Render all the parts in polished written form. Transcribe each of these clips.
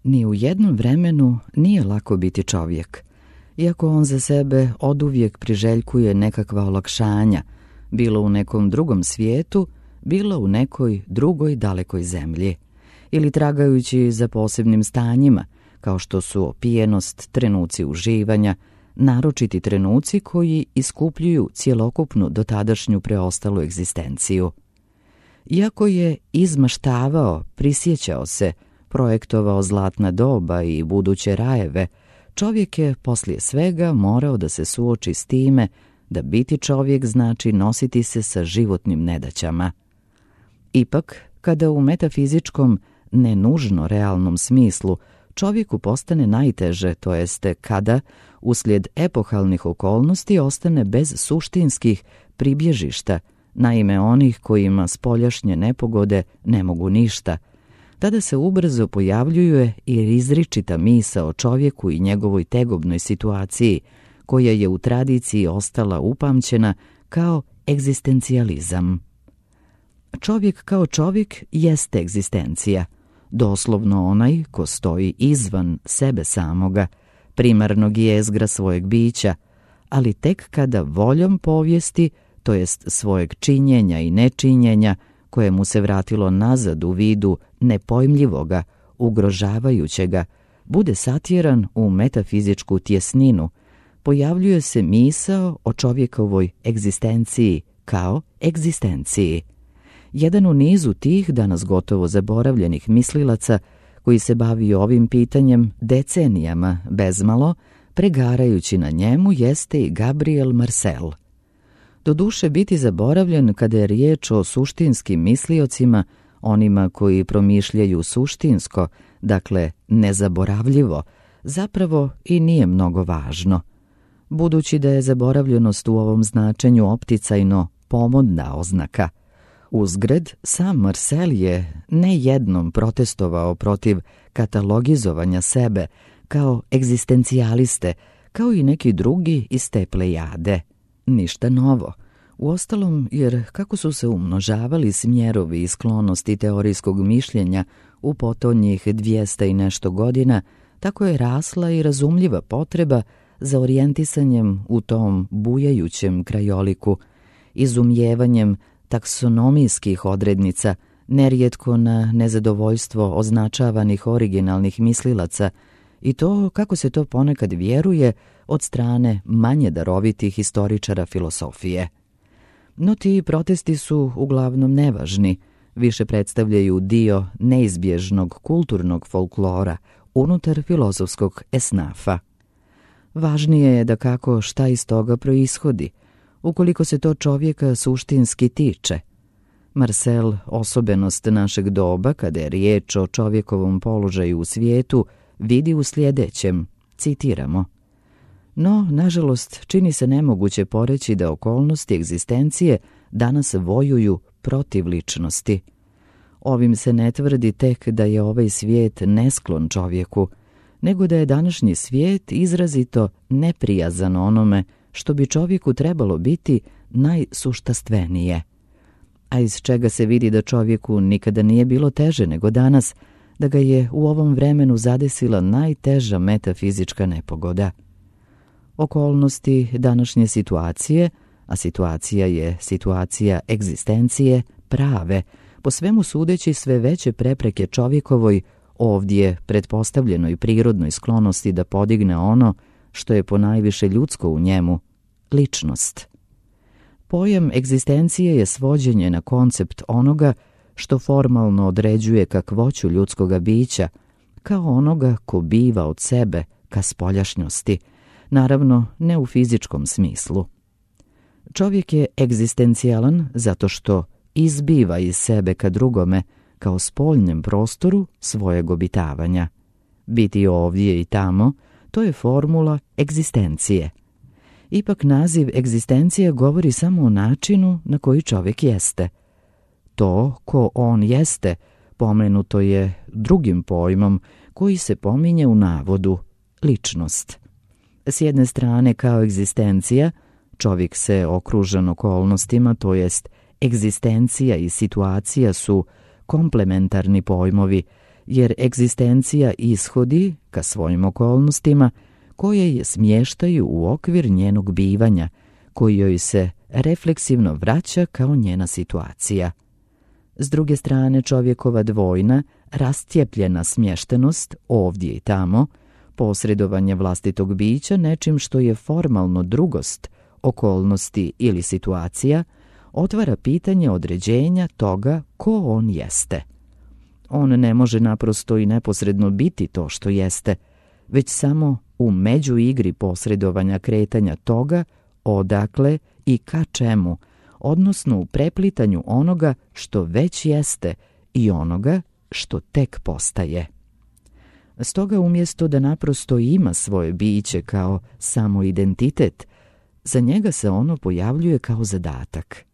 Ni u jednom vremenu nije lako biti čovjek, iako on za sebe oduvijek priželjkuje nekakva olakšanja, bilo u nekom drugom svijetu, bilo u nekoj drugoj dalekoj zemlji, ili tragajući za posebnim stanjima, kao što su opijenost, trenuci uživanja, naročiti trenuci koji iskupljuju cjelokupnu dotadašnju preostalu egzistenciju. Iako je izmaštavao, prisjećao se, projektovao zlatna doba i buduće rajeve, čovjek je poslije svega morao da se suoči s time da biti čovjek znači nositi se sa životnim nedaćama. Ipak, kada u metafizičkom, ne nužno realnom smislu, čovjeku postane najteže, to jeste kada, uslijed epohalnih okolnosti, ostane bez suštinskih pribježišta, naime onih kojima spoljašnje nepogode ne mogu ništa, tada se ubrzo pojavljuje i izričita misao o čovjeku i njegovoj tegobnoj situaciji, koja je u tradiciji ostala upamćena kao egzistencijalizam. Čovjek kao čovjek jeste egzistencija, doslovno onaj ko stoji izvan sebe samoga, primarnog jezgra svojeg bića, ali tek kada voljom povijesti, to jest svojeg činjenja i nečinjenja, koje mu se vratilo nazad u vidu nepojmljivoga, ugrožavajućega, bude satjeran u metafizičku tjesninu, pojavljuje se misao o čovjekovoj egzistenciji kao egzistenciji. Jedan u nizu tih danas gotovo zaboravljenih mislilaca koji se bavi ovim pitanjem decenijama bezmalo, pregarajući na njemu, jeste i Gabriel Marcel. Doduše biti zaboravljen kada je riječ o suštinskim misliocima, onima koji promišljaju suštinsko, dakle nezaboravljivo, zapravo i nije mnogo važno. Budući da je zaboravljenost u ovom značenju opticajno pomodna oznaka. Uzgred, sam Marcel je ne jednom protestovao protiv katalogizovanja sebe kao egzistencijaliste, kao i neki drugi iz te plejade. Ništa novo. Uostalom, jer kako su se umnožavali smjerovi i sklonosti teorijskog mišljenja u potonjih 200 i nešto godina, tako je rasla i razumljiva potreba za orijentisanjem u tom bujajućem krajoliku, izumijevanjem taksonomijskih odrednica, nerijetko na nezadovoljstvo označavanih originalnih mislilaca, i to, kako se to ponekad vjeruje, od strane manje darovitih historičara filosofije. No ti protesti su uglavnom nevažni, više predstavljaju dio neizbježnog kulturnog folklora unutar filozofskog esnafa. Važnije je da kako šta iz toga proishodi, ukoliko se to čovjeka suštinski tiče. Marcel osobenost našeg doba, kada je riječ o čovjekovom položaju u svijetu, vidi u sljedećem, citiramo: no, nažalost, čini se nemoguće poreći da okolnosti egzistencije danas vojuju protiv ličnosti. Ovim se ne tvrdi tek da je ovaj svijet nesklon čovjeku, nego da je današnji svijet izrazito neprijazan onome što bi čovjeku trebalo biti najsuštastvenije. A iz čega se vidi da čovjeku nikada nije bilo teže nego danas, da ga je u ovom vremenu zadesila najteža metafizička nepogoda. Okolnosti današnje situacije, a situacija je situacija egzistencije, prave, po svemu sudeći sve veće prepreke čovjekovoj, ovdje pretpostavljenoj prirodnoj sklonosti da podigne ono što je ponajviše ljudsko u njemu, ličnost. Pojam egzistencije je svođenje na koncept onoga što formalno određuje kakvoću ljudskoga bića, kao onoga ko biva od sebe ka spoljašnjosti, naravno ne u fizičkom smislu. Čovjek je egzistencijalan zato što izbiva iz sebe ka drugome, kao spoljnem prostoru svojeg obitavanja. Biti ovdje i tamo, to je formula egzistencije. Ipak naziv egzistencije govori samo o načinu na koji čovjek jeste. To ko on jeste pomenuto je drugim pojmom koji se pominje u navodu, ličnost. S jedne strane kao egzistencija, čovjek se okružen okolnostima, to jest egzistencija i situacija su komplementarni pojmovi, jer egzistencija ishodi ka svojim okolnostima koje je smještaju u okvir njenog bivanja, koji joj se refleksivno vraća kao njena situacija. S druge strane, čovjekova dvojna, rastjepljena smještenost ovdje i tamo, posredovanje vlastitog bića nečim što je formalno drugost, okolnosti ili situacija, otvara pitanje određenja toga ko on jeste. On ne može naprosto i neposredno biti to što jeste, već samo u međuigri posredovanja kretanja toga odakle i ka čemu, odnosno u preplitanju onoga što već jeste i onoga što tek postaje. Stoga umjesto da naprosto ima svoje biće kao samo identitet, za njega se ono pojavljuje kao zadatak.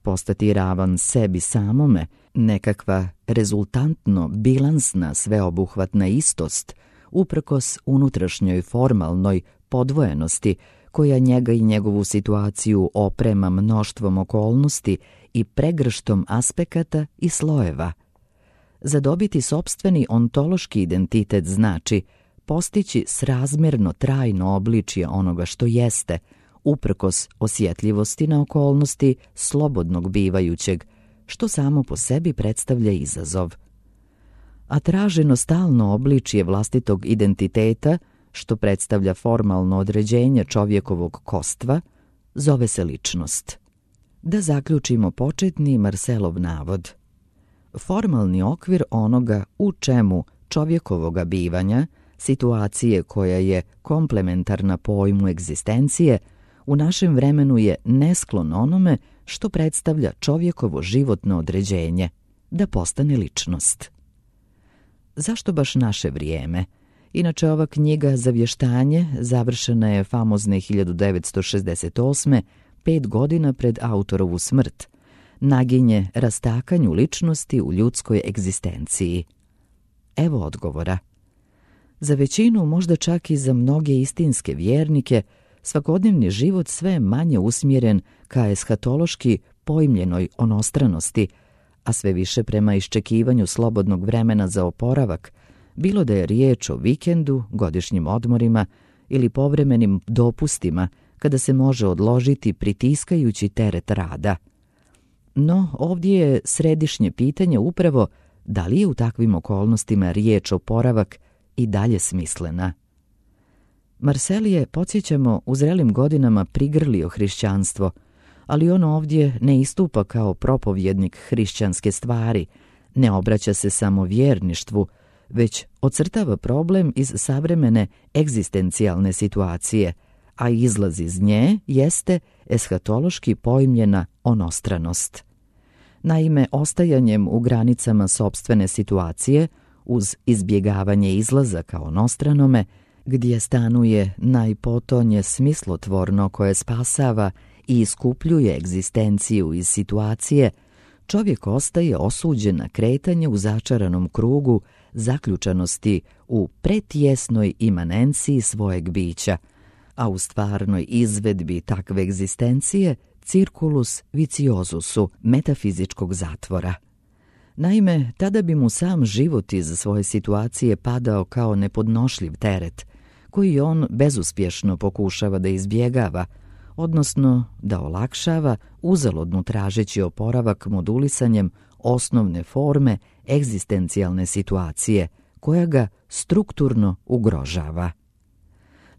Postati ravan sebi samome, nekakva rezultantno bilansna sveobuhvatna istost, uprkos unutrašnjoj formalnoj podvojenosti koja njega i njegovu situaciju oprema mnoštvom okolnosti i pregrštom aspekata i slojeva. Zadobiti sopstveni ontološki identitet znači postići srazmjerno trajno obličje onoga što jeste, uprkos osjetljivosti na okolnosti slobodnog bivajućeg, što samo po sebi predstavlja izazov. A traženo stalno obličje vlastitog identiteta, što predstavlja formalno određenje čovjekovog kostva, zove se ličnost. Da zaključimo početni Marselov navod. Formalni okvir onoga u čemu čovjekovoga bivanja, situacije koja je komplementarna pojmu egzistencije, u našem vremenu je nesklon onome što predstavlja čovjekovo životno određenje, da postane ličnost. Zašto baš naše vrijeme? Inače, ova knjiga Zavještanje završena je famozne 1968. 5 godina pred autorovu smrt, naginje rastakanju ličnosti u ljudskoj egzistenciji. Evo odgovora. Za većinu, možda čak i za mnoge istinske vjernike, svakodnevni život sve manje usmjeren ka eshatološki pojmljenoj onostranosti, a sve više prema iščekivanju slobodnog vremena za oporavak, bilo da je riječ o vikendu, godišnjim odmorima ili povremenim dopustima kada se može odložiti pritiskajući teret rada. No, ovdje je središnje pitanje upravo da li je u takvim okolnostima riječ oporavak i dalje smislena. Marcel je, podsjećamo, u zrelim godinama prigrlio hrišćanstvo, ali on ovdje ne istupa kao propovjednik hrišćanske stvari, ne obraća se samo vjerništvu, već ocrtava problem iz savremene egzistencijalne situacije, a izlaz iz nje jeste eshatološki pojmljena onostranost. Naime, ostajanjem u granicama sopstvene situacije, uz izbjegavanje izlaza kao onostranome, gdje stanuje najpotonje smislotvorno koje spasava i iskupljuje egzistenciju iz situacije, čovjek ostaje osuđen na kretanje u začaranom krugu zaključanosti u pretjesnoj imanenciji svojeg bića, a u stvarnoj izvedbi takve egzistencije circulus viciosusu metafizičkog zatvora. Naime, tada bi mu sam život iz svoje situacije padao kao nepodnošljiv teret, koji on bezuspješno pokušava da izbjegava, odnosno da olakšava uzaludno tražeći oporavak modulisanjem osnovne forme egzistencijalne situacije, koja ga strukturno ugrožava.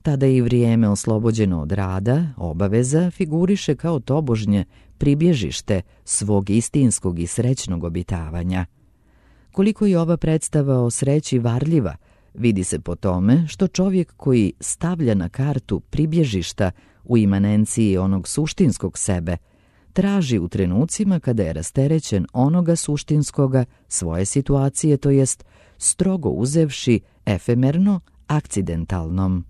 Tada i vrijeme oslobođeno od rada, obaveza, figuriše kao tobožnje pribježište svog istinskog i srećnog obitavanja. Koliko je ova predstava o sreći varljiva, vidi se po tome što čovjek koji stavlja na kartu pribježišta u imanenciji onog suštinskog sebe, traži u trenucima kada je rasterećen onoga suštinskoga svoje situacije, to jest strogo uzevši efemerno akcidentalnom.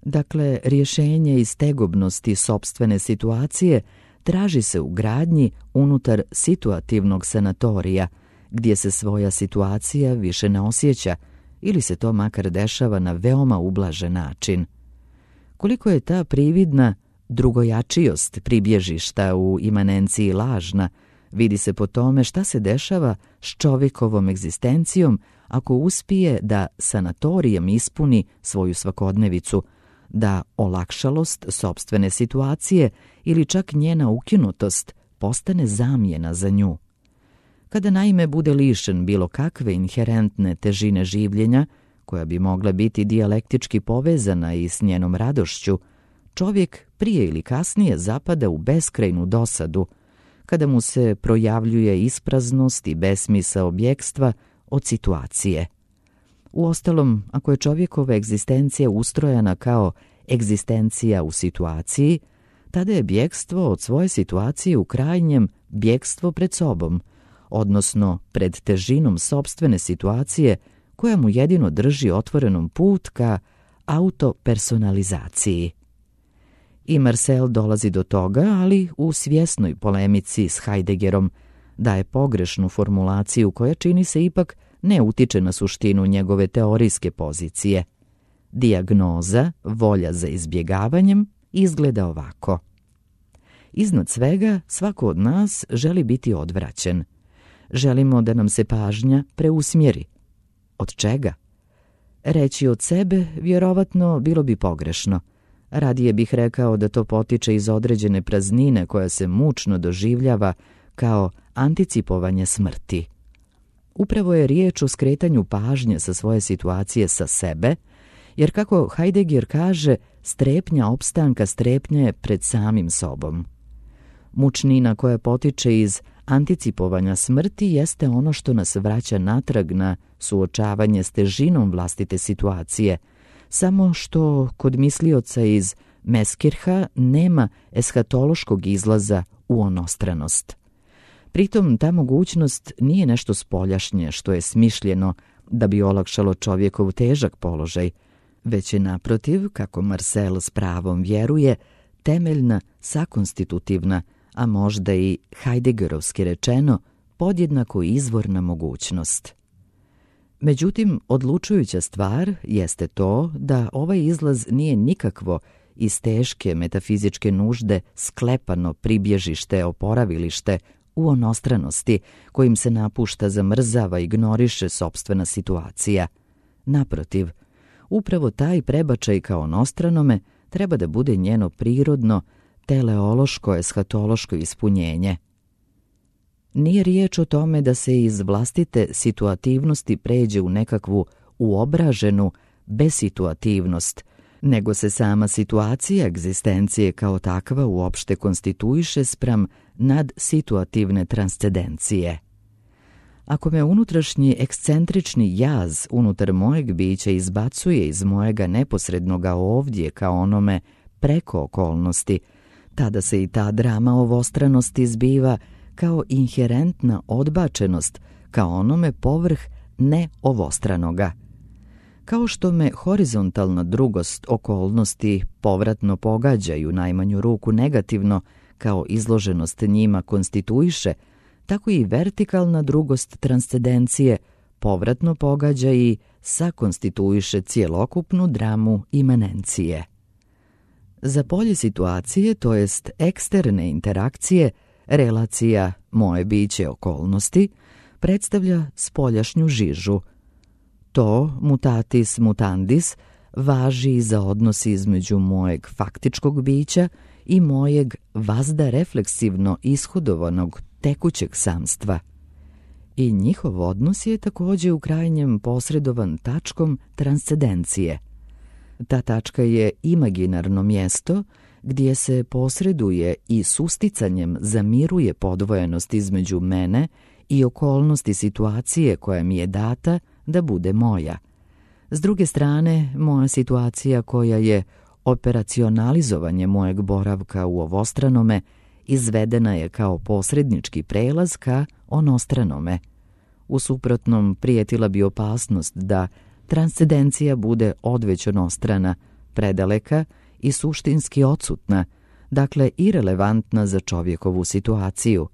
Dakle, rješenje iz tegobnosti sopstvene situacije traži se u gradnji unutar situativnog sanatorija, gdje se svoja situacija više ne osjeća ili se to makar dešava na veoma ublažen način. Koliko je ta prividna drugojačijost pribježišta u imanenciji lažna, Vidi se po tome šta se dešava s čovjekovom egzistencijom ako uspije da sanatorijem ispuni svoju svakodnevicu, da olakšalost sopstvene situacije ili čak njena ukinutost postane zamjena za nju. Kada naime bude lišen bilo kakve inherentne težine življenja, koja bi mogla biti dijalektički povezana i s njenom radošću, čovjek prije ili kasnije zapada u beskrajnu dosadu, kada mu se projavljuje ispraznost i besmisao bjegstva od situacije. Uostalom, ako je čovjekova egzistencija ustrojena kao egzistencija u situaciji, tada je bjegstvo od svoje situacije u krajnjem bjegstvo pred sobom, odnosno pred težinom sopstvene situacije koja mu jedino drži otvorenom put ka autopersonalizaciji. I Marcel dolazi do toga, ali u svjesnoj polemici s Heideggerom, daje pogrešnu formulaciju koja čini se ipak ne utiče na suštinu njegove teorijske pozicije. Dijagnoza, volja za izbjegavanjem, izgleda ovako. Iznad svega, svako od nas želi biti odvraćen. Želimo da nam se pažnja preusmjeri. Od čega? Reći od sebe vjerovatno bilo bi pogrešno. Radije bih rekao da to potiče iz određene praznine koja se mučno doživljava kao anticipovanje smrti. Upravo je riječ o skretanju pažnje sa svoje situacije sa sebe, jer kako Heidegger kaže, strepnja opstanka strepnja je pred samim sobom. Mučnina koja potiče iz anticipovanja smrti jeste ono što nas vraća natrag na suočavanje s težinom vlastite situacije, samo što kod mislioca iz Meskirha nema eshatološkog izlaza u onostranost. Pritom ta mogućnost nije nešto spoljašnje što je smišljeno da bi olakšalo čovjekov težak položaj, već je naprotiv, kako Marcel s pravom vjeruje, temeljna, sakonstitutivna, a možda i Heideggerovski rečeno, podjednako izvorna mogućnost. Međutim, odlučujuća stvar jeste to da ovaj izlaz nije nikakvo iz teške metafizičke nužde sklepano pribježište, oporavilište u onostranosti kojim se napušta, zamrzava, ignoriše sopstvena situacija. Naprotiv, upravo taj prebačaj kao onostranome treba da bude njeno prirodno, teleološko, eshatološko ispunjenje. Nije riječ o tome da se iz vlastite situativnosti pređe u nekakvu uobraženu besituativnost, nego se sama situacija egzistencije kao takva uopšte konstituiše spram nadsituativne transcendencije. Ako me unutrašnji ekscentrični jaz unutar mojeg bića izbacuje iz mojega neposrednoga ovdje kao onome preko okolnosti, tada se i ta drama ovostranosti zbiva kao inherentna odbačenost kao onome povrh neovostranoga. Kao što me horizontalna drugost okolnosti povratno pogađaju najmanju ruku negativno kao izloženost njima konstituiše, tako i vertikalna drugost transcendencije povratno pogađa i sakonstituiše cjelokupnu dramu imanencije. Za polje situacije, to jest eksterne interakcije, relacija moje biće okolnosti predstavlja spoljašnju žižu. To, mutatis mutandis, važi i za odnos između mojeg faktičkog bića i mojeg vazda refleksivno ishodovanog tekućeg samstva. I njihov odnos je također u krajnjem posredovan tačkom transcendencije. Ta tačka je imaginarno mjesto gdje se posreduje i susticanjem zamiruje podvojenost između mene i okolnosti situacije koja mi je data da bude moja. S druge strane, moja situacija koja je operacionalizovanje mojeg boravka u ovostranome izvedena je kao posrednički prelaz ka onostranome. U suprotnom prijetila bi opasnost da transcendencija bude odveć onostrana, predaleka i suštinski odsutna, dakle irelevantna za čovjekovu situaciju.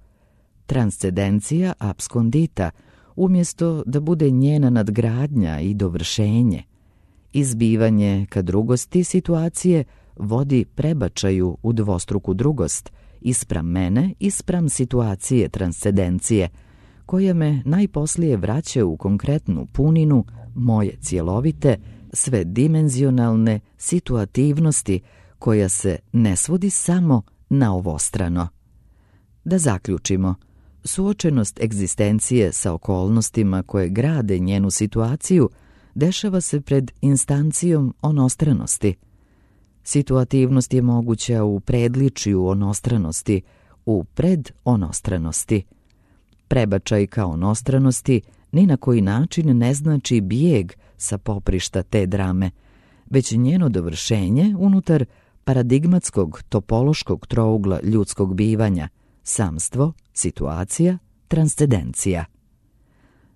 Transcendencija abskondita, umjesto da bude njena nadgradnja i dovršenje. Izbivanje ka drugosti situacije vodi prebačaju u dvostruku drugost ispram mene, ispram situacije transcendencije, koja me najposlije vraća u konkretnu puninu moje cjelovite, svedimenzionalne situativnosti koja se ne svodi samo na ovostrano. Da zaključimo, suočenost egzistencije sa okolnostima koje grade njenu situaciju dešava se pred instancijom onostranosti. Situativnost je moguća u predličju onostranosti, u predonostranosti. Prebačaj ka onostranosti ni na koji način ne znači bijeg sa poprišta te drame, već njeno dovršenje unutar paradigmatskog topološkog trougla ljudskog bivanja, samstvo, situacija, transcendencija.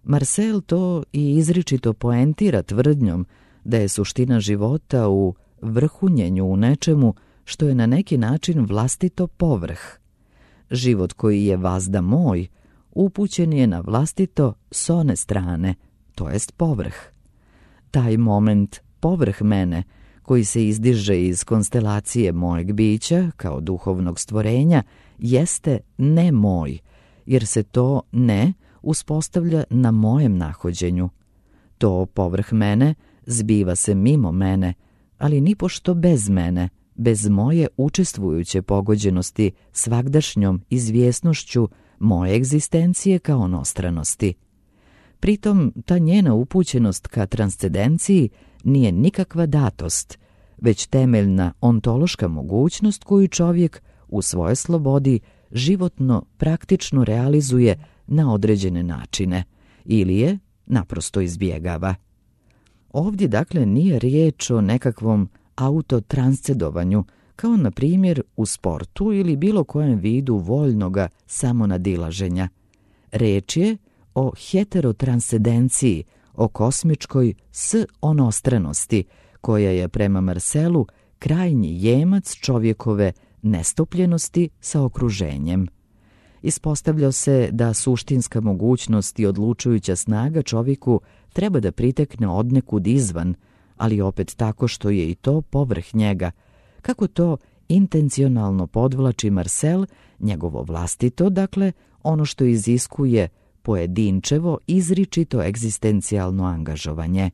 Marcel to i izričito poentira tvrdnjom da je suština života u vrhunjenju u nečemu što je na neki način vlastito povrh. Život koji je vazda moj upućen je na vlastito s one strane, to jest povrh. Taj moment povrh mene, koji se izdiže iz konstelacije mojeg bića kao duhovnog stvorenja, jeste ne moj, jer se to ne uspostavlja na mojem nahođenju. To povrh mene zbiva se mimo mene, ali nipošto bez mene, bez moje učestvujuće pogođenosti svagdašnjom izvjesnošću moje egzistencije kao onostranosti. Pritom, ta njena upućenost ka transcendenciji nije nikakva datost, već temeljna ontološka mogućnost koju čovjek u svojoj slobodi životno praktično realizuje na određene načine ili je naprosto izbjegava. Ovdje dakle nije riječ o nekakvom autotranscedovanju, kao na primjer u sportu ili bilo kojem vidu voljnoga samonadilaženja. Reč je o heterotranscendenciji, o kosmičkoj s-onostranosti, koja je prema Marcelu krajnji jemac čovjekove nestopljenosti sa okruženjem. Ispostavlja se da suštinska mogućnost i odlučujuća snaga čovjeku treba da pritekne odnekud izvan, ali opet tako što je i to povrh njega, kako to intencionalno podvlači Marcel, njegovo vlastito, dakle ono što iziskuje pojedinčevo, izričito egzistencijalno angažovanje.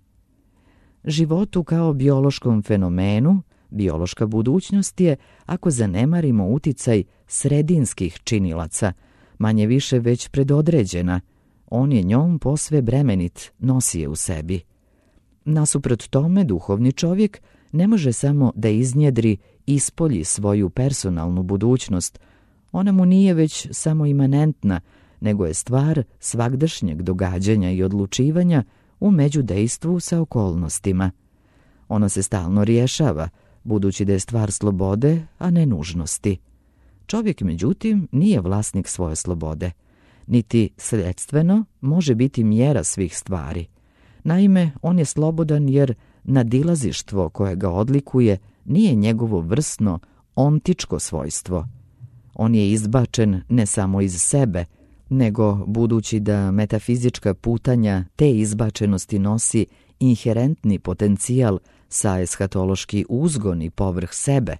Životu kao biološkom fenomenu, biološka budućnost je, ako zanemarimo uticaj sredinskih činilaca, manje više već predodređena. On je njom posve bremenit, nosi je u sebi. Nasuprot tome, duhovni čovjek ne može samo da iznjedri, ispolji svoju personalnu budućnost. Ona mu nije već samo imanentna, nego je stvar svagdašnjeg događanja i odlučivanja u međudejstvu sa okolnostima. Ona se stalno rješava, budući da je stvar slobode, a ne nužnosti. Čovjek, međutim, nije vlasnik svoje slobode, niti sredstveno može biti mjera svih stvari. Naime, on je slobodan jer nadilazištvo koje ga odlikuje nije njegovo vrsno, ontičko svojstvo. On je izbačen ne samo iz sebe, nego budući da metafizička putanja te izbačenosti nosi inherentni potencijal sa eshatološki uzgon i povrh sebe.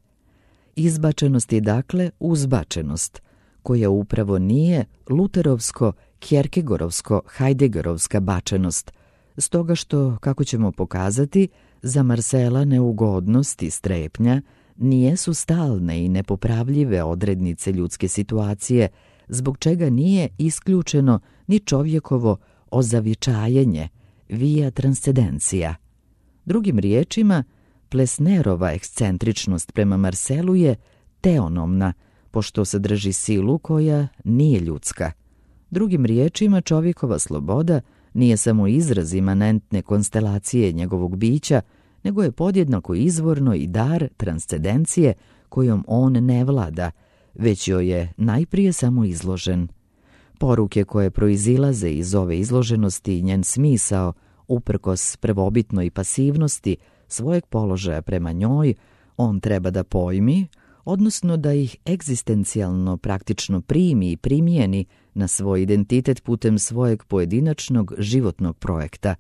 Izbačenost je dakle uzbačenost, koja upravo nije luterovsko-kjerkegorovsko-hajdegerovska bačenost, stoga što, kako ćemo pokazati, za Marcela neugodnost i strepnja nijesu stalne i nepopravljive odrednice ljudske situacije, zbog čega nije isključeno ni čovjekovo ozavičajenje, via transcendencija. Drugim riječima, Plesnerova ekscentričnost prema Marcelu je teonomna, pošto sadrži silu koja nije ljudska. Drugim riječima, čovjekova sloboda nije samo izraz imanentne konstelacije njegovog bića, nego je podjednako izvorno i dar transcendencije kojom on ne vlada, već joj je najprije samo izložen. Poruke koje proizilaze iz ove izloženosti i njen smisao, uprkos prvobitnoj pasivnosti svojeg položaja prema njoj, on treba da pojmi, odnosno da ih egzistencijalno praktično primi i primijeni na svoj identitet putem svojeg pojedinačnog životnog projekta.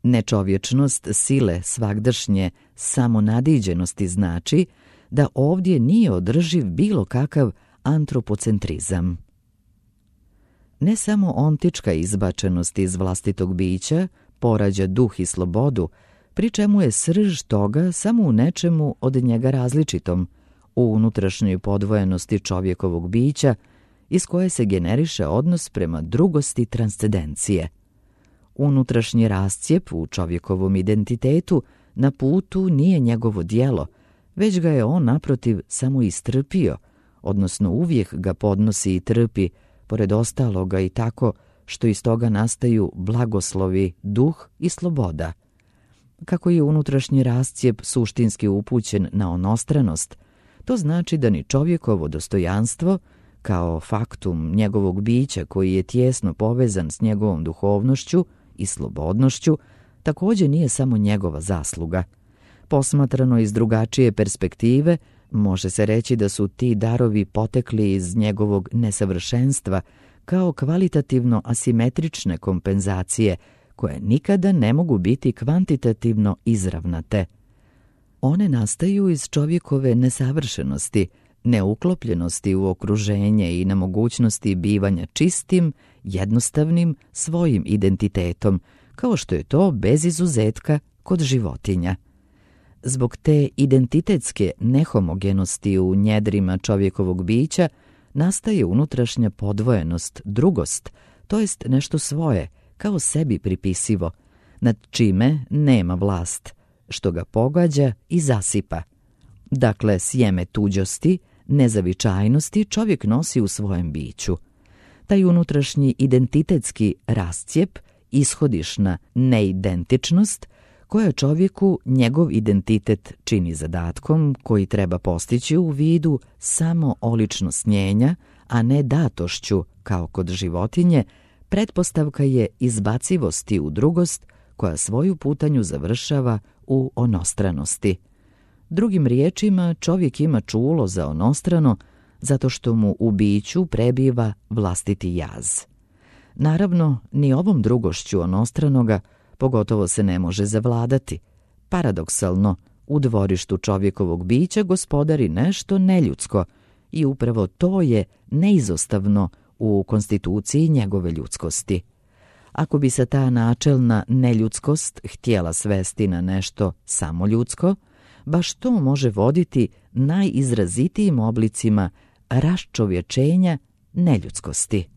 Nečovječnost sile svagdašnje samonadiđenosti znači da ovdje nije održiv bilo kakav antropocentrizam. Ne samo ontička izbačenost iz vlastitog bića porađa duh i slobodu, pri čemu je srž toga samo u nečemu od njega različitom, u unutrašnjoj podvojenosti čovjekovog bića iz koje se generiše odnos prema drugosti transcendencije. Unutrašnji rascijep u čovjekovom identitetu na putu nije njegovo djelo, već ga je on naprotiv samo istrpio, odnosno uvijek ga podnosi i trpi, pored ostaloga i tako što iz toga nastaju blagoslovi, duh i sloboda. Kako je unutrašnji rascijep suštinski upućen na onostranost, to znači da ni čovjekovo dostojanstvo, kao faktum njegovog bića koji je tijesno povezan s njegovom duhovnošću i slobodnošću, također nije samo njegova zasluga. Posmatrano iz drugačije perspektive, može se reći da su ti darovi potekli iz njegovog nesavršenstva kao kvalitativno asimetrične kompenzacije koje nikada ne mogu biti kvantitativno izravnate. One nastaju iz čovjekove nesavršenosti, neuklopljenosti u okruženje i nemogućnosti bivanja čistim, jednostavnim, svojim identitetom, kao što je to bez izuzetka kod životinja. Zbog te identitetske nehomogenosti u njedrima čovjekovog bića nastaje unutrašnja podvojenost, drugost, to jest nešto svoje, kao sebi pripisivo, nad čime nema vlast, što ga pogađa i zasipa. Dakle, sjeme tuđosti, nezavičajnosti čovjek nosi u svojem biću. Taj unutrašnji identitetski rascijep, ishodišna neidentičnost, koja čovjeku njegov identitet čini zadatkom koji treba postići u vidu samo oličnosnjenja, a ne datošću kao kod životinje, pretpostavka je izbacivosti u drugost koja svoju putanju završava u onostranosti. Drugim riječima, čovjek ima čulo za onostrano zato što mu u biću prebiva vlastiti jaz. Naravno, ni ovom drugošću onostranoga pogotovo se ne može zavladati. Paradoksalno, u dvorištu čovjekovog bića gospodari nešto neljudsko i upravo to je neizostavno u konstituciji njegove ljudskosti. Ako bi se ta načelna neljudskost htjela svesti na nešto samo ljudsko, baš to može voditi najizrazitijim oblicima raščovječenja neljudskosti.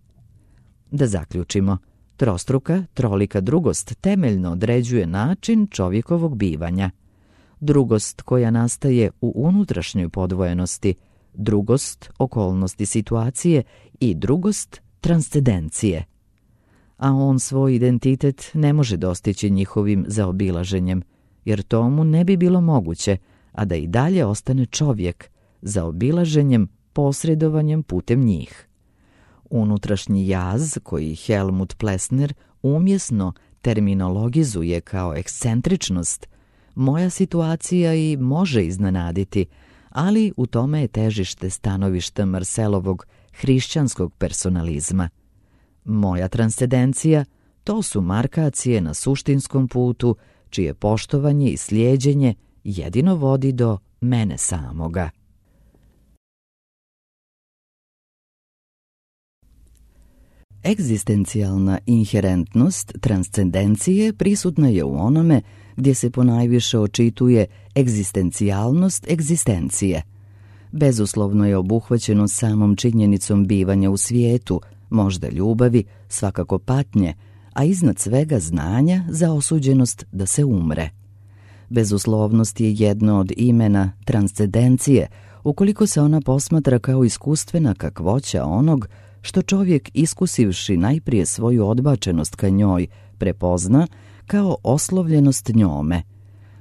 Da zaključimo, trostruka, trolika drugost temeljno određuje način čovjekovog bivanja. Drugost koja nastaje u unutrašnjoj podvojenosti, drugost okolnosti situacije i drugost transcendencije. A on svoj identitet ne može dostići njihovim zaobilaženjem, jer to mu ne bi bilo moguće, a da i dalje ostane čovjek, zaobilaženjem, posredovanjem putem njih. Unutrašnji jaz, koji Helmut Plessner umjesno terminologizuje kao ekscentričnost, moja situacija i može iznenaditi, ali u tome je težište stanovišta Marcelovog hrišćanskog personalizma. Moja transcendencija, to su markacije na suštinskom putu, čije poštovanje i slijeđenje jedino vodi do mene samoga. Egzistencijalna inherentnost transcendencije prisutna je u onome gdje se ponajviše očituje egzistencijalnost egzistencije. Bezuslovno je obuhvaćeno samom činjenicom bivanja u svijetu, možda ljubavi, svakako patnje, a iznad svega znanja za osuđenost da se umre. Bezuslovnost je jedno od imena transcendencije, ukoliko se ona posmatra kao iskustvena kakvoća onog što čovjek, iskusivši najprije svoju odbačenost ka njoj, prepozna kao oslovljenost njome.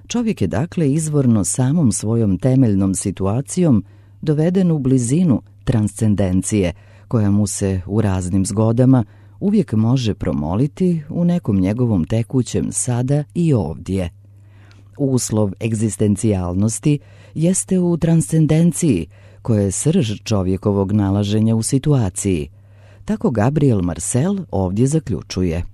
Čovjek je dakle izvorno samom svojom temeljnom situacijom doveden u blizinu transcendencije, koja mu se u raznim zgodama uvijek može promoliti u nekom njegovom tekućem sada i ovdje. Uslov egzistencijalnosti jeste u transcendenciji, koja je srž čovjekovog nalaženja u situaciji. Tako Gabriel Marcel ovdje zaključuje.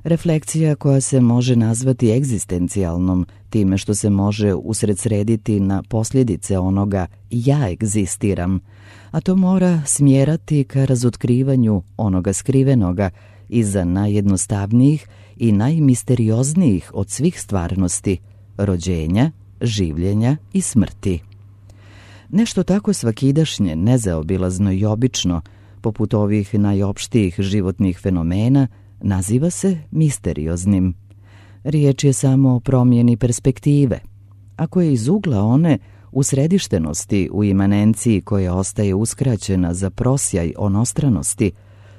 refleksija koja se može nazvati egzistencijalnom, time što se može usredsrediti na posljedice onoga ja egzistiram, a to mora smjerati ka razotkrivanju onoga skrivenoga iza najjednostavnijih i najmisterioznijih od svih stvarnosti, rođenja, življenja i smrti. Nešto tako svakidašnje, nezaobilazno i obično, poput ovih najopštijih životnih fenomena, naziva se misterioznim. Riječ je samo o promjeni perspektive. Ako je iz ugla one usredištenosti u imanenciji koja ostaje uskraćena za prosjaj onostranosti,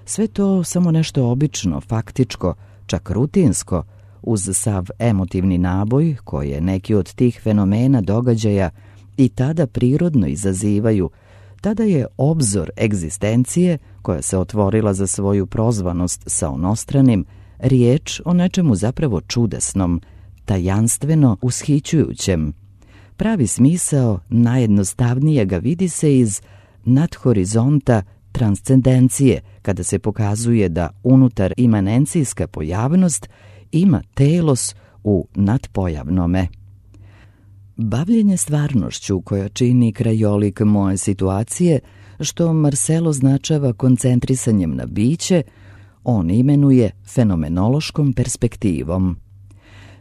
sve to samo nešto obično, faktičko, čak rutinsko, uz sav emotivni naboj koje neki od tih fenomena događaja i tada prirodno izazivaju, tada je obzor egzistencije, koja se otvorila za svoju prozvanost sa onostranim, riječ o nečemu zapravo čudesnom, tajanstveno ushićujućem. Pravi smisao najjednostavnijega vidi se iz nadhorizonta transcendencije, kada se pokazuje da unutar imanencijska pojavnost ima telos u nadpojavnome. Bavljenje stvarnošću koja čini krajolik moje situacije, što Marcel označava koncentrisanjem na biće, on imenuje fenomenološkom perspektivom.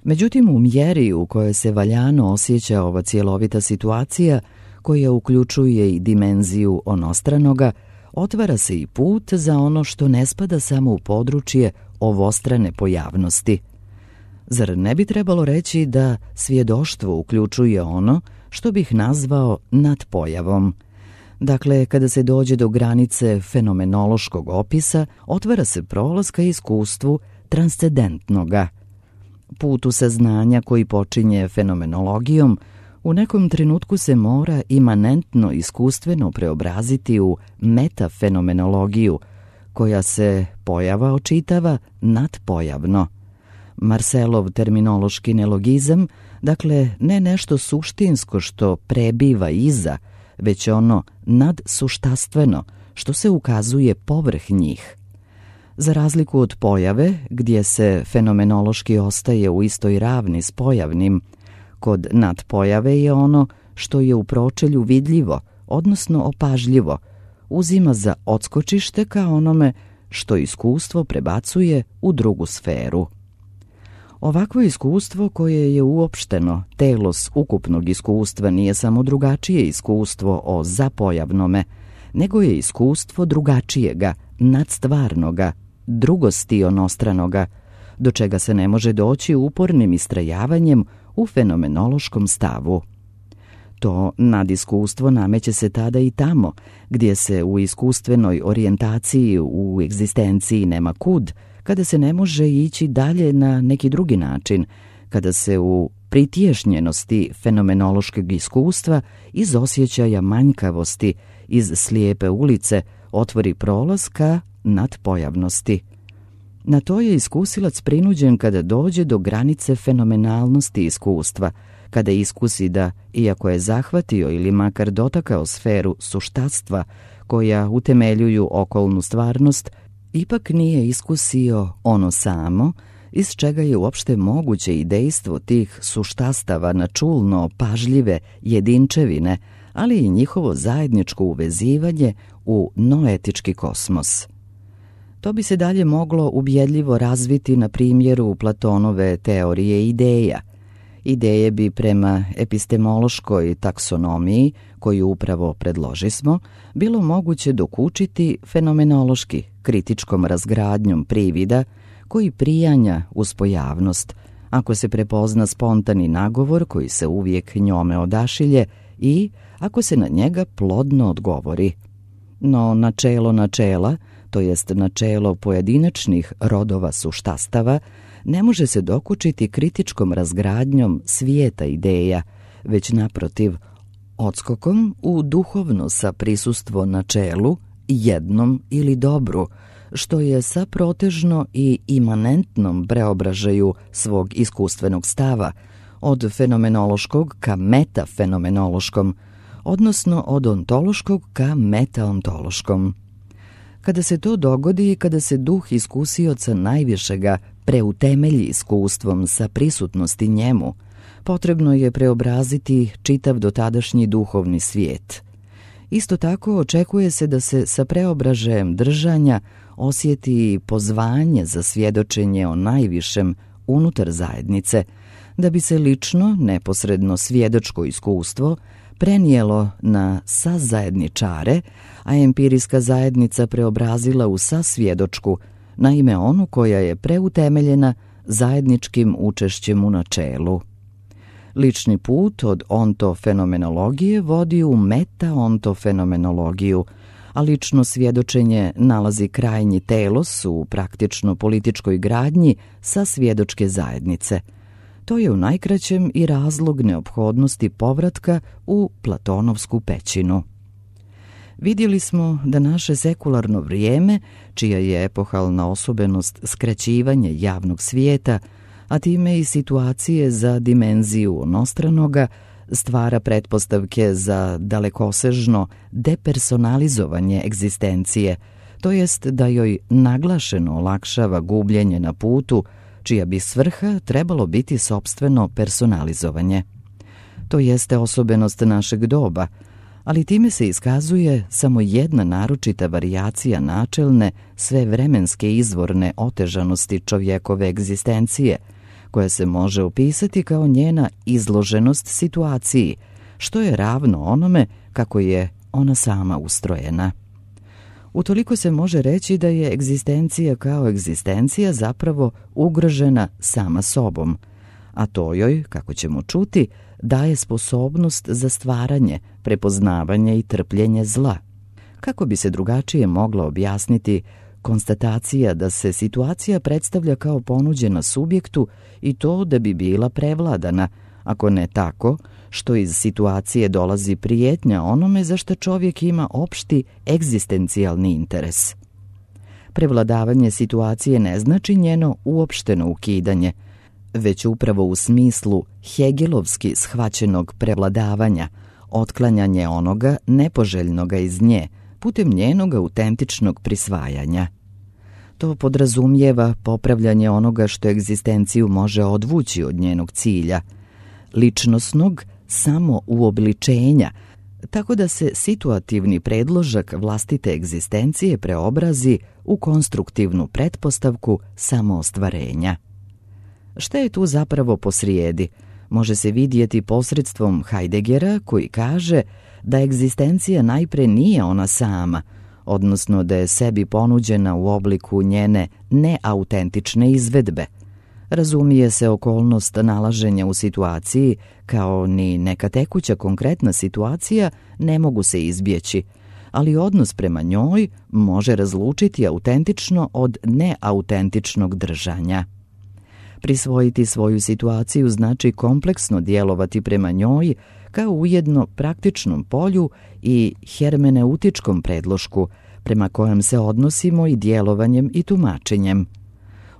Međutim, u mjeri u kojoj se valjano osjeća ova cjelovita situacija, koja uključuje i dimenziju onostranoga, otvara se i put za ono što ne spada samo u područje ovostrane pojavnosti. Zar ne bi trebalo reći da svjedoštvo uključuje ono što bih nazvao nadpojavom? Dakle, kada se dođe do granice fenomenološkog opisa, otvara se prolaz ka iskustvu transcendentnoga. Put u saznanja koji počinje fenomenologijom u nekom trenutku se mora imanentno iskustveno preobraziti u metafenomenologiju, koja se pojava očitava nadpojavno. Marcelov terminološki nelogizam, dakle ne nešto suštinsko što prebiva iza, već ono nadsuštastveno što se ukazuje povrh njih. Za razliku od pojave, gdje se fenomenološki ostaje u istoj ravni s pojavnim, kod nadpojave je ono što je u pročelju vidljivo, odnosno opažljivo, uzima za odskočište ka onome što iskustvo prebacuje u drugu sferu. Ovakvo iskustvo koje je uopšteno, telos ukupnog iskustva, nije samo drugačije iskustvo o zapojavnome, nego je iskustvo drugačijega, nadstvarnoga, drugosti onostranoga, do čega se ne može doći upornim istrajavanjem u fenomenološkom stavu. To nadiskustvo nameće se tada i tamo, gdje se u iskustvenoj orijentaciji u egzistenciji nema kud, kada se ne može ići dalje na neki drugi način, kada se u pritješnjenosti fenomenološkog iskustva iz osjećaja manjkavosti, iz slijepe ulice, otvori prolaz ka nadpojavnosti. Na to je iskusilac prinuđen kada dođe do granice fenomenalnosti iskustva, kada iskusi da, iako je zahvatio ili makar dotakao sferu suštatstva koja utemeljuju okolnu stvarnost, ipak nije iskusio ono samo, iz čega je uopšte moguće i dejstvo tih suštastava na čulno pažljive jedinčevine, ali i njihovo zajedničko uvezivanje u noetički kosmos. To bi se dalje moglo ubjedljivo razviti na primjeru Platonove teorije ideja. Ideje bi prema epistemološkoj taksonomiji, koju upravo predložismo, bilo moguće dokučiti fenomenološki, kritičkom razgradnjom privida, koji prijanja uz pojavnost, ako se prepozna spontani nagovor koji se uvijek njome odašilje i ako se na njega plodno odgovori. No načelo načela, to jest načelo pojedinačnih rodova suštastava, ne može se dokučiti kritičkom razgradnjom svijeta ideja, već naprotiv, odskokom u duhovno sa prisustvo načelu, jednom ili dobru, što je sa protežno i imanentnom preobražaju svog iskustvenog stava, od fenomenološkog ka metafenomenološkom, odnosno od ontološkog ka metaontološkom. Kada se to dogodi i kada se duh iskusioca najvišega preutemelji iskustvom sa prisutnosti njemu, potrebno je preobraziti čitav dotadašnji duhovni svijet. Isto tako očekuje se da se sa preobražajem držanja osjeti pozvanje za svjedočenje o najvišem unutar zajednice, da bi se lično, neposredno svjedočko iskustvo prenijelo na sazajedničare, a empirijska zajednica preobrazila u sasvjedočku, naime onu koja je preutemeljena zajedničkim učešćem u načelu. Lični put od ontofenomenologije vodi u meta-ontofenomenologiju, a lično svjedočenje nalazi krajnji telos u praktično političkoj gradnji sa svjedočke zajednice. To je u najkraćem i razlog neophodnosti povratka u Platonovsku pećinu. Vidjeli smo da naše sekularno vrijeme, čija je epohalna osobenost skraćivanje javnog svijeta, a time i situacije za dimenziju onostranoga, stvara pretpostavke za dalekosežno depersonalizovanje egzistencije, to jest da joj naglašeno olakšava gubljenje na putu, čija bi svrha trebalo biti sopstveno personalizovanje. To jeste osobenost našeg doba, ali time se iskazuje samo jedna naročita varijacija načelne, svevremenske izvorne otežanosti čovjekove egzistencije, koja se može opisati kao njena izloženost situaciji, što je ravno onome kako je ona sama ustrojena. Utoliko se može reći da je egzistencija kao egzistencija zapravo ugrožena sama sobom, a to joj, kako ćemo čuti, daje sposobnost za stvaranje, prepoznavanje i trpljenje zla. Kako bi se drugačije mogla objasniti konstatacija da se situacija predstavlja kao ponuđena subjektu i to da bi bila prevladana, ako ne tako, što iz situacije dolazi prijetnja onome za što čovjek ima opšti egzistencijalni interes. Prevladavanje situacije ne znači njeno uopšteno ukidanje, već upravo u smislu hegelovski shvaćenog prevladavanja, otklanjanje onoga nepoželjnoga iz nje putem njenog autentičnog prisvajanja. To podrazumijeva popravljanje onoga što egzistenciju može odvući od njenog cilja, ličnosnog samouobličenja, tako da se situativni predložak vlastite egzistencije preobrazi u konstruktivnu pretpostavku samoostvarenja. Šta je tu zapravo posrijedi? Može se vidjeti posredstvom Heideggera, koji kaže da egzistencija najpre nije ona sama, odnosno da je sebi ponuđena u obliku njene neautentične izvedbe. Razumije se okolnost nalaženja u situaciji, kao ni neka tekuća konkretna situacija ne mogu se izbjeći, ali odnos prema njoj može razlučiti autentično od neautentičnog držanja. Prisvojiti svoju situaciju znači kompleksno djelovati prema njoj kao ujedno praktičnom polju i hermeneutičkom predlošku prema kojem se odnosimo i djelovanjem i tumačenjem.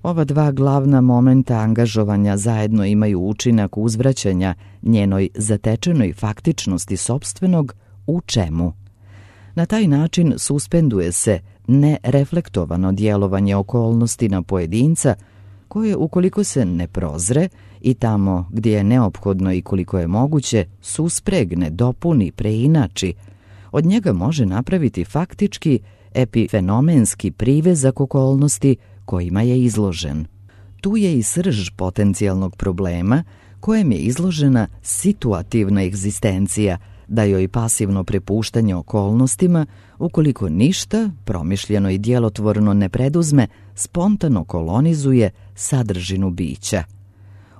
Ova dva glavna momenta angažovanja zajedno imaju učinak uzvraćanja njenoj zatečenoj faktičnosti sopstvenog u čemu. Na taj način suspenduje se nereflektovano djelovanje okolnosti na pojedinca koje, ukoliko se ne prozre i tamo gdje je neophodno i koliko je moguće, suspregne, dopuni, preinači, od njega može napraviti faktički epifenomenski privezak okolnosti kojima je izložen. Tu je i srž potencijalnog problema kojem je izložena situativna egzistencija, da joj pasivno prepuštanje okolnostima, ukoliko ništa, promišljeno i djelotvorno ne preduzme, spontano kolonizuje sadržinu bića.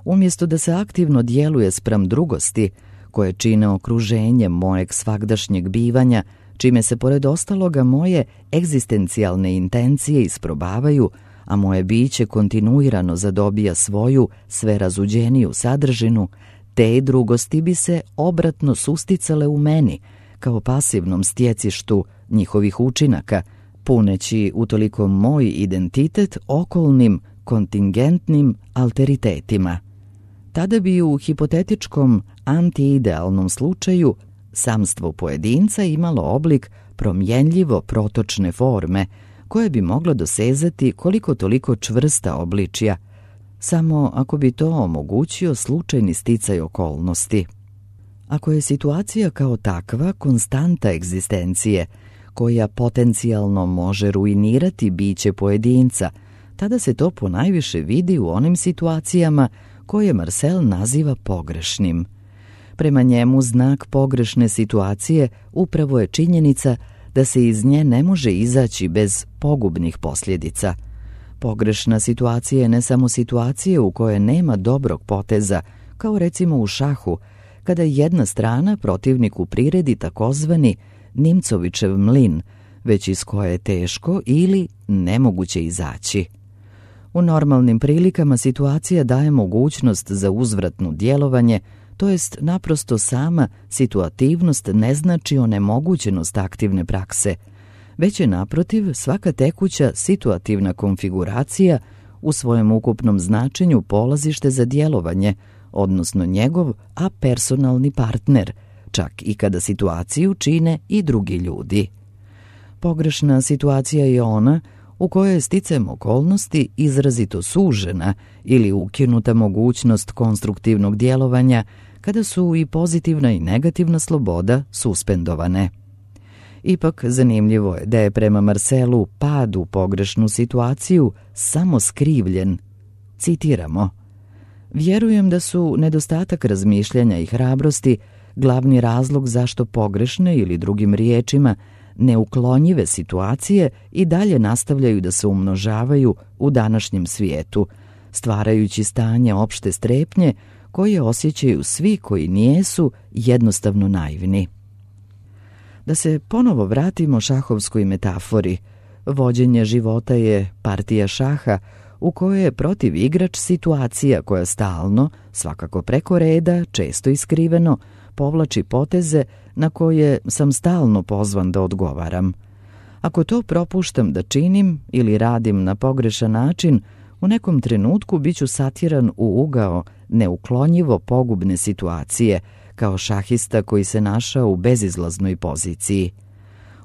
Umjesto da se aktivno djeluje spram drugosti, koje čine okruženje mojeg svagdašnjeg bivanja, čime se pored ostaloga moje egzistencijalne intencije isprobavaju, a moje biće kontinuirano zadobija svoju sve razuđeniju sadržinu, te drugosti bi se obratno susticale u meni, kao pasivnom stjecištu njihovih učinaka, puneći utoliko moj identitet okolnim kontingentnim alteritetima. Tada bi u hipotetičkom antiidealnom slučaju samstvo pojedinca imalo oblik promjenljivo protočne forme, koje bi mogla dosezati koliko toliko čvrsta obličja, samo ako bi to omogućio slučajni sticaj okolnosti. Ako je situacija kao takva konstanta egzistencije, koja potencijalno može ruinirati biće pojedinca, tada se to ponajviše vidi u onim situacijama koje Marcel naziva pogrešnim. Prema njemu znak pogrešne situacije upravo je činjenica da se iz nje ne može izaći bez pogubnih posljedica. Pogrešna situacija je ne samo situacija u kojoj nema dobrog poteza, kao recimo u šahu, kada jedna strana protivniku priredi takozvani Nimcovićev mlin, već iz koje je teško ili nemoguće izaći. U normalnim prilikama situacija daje mogućnost za uzvratno djelovanje, to jest naprosto sama situativnost ne znači onemogućenost aktivne prakse, već je naprotiv svaka tekuća situativna konfiguracija u svojem ukupnom značenju polazište za djelovanje, odnosno njegov apersonalni partner, čak i kada situaciju čine i drugi ljudi. Pogrešna situacija je ona u kojoj je sticajem okolnosti izrazito sužena ili ukinuta mogućnost konstruktivnog djelovanja, kada su i pozitivna i negativna sloboda suspendovane. Ipak zanimljivo je da je prema Marcelu pad u pogrešnu situaciju samo skrivljen. Citiramo: "Vjerujem da su nedostatak razmišljanja i hrabrosti glavni razlog zašto pogrešne ili drugim riječima neuklonjive situacije i dalje nastavljaju da se umnožavaju u današnjem svijetu, stvarajući stanje opšte strepnje koje osjećaju svi koji nijesu jednostavno naivni." Da se ponovo vratimo šahovskoj metafori, vođenje života je partija šaha u kojoj je protiv igrač situacija koja stalno, svakako preko reda, često iskriveno, povlači poteze na koje sam stalno pozvan da odgovaram. Ako to propuštam da činim ili radim na pogrešan način, u nekom trenutku biću satjeran u ugao neuklonjivo pogubne situacije, kao šahista koji se našao u bezizlaznoj poziciji.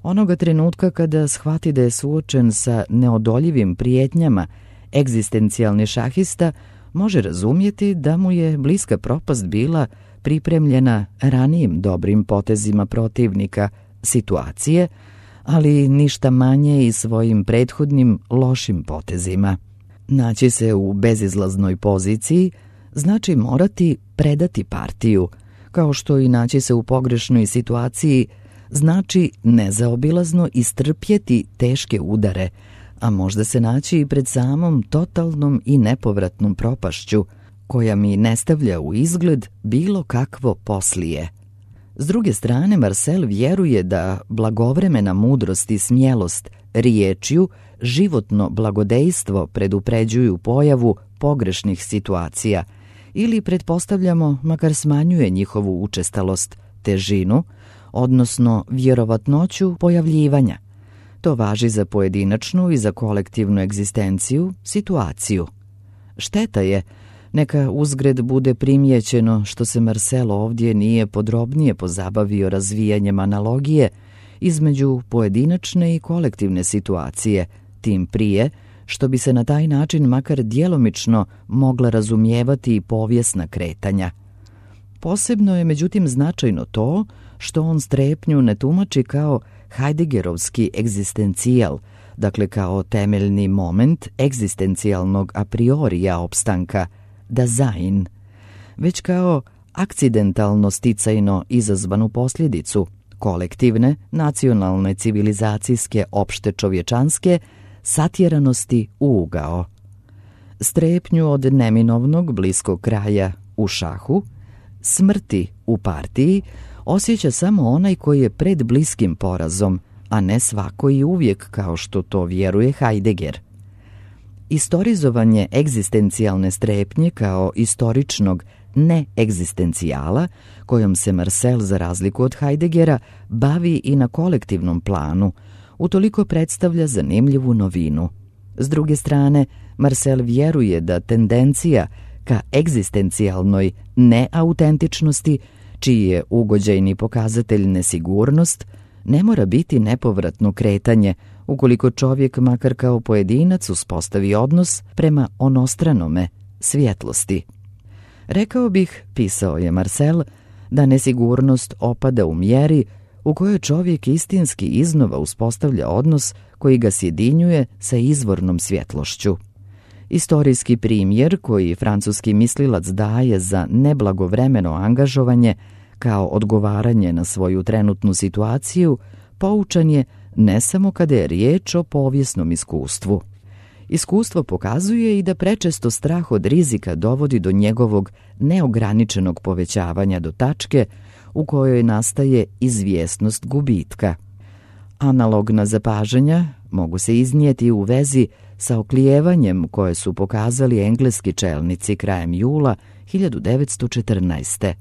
Onoga trenutka kada shvati da je suočen sa neodoljivim prijetnjama, egzistencijalni šahista može razumjeti da mu je bliska propast bila pripremljena ranijim dobrim potezima protivnika, situacije, ali ništa manje i svojim prethodnim lošim potezima. Naći se u bezizlaznoj poziciji znači morati predati partiju, kao što i naći se u pogrešnoj situaciji znači nezaobilazno istrpjeti teške udare, a možda se naći i pred samom totalnom i nepovratnom propašću, koja mi ne stavlja u izgled bilo kakvo poslije. S druge strane, Marcel vjeruje da blagovremena mudrost i smjelost riječju životno blagodejstvo predupređuju pojavu pogrešnih situacija ili, pretpostavljamo, makar smanjuje njihovu učestalost, težinu, odnosno vjerovatnoću pojavljivanja. To važi za pojedinačnu i za kolektivnu egzistenciju, situaciju. Šteta je, neka uzgred bude primijećeno što se Marcel ovdje nije podrobnije pozabavio razvijanjem analogije između pojedinačne i kolektivne situacije, tim prije što bi se na taj način makar djelomično mogla razumijevati i povijesna kretanja. Posebno je međutim značajno to što on strepnju ne tumači kao Heideggerovski egzistencijal, dakle kao temeljni moment egzistencijalnog a priorija opstanka, Dasein, već kao akcidentalno sticajno izazvanu posljedicu kolektivne, nacionalne, civilizacijske, opšte čovječanske satjeranosti u ugao. Strepnju od neminovnog bliskog kraja u šahu, smrti u partiji, osjeća samo onaj koji je pred bliskim porazom, a ne svako i uvijek, kao što to vjeruje Heidegger. Istorizovanje egzistencijalne strepnje kao istoričnog neegzistencijala, kojom se Marcel, za razliku od Heideggera, bavi i na kolektivnom planu, utoliko predstavlja zanimljivu novinu. S druge strane, Marcel vjeruje da tendencija ka egzistencijalnoj neautentičnosti, čiji je ugođajni pokazatelj nesigurnost, ne mora biti nepovratno kretanje, ukoliko čovjek makar kao pojedinac uspostavi odnos prema onostranome, svjetlosti. Rekao bih, pisao je Marcel, da nesigurnost opada u mjeri u kojoj čovjek istinski iznova uspostavlja odnos koji ga sjedinjuje sa izvornom svjetlošću. Istorijski primjer koji francuski mislilac daje za neblagovremeno angažovanje kao odgovaranje na svoju trenutnu situaciju poučan je ne samo kada je riječ o povijesnom iskustvu. Iskustvo pokazuje i da prečesto strah od rizika dovodi do njegovog neograničenog povećavanja do tačke u kojoj nastaje izvjesnost gubitka. Analogna zapažanja mogu se iznijeti u vezi sa oklijevanjem koje su pokazali engleski čelnici krajem jula 1914.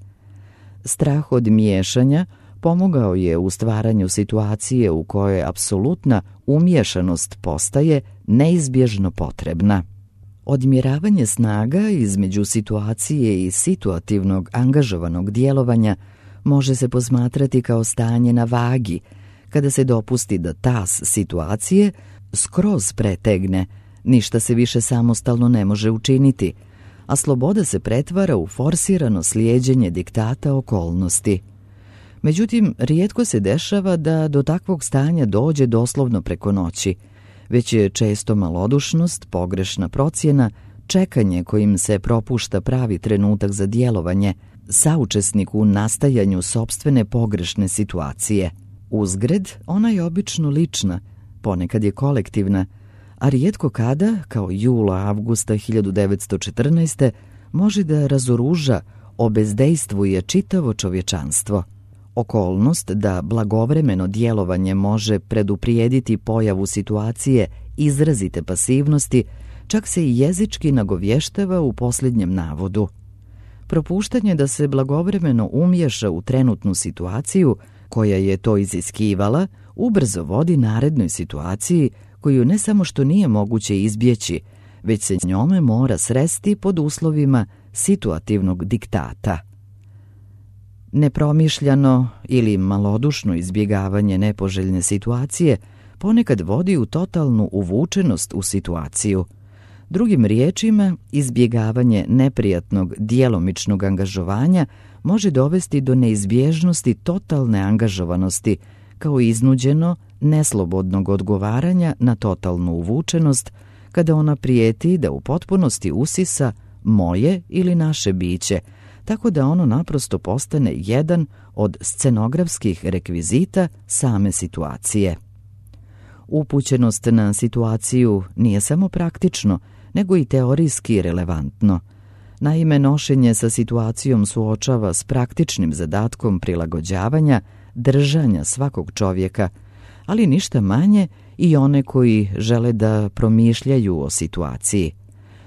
Strah od miješanja pomogao je u stvaranju situacije u kojoj apsolutna umiješanost postaje neizbježno potrebna. Odmjeravanje snaga između situacije i situativnog angažovanog djelovanja može se posmatrati kao stanje na vagi, kada se dopusti da tas situacije skroz pretegne, ništa se više samostalno ne može učiniti, a sloboda se pretvara u forsirano slijeđenje diktata okolnosti. Međutim, rijetko se dešava da do takvog stanja dođe doslovno preko noći, već je često malodušnost, pogrešna procjena, čekanje kojim se propušta pravi trenutak za djelovanje, saučesnik u nastajanju sopstvene pogrešne situacije. Uzgred, ona je obično lična, ponekad je kolektivna, a rijetko kada, kao jula-avgusta 1914. može da razoruža, obezdejstvuje čitavo čovječanstvo. Okolnost da blagovremeno djelovanje može preduprijediti pojavu situacije izrazite pasivnosti, čak se i jezički nagovještava u posljednjem navodu. Propuštanje da se blagovremeno umješa u trenutnu situaciju koja je to iziskivala, ubrzo vodi narednoj situaciji koju ne samo što nije moguće izbjeći, već se njome mora sresti pod uslovima situativnog diktata. Nepromišljano ili malodušno izbjegavanje nepoželjne situacije ponekad vodi u totalnu uvučenost u situaciju. Drugim riječima, izbjegavanje neprijatnog djelomičnog angažovanja može dovesti do neizbježnosti totalne angažovanosti, kao iznuđeno, neslobodnog odgovaranja na totalnu uvučenost, kada ona prijeti da u potpunosti usisa moje ili naše biće, tako da ono naprosto postane jedan od scenografskih rekvizita same situacije. Upućenost na situaciju nije samo praktično, nego i teorijski relevantno. Naime, nošenje sa situacijom suočava s praktičnim zadatkom prilagođavanja, držanja svakog čovjeka, ali ništa manje i one koji žele da promišljaju o situaciji.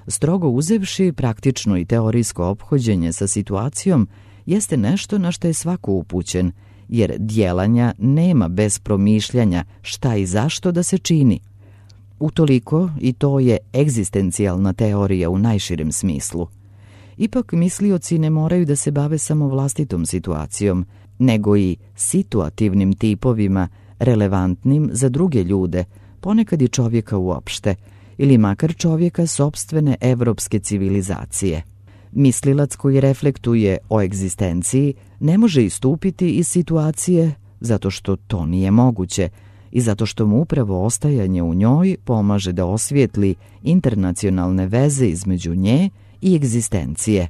Strogo uzevši, praktično i teorijsko ophođenje sa situacijom jeste nešto na što je svako upućen, jer djelanja nema bez promišljanja šta i zašto da se čini. Utoliko i to je egzistencijalna teorija u najširem smislu. Ipak mislioci ne moraju da se bave samo vlastitom situacijom, nego i situativnim tipovima relevantnim za druge ljude, ponekad i čovjeka uopšte, ili makar čovjeka sopstvene evropske civilizacije. Mislilac koji reflektuje o egzistenciji ne može istupiti iz situacije zato što to nije moguće i zato što mu upravo ostajanje u njoj pomaže da osvijetli internacionalne veze između nje i egzistencije.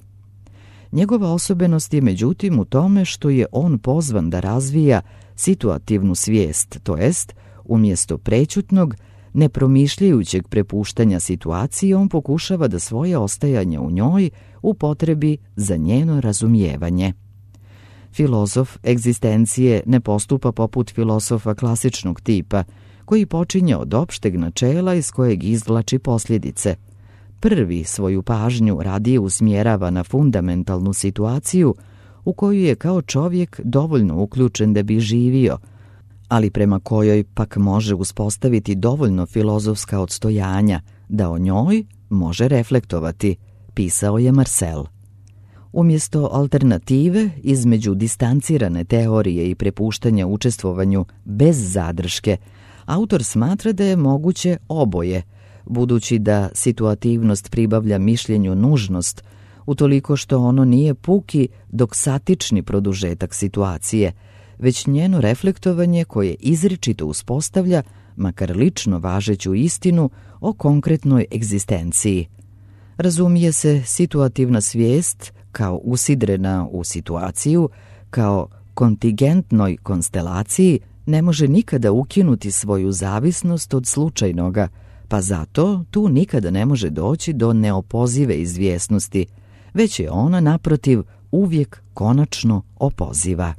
Njegova osobenost je međutim u tome što je on pozvan da razvija situativnu svijest, to jest, umjesto prećutnog, nepromišljajućeg prepuštanja situacije, on pokušava da svoje ostajanje u njoj upotrebi za njeno razumijevanje. Filozof egzistencije ne postupa poput filosofa klasičnog tipa, koji počinje od opšteg načela iz kojeg izvlači posljedice. Prvi svoju pažnju radije usmjerava na fundamentalnu situaciju u koju je kao čovjek dovoljno uključen da bi živio, ali prema kojoj pak može uspostaviti dovoljno filozofska odstojanja da o njoj može reflektovati, pisao je Marcel. Umjesto alternative između distancirane teorije i prepuštanja učestvovanju bez zadrške, Autor smatra da je moguće oboje, budući da situativnost pribavlja mišljenju nužnost, utoliko što ono nije puki doksatični produžetak situacije, već njeno reflektovanje koje izričito uspostavlja, makar lično važeću istinu o konkretnoj egzistenciji. Razumije se situativna svijest kao usidrena u situaciju, kao kontingentnoj konstelaciji, ne može nikada ukinuti svoju zavisnost od slučajnoga, pa zato tu nikada ne može doći do neopozive izvjesnosti, već je ona, naprotiv, uvijek konačno opoziva.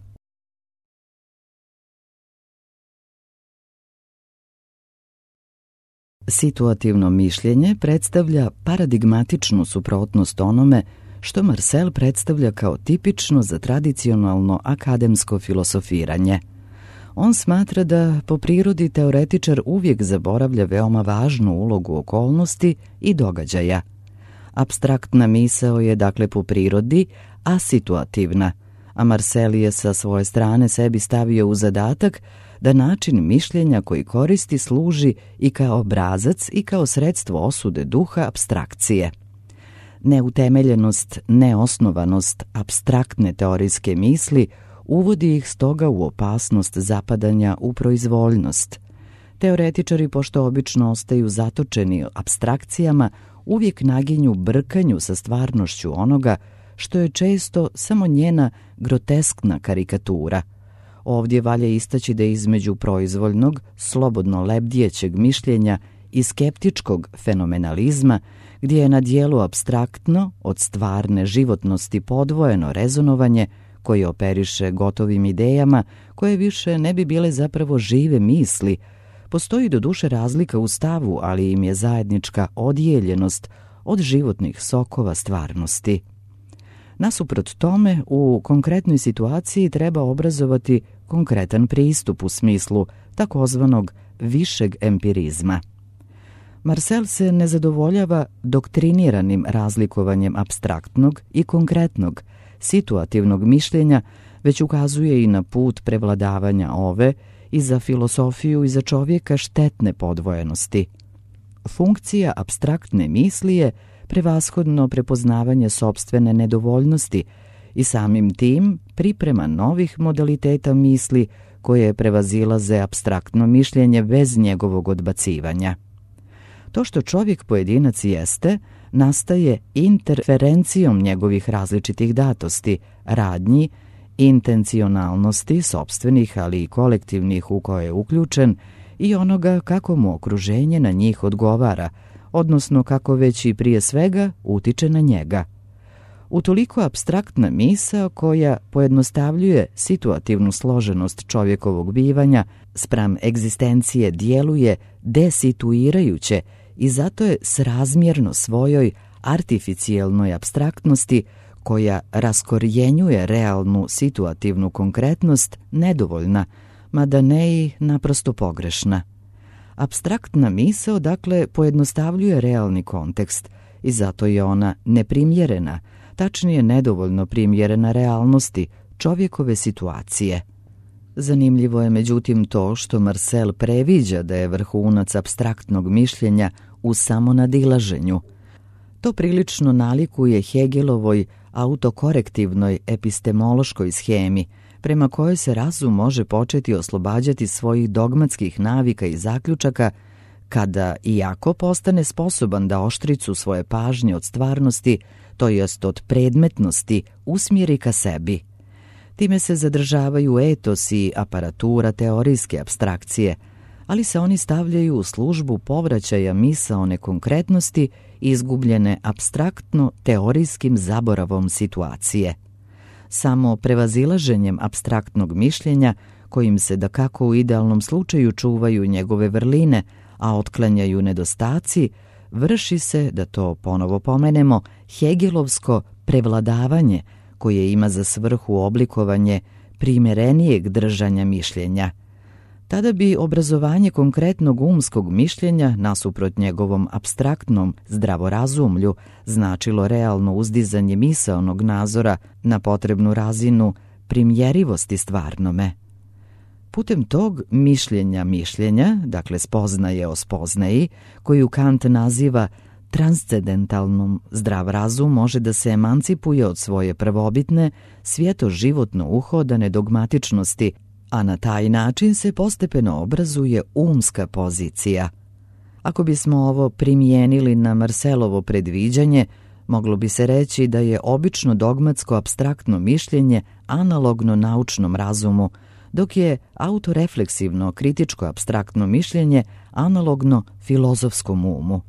Situativno mišljenje predstavlja paradigmatičnu suprotnost onome što Marcel predstavlja kao tipično za tradicionalno akademsko filosofiranje. On smatra da po prirodi teoretičar uvijek zaboravlja veoma važnu ulogu okolnosti i događaja. Apstraktna misao je dakle po prirodi asituativna, a Marcel je sa svoje strane sebi stavio u zadatak da način mišljenja koji koristi služi i kao obrazac i kao sredstvo osude duha apstrakcije. Neutemeljenost, neosnovanost apstraktne teorijske misli uvodi ih stoga u opasnost zapadanja u proizvoljnost. Teoretičari, pošto obično ostaju zatočeni apstrakcijama, uvijek naginju brkanju sa stvarnošću onoga što je često samo njena groteskna karikatura. Ovdje valja istaći da između proizvoljnog, slobodno lebdjećeg mišljenja i skeptičkog fenomenalizma, gdje je na dijelu apstraktno od stvarne životnosti podvojeno rezonovanje koje operiše gotovim idejama koje više ne bi bile zapravo žive misli, postoji doduše razlika u stavu, ali im je zajednička odijeljenost od životnih sokova stvarnosti. Nasuprot tome, u konkretnoj situaciji treba obrazovati konkretan pristup u smislu takozvanog višeg empirizma. Marcel se ne zadovoljava doktriniranim razlikovanjem apstraktnog i konkretnog, situativnog mišljenja, već ukazuje i na put prevladavanja ove i za filosofiju i za čovjeka štetne podvojenosti. Funkcija apstraktne misli je prevashodno prepoznavanje sopstvene nedovoljnosti i samim tim priprema novih modaliteta misli koje prevazilaze apstraktno mišljenje bez njegovog odbacivanja. To što čovjek pojedinac jeste, nastaje interferencijom njegovih različitih datosti, radnji, intencionalnosti, sopstvenih ali i kolektivnih u koje je uključen i onoga kako mu okruženje na njih odgovara, odnosno kako već i prije svega utiče na njega. Utoliko apstraktna misao koja pojednostavljuje situativnu složenost čovjekovog bivanja spram egzistencije djeluje desituirajuće i zato je srazmjerno svojoj artificijelnoj apstraktnosti koja raskorjenjuje realnu situativnu konkretnost nedovoljna, mada ne i naprosto pogrešna. Apstraktna misao dakle pojednostavljuje realni kontekst i zato je ona neprimjerena, tačnije nedovoljno primjerena realnosti čovjekove situacije. Zanimljivo je međutim to što Marcel previđa da je vrhunac apstraktnog mišljenja u samonadilaženju. To prilično nalikuje Hegelovoj autokorektivnoj epistemološkoj shemi, prema kojoj se razum može početi oslobađati svojih dogmatskih navika i zaključaka kada, iako postane sposoban da oštricu svoje pažnje od stvarnosti, to jest od predmetnosti, usmjeri ka sebi. Time se zadržavaju etos i aparatura teorijske apstrakcije, ali se oni stavljaju u službu povraćaja misaone konkretnosti izgubljene apstraktno teorijskim zaboravom situacije. Samo prevazilaženjem apstraktnog mišljenja, kojim se dakako u idealnom slučaju čuvaju njegove vrline, a otklanjaju nedostaci, vrši se, da to ponovo pomenemo, hegelovsko prevladavanje koje ima za svrhu oblikovanje primjerenijeg držanja mišljenja. Tada bi obrazovanje konkretnog umskog mišljenja nasuprot njegovom apstraktnom zdravorazumlju značilo realno uzdizanje misaonog nazora na potrebnu razinu primjerivosti stvarnome. Putem tog mišljenja, dakle spoznaje o spoznaji, koju Kant naziva transcendentalnom, zdrav razum može da se emancipuje od svoje prvobitne, svjetoživotno uhodane dogmatičnosti, a na taj način se postepeno obrazuje umska pozicija. Ako bismo ovo primijenili na Marselovo predviđanje, moglo bi se reći da je obično dogmatsko apstraktno mišljenje analogno naučnom razumu, dok je autorefleksivno kritičko apstraktno mišljenje analogno filozofskom umu.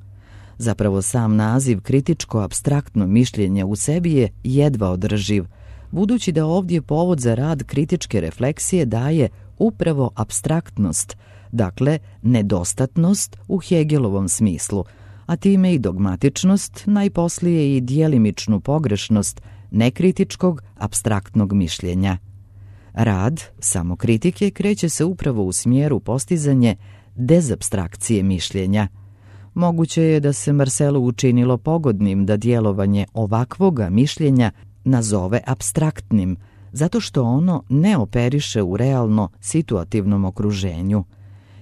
Zapravo sam naziv kritičko apstraktno mišljenje u sebi je jedva održiv, budući da ovdje povod za rad kritičke refleksije daje upravo apstraktnost, dakle nedostatnost u Hegelovom smislu, a time i dogmatičnost, najposlije i djelimičnu pogrešnost nekritičkog apstraktnog mišljenja. Rad samokritike kreće se upravo u smjeru postizanje dezapstrakcije mišljenja. Moguće je da se Marcelu učinilo pogodnim da djelovanje ovakvoga mišljenja nazove apstraktnim, zato što ono ne operiše u realno situativnom okruženju.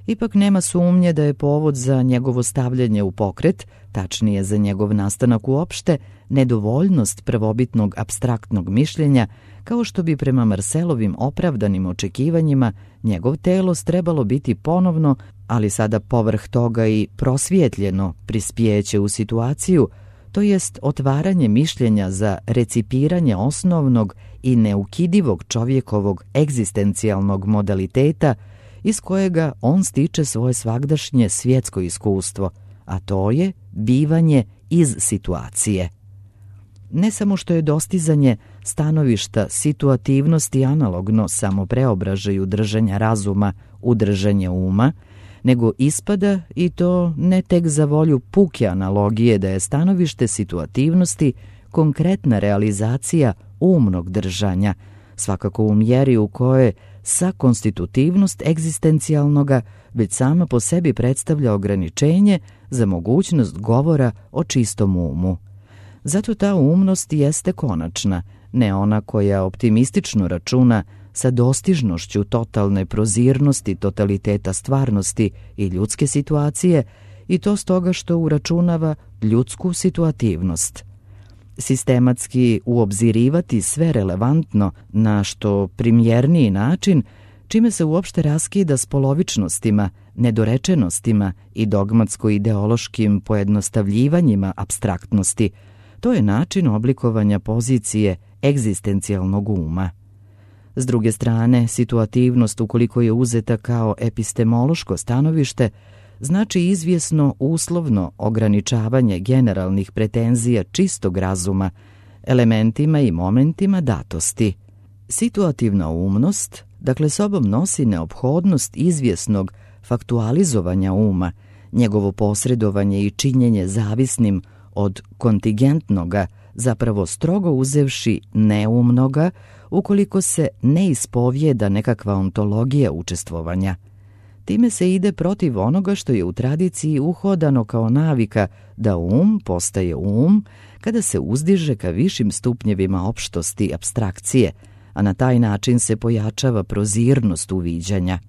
Ipak nema sumnje da je povod za njegovo stavljanje u pokret, tačnije za njegov nastanak uopšte, nedovoljnost prvobitnog apstraktnog mišljenja, kao što bi prema Marcelovim opravdanim očekivanjima njegov telos trebalo biti ponovno, ali sada povrh toga i prosvjetljeno prispjeće u situaciju, to jest otvaranje mišljenja za recipiranje osnovnog i neukidivog čovjekovog egzistencijalnog modaliteta iz kojega on stiče svoje svagdašnje svjetsko iskustvo, a to je bivanje iz situacije. Ne samo što je dostizanje stanovišta situativnosti analogno samo preobražaju držanja razuma u držanje uma, nego ispada, i to ne tek za volju puke analogije, da je stanovište situativnosti konkretna realizacija umnog držanja, svakako u mjeri u kojoj sa konstitutivnost egzistencijalnoga već sama po sebi predstavlja ograničenje za mogućnost govora o čistom umu. Zato ta umnost jeste konačna, ne ona koja optimistično računa sa dostižnošću totalne prozirnosti totaliteta stvarnosti i ljudske situacije, i to stoga što uračunava ljudsku situativnost. Sistematski uobzirivati sve relevantno na što primjerniji način, čime se uopšte raskida s polovičnostima, nedorečenostima i dogmatsko-ideološkim pojednostavljivanjima apstraktnosti, to je način oblikovanja pozicije egzistencijalnog uma. S druge strane, situativnost, ukoliko je uzeta kao epistemološko stanovište, znači izvjesno uslovno ograničavanje generalnih pretenzija čistog razuma, elementima i momentima datosti. Situativna umnost, dakle, sobom nosi neophodnost izvjesnog faktualizovanja uma, njegovo posredovanje i činjenje zavisnim od kontingentnoga, zapravo strogo uzevši neumnoga, ukoliko se ne ispovijeda nekakva ontologija učestvovanja. Time se ide protiv onoga što je u tradiciji uhodano kao navika da um postaje um kada se uzdiže ka višim stupnjevima opštosti apstrakcije, a na taj način se pojačava prozirnost uviđanja.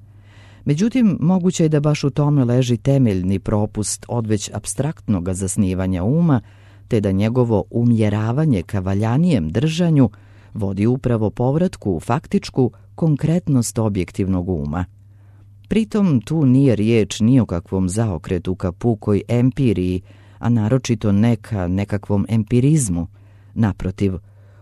Međutim, moguće je da baš u tome leži temeljni propust odveć apstraktnog zasnivanja uma, te da njegovo umjeravanje ka valjanijem držanju vodi upravo povratku u faktičku konkretnost objektivnog uma. Pritom tu nije riječ ni o kakvom zaokretu ka pukoj empiriji, a naročito ne ka nekakvom empirizmu. Naprotiv,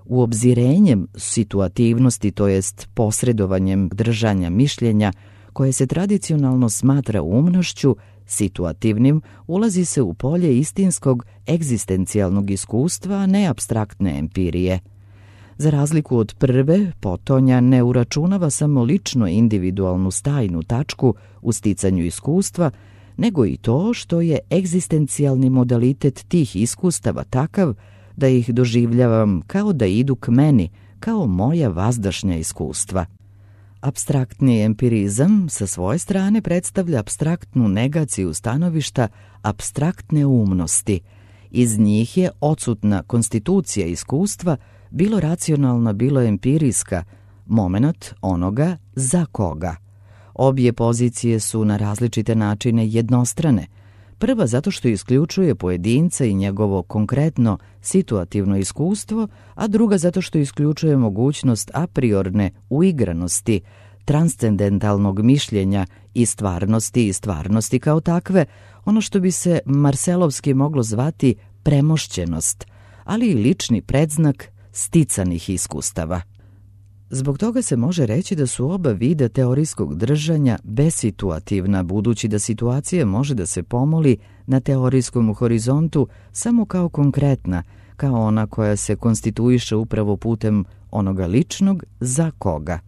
uobzirenjem situativnosti, to jest posredovanjem držanja mišljenja, koje se tradicionalno smatra umnošću, situativnim, ulazi se u polje istinskog egzistencijalnog iskustva, a ne apstraktne empirije. Za razliku od prve, potonja ne uračunava samo lično individualnu stajnu tačku u sticanju iskustva, nego i to što je egzistencijalni modalitet tih iskustava takav da ih doživljavam kao da idu k meni, kao moja vazdašnja iskustva. Apstraktni empirizam sa svoje strane predstavlja apstraktnu negaciju stanovišta apstraktne umnosti. Iz njih je odsutna konstitucija iskustva, bilo racionalna, bilo empirijska, momenat onoga za koga. Obje pozicije su na različite načine jednostrane. Prva zato što isključuje pojedinca i njegovo konkretno situativno iskustvo, a druga zato što isključuje mogućnost a priorne uigranosti, transcendentalnog mišljenja i stvarnosti kao takve, ono što bi se marselovski moglo zvati premošćenost, ali i lični predznak sticanih iskustava. Zbog toga se može reći da su oba vida teorijskog držanja besituativna, budući da situacija može da se pomoli na teorijskom horizontu samo kao konkretna, kao ona koja se konstituiše upravo putem onoga ličnog za koga.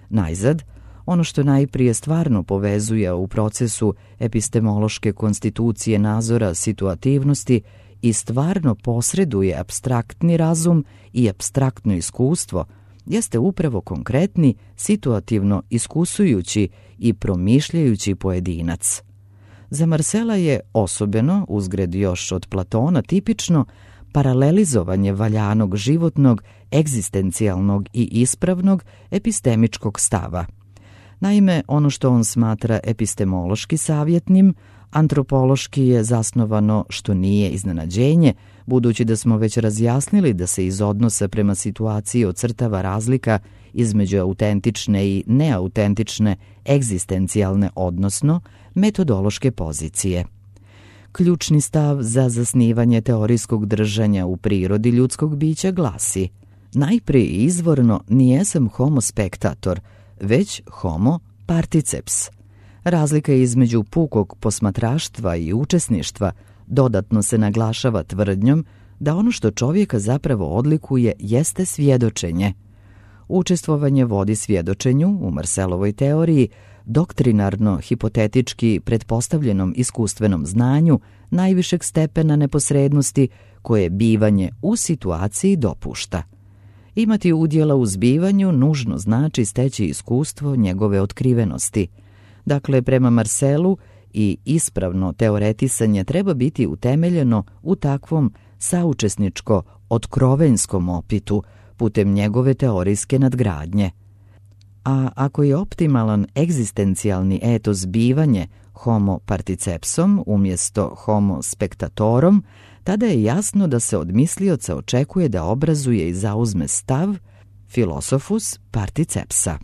Najzad, ono što najprije stvarno povezuje u procesu epistemološke konstitucije nazora situativnosti i stvarno posreduje apstraktni razum i apstraktno iskustvo, jeste upravo konkretni, situativno iskusujući i promišljajući pojedinac. Za Marsela je osobeno, uzgred još od Platona, tipično paralelizovanje valjanog životnog, egzistencijalnog i ispravnog epistemičkog stava. Naime, ono što on smatra epistemološki savjetnim, antropološki je zasnovano, što nije iznenađenje, budući da smo već razjasnili da se iz odnosa prema situaciji ocrtava razlika između autentične i neautentične egzistencijalne, odnosno metodološke pozicije. Ključni stav za zasnivanje teorijskog držanja u prirodi ljudskog bića glasi: najprije izvorno nijesam homo spectator, već homo particeps. Razlika između pukog posmatraštva i učesništva dodatno se naglašava tvrdnjom da ono što čovjeka zapravo odlikuje jeste svjedočenje. Učestvovanje vodi svjedočenju, u Marselovoj teoriji, doktrinarno, hipotetički pretpostavljenom iskustvenom znanju najvišeg stepena neposrednosti koje bivanje u situaciji dopušta. Imati udjela u zbivanju nužno znači steći iskustvo njegove otkrivenosti. Dakle, prema Marselu i ispravno teoretisanje treba biti utemeljeno u takvom saučesničko-otkrovenjskom opitu putem njegove teorijske nadgradnje. A ako je optimalan egzistencijalni etos bivanje homo particepsom umjesto homo spectatorom, tada je jasno da se od mislioca očekuje da obrazuje i zauzme stav philosophus particepsa.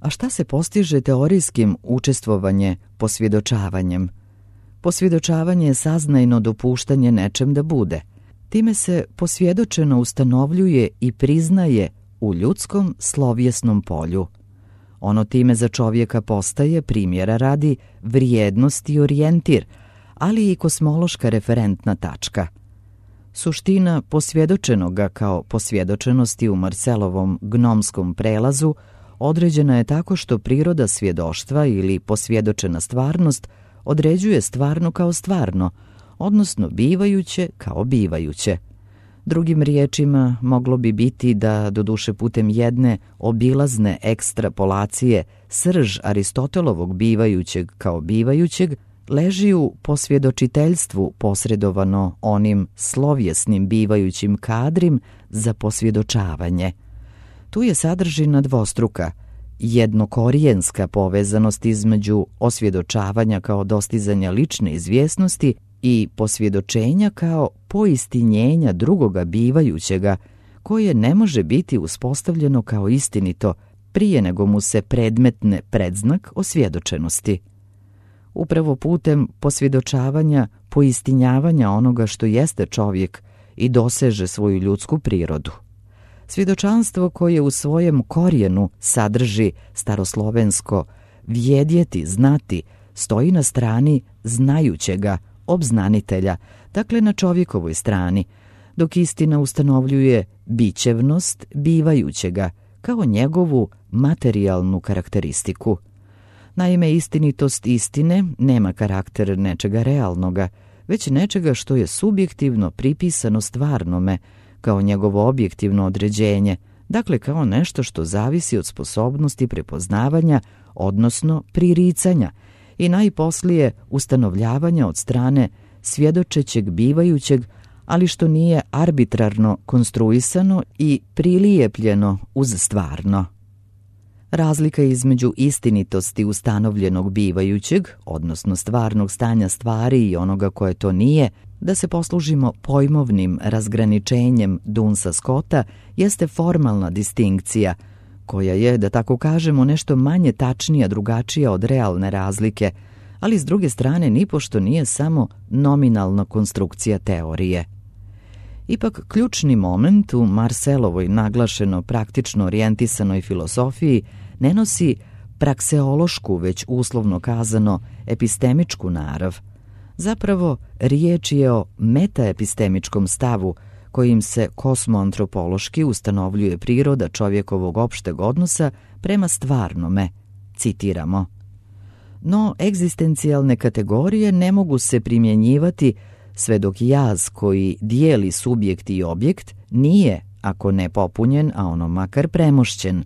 A šta se postiže teorijskim učestvovanje posvjedočavanjem? Posvjedočavanje je saznajno dopuštanje nečem da bude. Time se posvjedočeno ustanovljuje i priznaje u ljudskom slovjesnom polju. Ono time za čovjeka postaje, primjera radi, vrijednost i orijentir, ali i kosmološka referentna tačka. Suština posvjedočenoga kao posvjedočenosti u Marselovom gnomskom prelazu određena je tako što priroda svjedoštva ili posvjedočena stvarnost određuje stvarno kao stvarno, odnosno bivajuće kao bivajuće. Drugim riječima, moglo bi biti da, doduše putem jedne obilazne ekstrapolacije, srž Aristotelovog bivajućeg kao bivajućeg leži u posvjedočiteljstvu posredovano onim slovjesnim bivajućim kadrim za posvjedočavanje. Tu je sadržina dvostruka, jednokorijenska povezanost između osvjedočavanja kao dostizanja lične izvjesnosti i posvjedočenja kao poistinjenja drugoga bivajućega, koje ne može biti uspostavljeno kao istinito prije nego mu se predmetne predznak osvjedočenosti. Upravo putem posvjedočavanja, poistinjavanja onoga što jeste čovjek i doseže svoju ljudsku prirodu. Svjedočanstvo koje u svojem korijenu sadrži staroslovensko vjedjeti, znati, stoji na strani znajućega, obznanitelja, dakle na čovjekovoj strani, dok istina ustanovljuje bićevnost bivajućega kao njegovu materijalnu karakteristiku. Naime, istinitost istine nema karakter nečega realnoga, već nečega što je subjektivno pripisano stvarnome, kao njegovo objektivno određenje, dakle kao nešto što zavisi od sposobnosti prepoznavanja, odnosno priricanja, i najposlije ustanovljavanja od strane svjedočećeg bivajućeg, ali što nije arbitrarno konstruisano i prilijepljeno uz stvarno. Razlika između istinitosti ustanovljenog bivajućeg, odnosno stvarnog stanja stvari i onoga koje to nije, da se poslužimo pojmovnim razgraničenjem Dunsa Scotta, jeste formalna distinkcija, koja je, da tako kažemo, nešto manje tačnija, drugačija od realne razlike, ali s druge strane nipošto nije samo nominalna konstrukcija teorije. Ipak ključni moment u Marcelovoj naglašeno praktično orijentisanoj filosofiji ne nosi prakseološku, već uslovno kazano epistemičku narav. Zapravo, riječ je o metaepistemičkom stavu kojim se kosmoantropološki ustanovljuje priroda čovjekovog opšteg odnosa prema stvarnome, citiramo. No, egzistencijalne kategorije ne mogu se primjenjivati sve dok jaz koji dijeli subjekt i objekt nije, ako ne popunjen, a ono makar premošćen.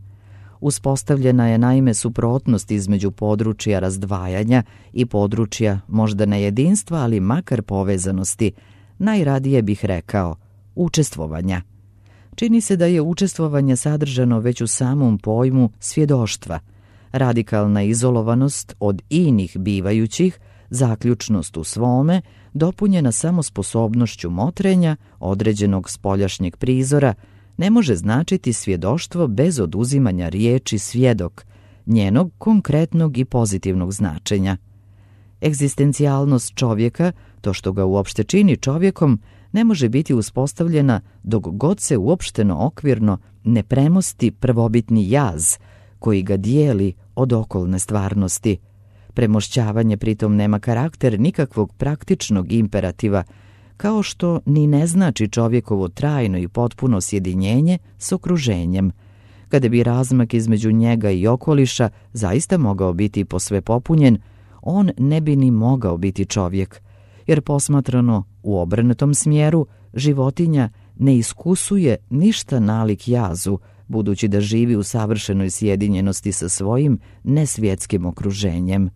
Uspostavljena je naime suprotnost između područja razdvajanja i područja možda ne jedinstva, ali makar povezanosti, najradije bih rekao učestvovanja. Čini se da je učestvovanje sadržano već u samom pojmu svjedoštva, radikalna izolovanost od inih bivajućih, zaključnost u svome, dopunjena samo sposobnošću motrenja određenog spoljašnjeg prizora, ne može značiti svjedoštvo bez oduzimanja riječi svjedok, njenog konkretnog i pozitivnog značenja. Egzistencijalnost čovjeka, to što ga uopšte čini čovjekom, ne može biti uspostavljena dok god se uopšteno okvirno ne premosti prvobitni jaz koji ga dijeli od okolne stvarnosti. Premošćavanje pritom nema karakter nikakvog praktičnog imperativa, kao što ni ne znači čovjekovo trajno i potpuno sjedinjenje s okruženjem. Kada bi razmak između njega i okoliša zaista mogao biti posve popunjen, on ne bi ni mogao biti čovjek, jer posmatrano u obrnutom smjeru, životinja ne iskusuje ništa nalik jazu, budući da živi u savršenoj sjedinjenosti sa svojim nesvjetskim okruženjem.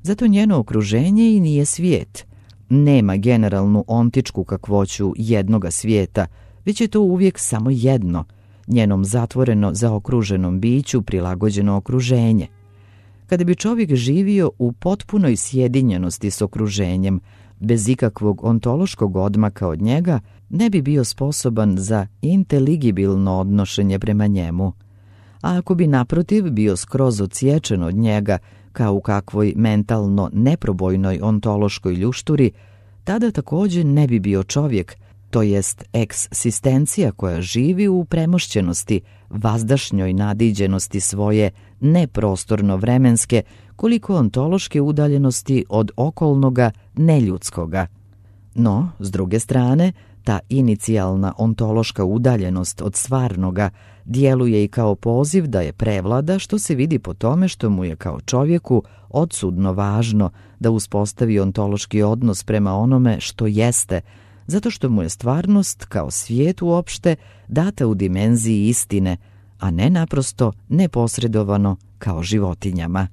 Zato njeno okruženje i nije svijet. Nema generalnu ontičku kakvoću jednoga svijeta, već je to uvijek samo jedno, njenom zatvoreno zaokruženom biću prilagođeno okruženje. Kada bi čovjek živio u potpunoj sjedinjenosti s okruženjem, bez ikakvog ontološkog odmaka od njega, ne bi bio sposoban za inteligibilno odnošenje prema njemu. A ako bi naprotiv bio skroz odsječen od njega, kao u kakvoj mentalno neprobojnoj ontološkoj ljušturi, tada također ne bi bio čovjek, to jest eksistencija koja živi u premošćenosti, vazdašnjoj nadiđenosti svoje neprostorno-vremenske, koliko ontološke udaljenosti od okolnoga neljudskoga. No, s druge strane, ta inicijalna ontološka udaljenost od stvarnoga djeluje i kao poziv da je prevlada, što se vidi po tome što mu je kao čovjeku odsudno važno da uspostavi ontološki odnos prema onome što jeste, zato što mu je stvarnost kao svijet uopšte data u dimenziji istine, a ne naprosto neposredovano kao životinjama.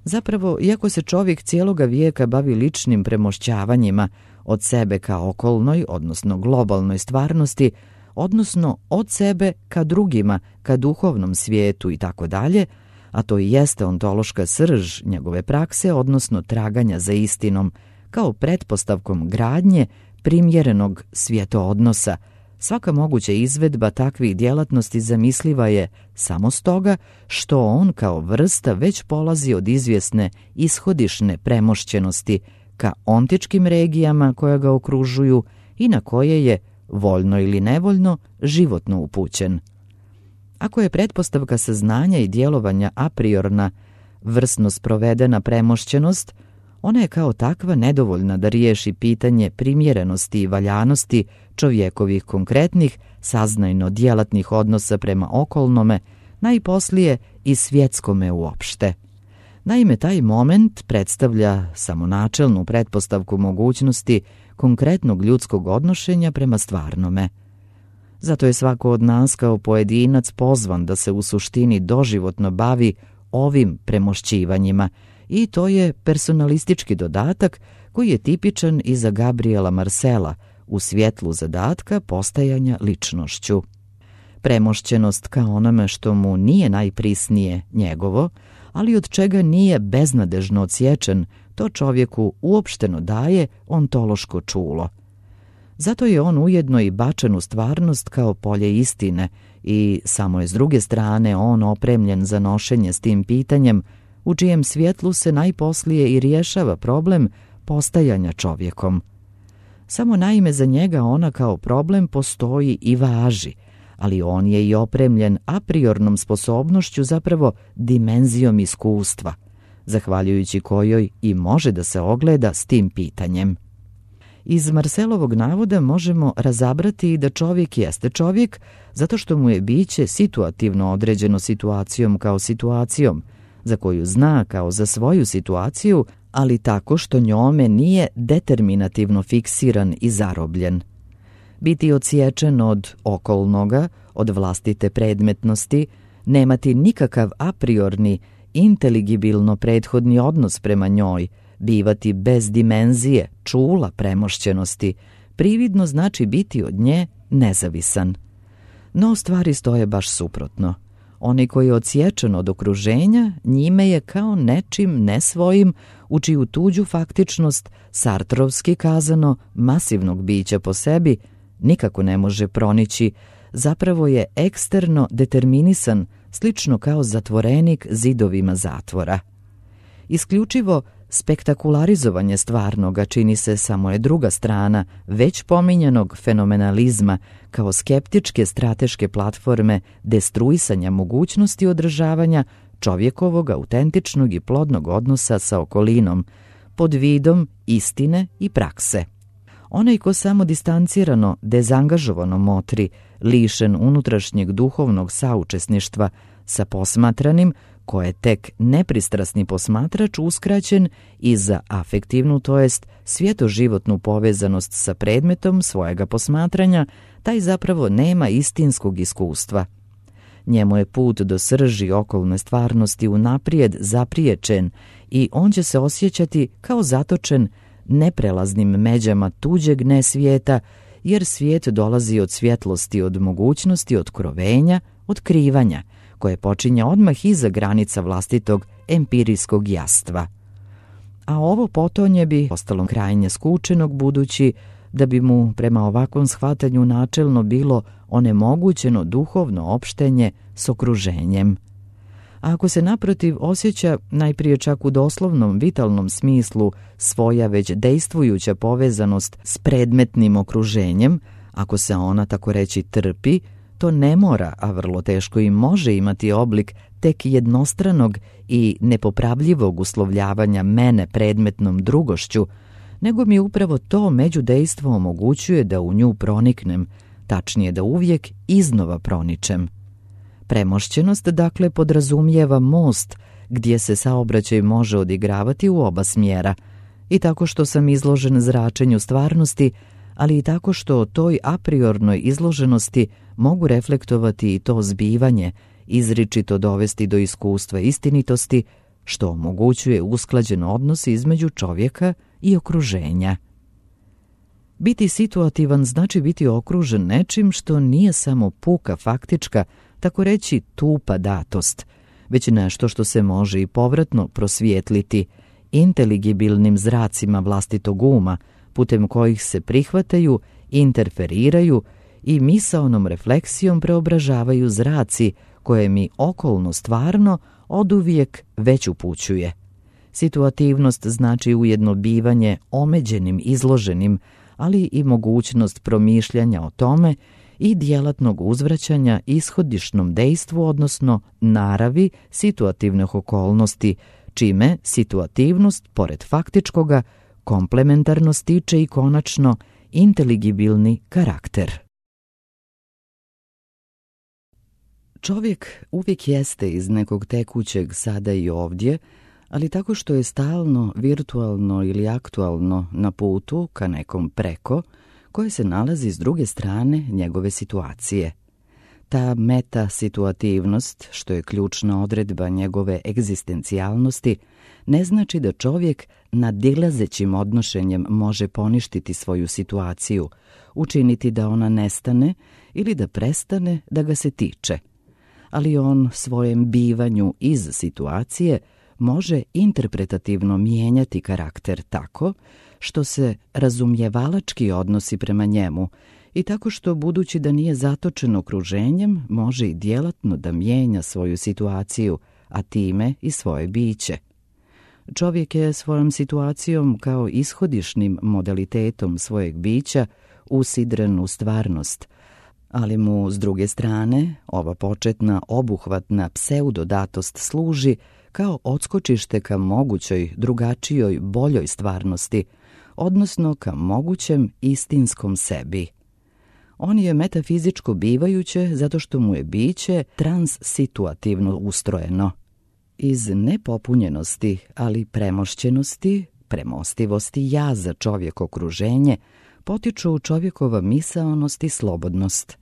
Zapravo, iako se čovjek cijeloga vijeka bavi ličnim premošćavanjima od sebe ka okolnoj, odnosno globalnoj stvarnosti, odnosno od sebe ka drugima, ka duhovnom svijetu i tako dalje, a to i jeste ontološka srž njegove prakse, odnosno traganja za istinom, kao pretpostavkom gradnje primjerenog svjetoodnosa. Svaka moguća izvedba takvih djelatnosti zamisliva je samo stoga što on kao vrsta već polazi od izvjesne ishodišne premošćenosti ka ontičkim regijama koja ga okružuju i na koje je, voljno ili nevoljno, životno upućen. Ako je pretpostavka saznanja i djelovanja a priorna, vrsno sprovedena premošćenost, ona je kao takva nedovoljna da riješi pitanje primjerenosti i valjanosti čovjekovih konkretnih, saznajno djelatnih odnosa prema okolnome, najposlije i svjetskome uopšte. Naime, taj moment predstavlja samo načelnu pretpostavku mogućnosti konkretnog ljudskog odnošenja prema stvarnome. Zato je svako od nas kao pojedinac pozvan da se u suštini doživotno bavi ovim premošćivanjima, i to je personalistički dodatak koji je tipičan i za Gabriela Marcela u svjetlu zadatka postajanja ličnošću. premošćenost ka onome što mu nije najprisnije njegovo, ali od čega nije beznadežno odsječen, to čovjeku uopšteno daje ontološko čulo. Zato je on ujedno i bačen u stvarnost kao polje istine i samo je s druge strane on opremljen za nošenje s tim pitanjem, u čijem svjetlu se najposlije i rješava problem postajanja čovjekom. Samo naime za njega ona kao problem postoji i važi, ali on je i opremljen a priornom sposobnošću, zapravo dimenzijom iskustva, zahvaljujući kojoj i može da se ogleda s tim pitanjem. Iz Marcelovog navoda možemo razabrati da čovjek jeste čovjek zato što mu je biće situativno određeno situacijom kao situacijom, za koju zna kao za svoju situaciju, ali tako što njome nije determinativno fiksiran i zarobljen. Biti odsječen od okolnoga, od vlastite predmetnosti, nemati nikakav a priorni, inteligibilno prethodni odnos prema njoj, bivati bez dimenzije, čula premošćenosti, prividno znači biti od nje nezavisan. No stvari stoje baš suprotno. Onaj koji je odsječen od okruženja, njime je kao nečim nesvojim, u čiju tuđu faktičnost, sartrovski kazano, masivnog bića po sebi, nikako ne može pronići, zapravo je eksterno determinisan, slično kao zatvorenik zidovima zatvora. Isključivo spektakularizovanje stvarnoga čini se samo je druga strana već pominjanog fenomenalizma kao skeptičke strateške platforme destruisanja mogućnosti održavanja čovjekovog autentičnog i plodnog odnosa sa okolinom pod vidom istine i prakse. Onaj ko samo distancirano, dezangažovano motri, lišen unutrašnjeg duhovnog saučesništva sa posmatranim, ko je tek nepristrasni posmatrač uskraćen i za afektivnu, to jest svjetoživotnu povezanost sa predmetom svojega posmatranja, taj zapravo nema istinskog iskustva. Njemu je put do srži okolne stvarnosti unaprijed zapriječen i on će se osjećati kao zatočen neprelaznim međama tuđeg nesvijeta, jer svijet dolazi od svjetlosti, od mogućnosti, otkrovenja, otkrivanja, koje počinje odmah iza granica vlastitog empirijskog jastva. A ovo potonje bi ostalo krajnje skučenog, budući da bi mu prema ovakvom shvatanju načelno bilo onemogućeno duhovno opštenje s okruženjem. A ako se naprotiv osjeća najprije čak u doslovnom vitalnom smislu svoja već dejstvujuća povezanost s predmetnim okruženjem, ako se ona tako reći trpi, to ne mora, a vrlo teško i može imati oblik tek jednostranog i nepopravljivog uslovljavanja mene predmetnom drugošću, nego mi upravo to međudejstvo omogućuje da u nju proniknem, tačnije da uvijek iznova proničem. Premošćenost dakle podrazumijeva most gdje se saobraćaj može odigravati u oba smjera, i tako što sam izložen zračenju stvarnosti, ali i tako što o toj apriornoj izloženosti mogu reflektovati i to zbivanje, izričito dovesti do iskustva istinitosti, što omogućuje usklađen odnos između čovjeka i okruženja. Biti situativan znači biti okružen nečim što nije samo puka faktička, tako reći tupa datost, već nešto što se može i povratno prosvijetliti inteligibilnim zracima vlastitog uma, putem kojih se prihvataju, interferiraju i misaonom refleksijom preobražavaju zraci koje mi okolno stvarno oduvijek već upućuje. Situativnost znači ujedno bivanje omeđenim, izloženim, ali i mogućnost promišljanja o tome i djelatnog uzvraćanja ishodišnom dejstvu, odnosno naravi situativnih okolnosti, čime situativnost, pored faktičkoga, komplementarno stiče i konačno inteligibilni karakter. Čovjek uvijek jeste iz nekog tekućeg sada i ovdje, ali tako što je stalno, virtualno ili aktualno na putu ka nekom preko, koje se nalazi s druge strane njegove situacije. Ta meta-situativnost, što je ključna odredba njegove egzistencijalnosti, ne znači da čovjek nadilazećim odnošenjem može poništiti svoju situaciju, učiniti da ona nestane ili da prestane da ga se tiče. Ali on svojem bivanju iz situacije može interpretativno mijenjati karakter tako što se razumijevalački odnosi prema njemu i tako što, budući da nije zatočen okruženjem, može i djelatno da mijenja svoju situaciju, a time i svoje biće. Čovjek je svojom situacijom kao ishodišnim modalitetom svojeg bića usidren u stvarnost, ali mu, s druge strane, ova početna obuhvatna pseudodatost služi kao odskočište ka mogućoj, drugačijoj, boljoj stvarnosti, odnosno ka mogućem istinskom sebi. On je metafizičko bivajuće zato što mu je biće transsituativno ustrojeno. Iz nepopunjenosti, ali premošćenosti, premostivosti jaza čovjek okruženje, potiču čovjekova misaonost i slobodnost.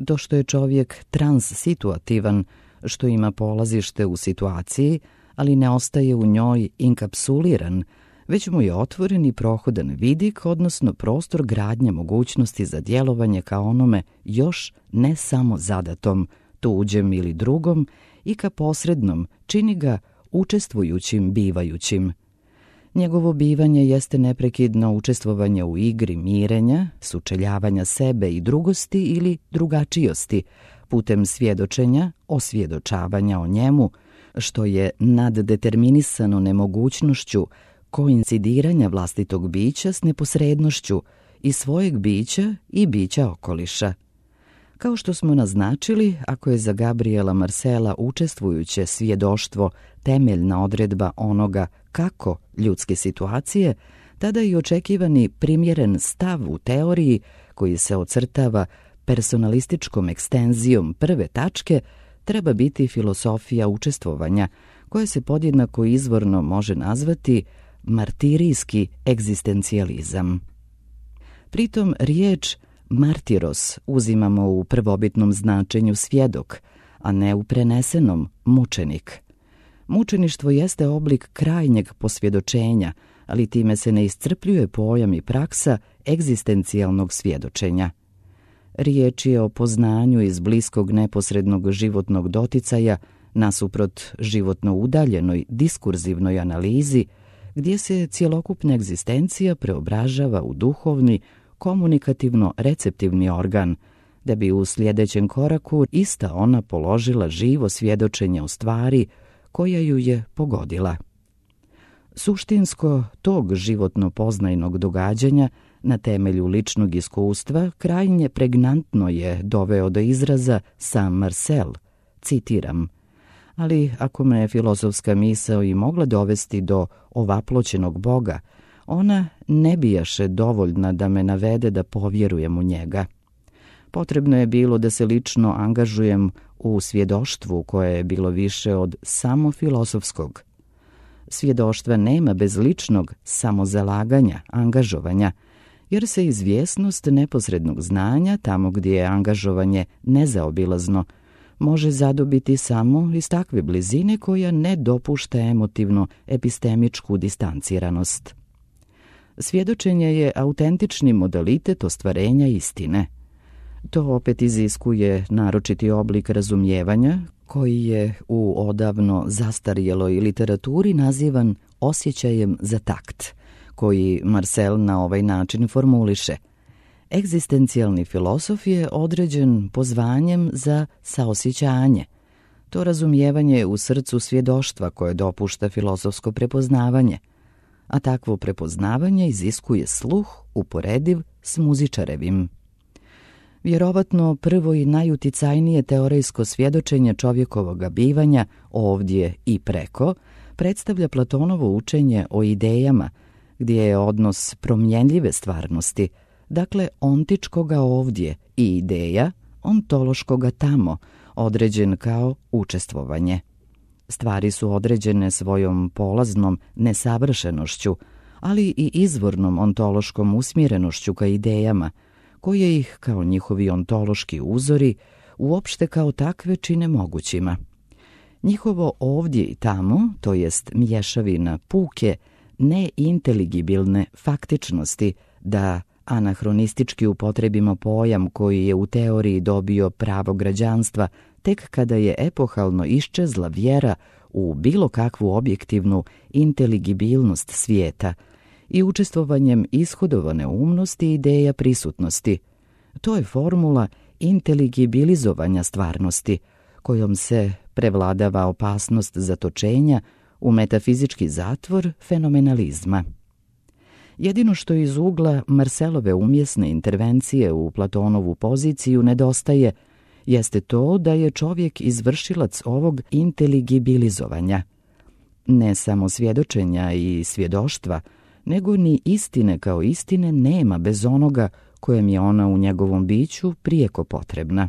To što je čovjek transsituativan, što ima polazište u situaciji, ali ne ostaje u njoj inkapsuliran, već mu je otvoren i prohodan vidik, odnosno prostor gradnje mogućnosti za djelovanje ka onome još ne samo zadatom, tuđem ili drugom, i ka posrednom, čini ga učestvujućim bivajućim. Njegovo bivanje jeste neprekidno učestvovanje u igri mirenja, sučeljavanja sebe i drugosti ili drugačijosti, putem svjedočenja, osvjedočavanja o njemu, što je naddeterminisano nemogućnošću koincidiranja vlastitog bića s neposrednošću i svojeg bića i bića okoliša. Kao što smo naznačili, ako je za Gabriela Marcela učestvujuće svjedoštvo temeljna odredba onoga kako ljudske situacije, tada i očekivani primjeren stav u teoriji koji se ocrtava personalističkom ekstenzijom prve tačke treba biti filosofija učestvovanja, koja se podjednako izvorno može nazvati martirijski egzistencijalizam. Pritom riječ martiros uzimamo u prvobitnom značenju svjedok, a ne u prenesenom mučenik. Mučeništvo jeste oblik krajnjeg posvjedočenja, ali time se ne iscrpljuje pojam i praksa egzistencijalnog svjedočenja. Riječ je o poznanju iz bliskog neposrednog životnog doticaja nasuprot životno udaljenoj diskurzivnoj analizi, gdje se cjelokupna egzistencija preobražava u duhovni, komunikativno-receptivni organ, da bi u sljedećem koraku ista ona položila živo svjedočenje o stvari koja ju je pogodila. Suštinsko tog životno poznajnog događanja na temelju ličnog iskustva krajnje pregnantno je doveo do izraza sam Marcel, citiram, ali ako me filozofska misao i mogla dovesti do ovaploćenog Boga, ona ne bijaše dovoljna da me navede da povjerujem u njega. Potrebno je bilo da se lično angažujem u svjedoštvu koje je bilo više od samo filozofskog. Svjedoštva nema bez ličnog samozalaganja, angažovanja, jer se izvjesnost neposrednog znanja, tamo gdje je angažovanje nezaobilazno, može zadobiti samo iz takve blizine koja ne dopušta emotivno epistemičku distanciranost. Svjedočenje je autentični modalitet ostvarenja istine. To opet iziskuje naročiti oblik razumijevanja koji je u odavno zastarjeloj literaturi nazivan osjećajem za takt, koji Marcel na ovaj način formuliše. Egzistencijalni filozof je određen pozvanjem za saosjećanje. To razumijevanje je u srcu svjedoštva koje dopušta filozofsko prepoznavanje, a takvo prepoznavanje iziskuje sluh uporediv s muzičarevim. Vjerovatno prvo i najuticajnije teorijsko svjedočenje čovjekovoga bivanja ovdje i preko predstavlja Platonovo učenje o idejama, gdje je odnos promjenljive stvarnosti, dakle ontičkoga ovdje, i ideja ontološkoga tamo, određen kao učestvovanje. Stvari su određene svojom polaznom nesavršenošću, ali i izvornom ontološkom usmjerenošću ka idejama, koje ih, kao njihovi ontološki uzori, uopšte kao takve čine mogućima. Njihovo ovdje i tamo, to jest mješavina puke, neinteligibilne faktičnosti, da anahronistički upotrebimo pojam koji je u teoriji dobio pravo građanstva tek kada je epohalno iščezla vjera u bilo kakvu objektivnu inteligibilnost svijeta i učestvovanjem ishodovane umnosti i ideja prisutnosti. To je formula inteligibilizovanja stvarnosti, kojom se prevladava opasnost zatočenja u metafizički zatvor fenomenalizma. Jedino što iz ugla Marselove umjesne intervencije u Platonovu poziciju nedostaje, jeste to da je čovjek izvršilac ovog inteligibilizovanja. Ne samo svjedočenja i svjedoštva, nego ni istine kao istine nema bez onoga kojem je ona u njegovom biću prijeko potrebna.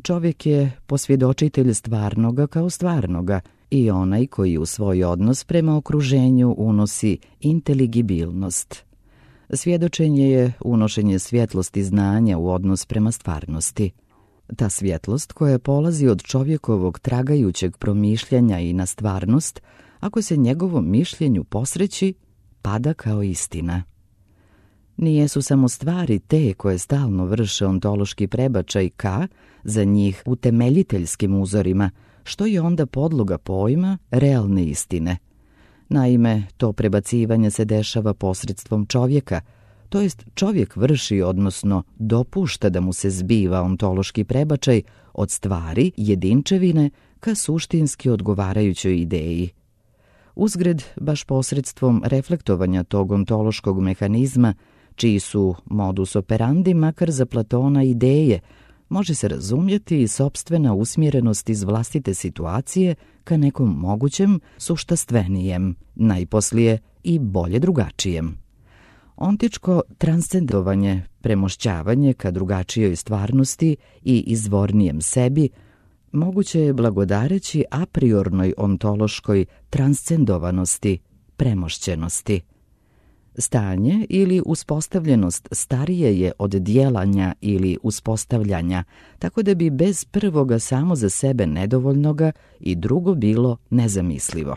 Čovjek je posvjedočitelj stvarnoga kao stvarnoga i onaj koji u svoj odnos prema okruženju unosi inteligibilnost. Svjedočenje je unošenje svjetlosti znanja u odnos prema stvarnosti. Ta svjetlost koja polazi od čovjekovog tragajućeg promišljanja i na stvarnost, ako se njegovom mišljenju posreći, pada kao istina. Nijesu samo stvari te koje stalno vrše ontološki prebačaj ka, za njih utemeljiteljskim uzorima, što je onda podloga pojma realne istine. Naime, to prebacivanje se dešava posredstvom čovjeka, to jest čovjek vrši, odnosno dopušta da mu se zbiva ontološki prebačaj od stvari, jedinčevine, ka suštinski odgovarajućoj ideji. Uzgred, baš posredstvom reflektovanja tog ontološkog mehanizma, čiji su modus operandi makar za Platona ideje, može se razumjeti i sopstvena usmjerenost iz vlastite situacije ka nekom mogućem suštastvenijem, najposlije i bolje drugačijem. Ontičko transcendovanje, premošćavanje ka drugačijoj stvarnosti i izvornijem sebi, moguće je blagodareći a priornoj ontološkoj transcendovanosti, premošćenosti. Stanje ili uspostavljenost starije je od djelanja ili uspostavljanja, tako da bi bez prvoga samo za sebe nedovoljnoga i drugo bilo nezamislivo.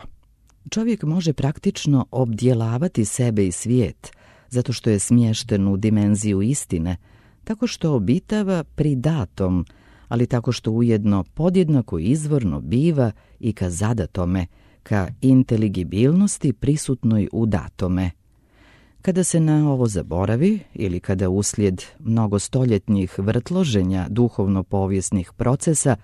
Čovjek može praktično obdjelavati sebe i svijet, zato što je smješten u dimenziju istine, tako što obitava pri datom, ali tako što ujedno podjednako izvorno biva i ka zadatome, ka inteligibilnosti prisutnoj u datome. Kada se na ovo zaboravi ili kada uslijed mnogostoljetnih vrtloženja duhovno-povijesnih procesa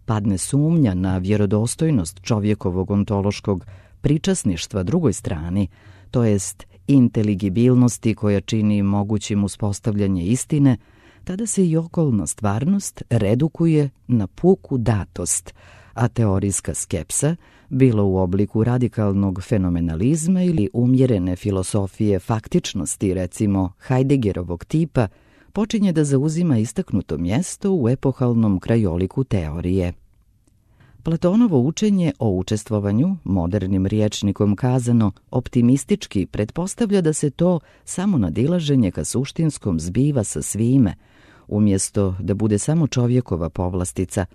padne sumnja na vjerodostojnost čovjekovog ontološkog pričasništva drugoj strani, to jest inteligibilnosti koja čini mogućim uspostavljanje istine, tada se i okolna stvarnost redukuje na puku datost, a teorijska skepsa, bilo u obliku radikalnog fenomenalizma ili umjerene filosofije faktičnosti, recimo Heideggerovog tipa, počinje da zauzima istaknuto mjesto u epohalnom krajoliku teorije. Platonovo učenje o učestvovanju, modernim rječnikom kazano, optimistički pretpostavlja da se to samo nadilaženje ka suštinskom zbiva sa svime, umjesto da bude samo čovjekova povlastica,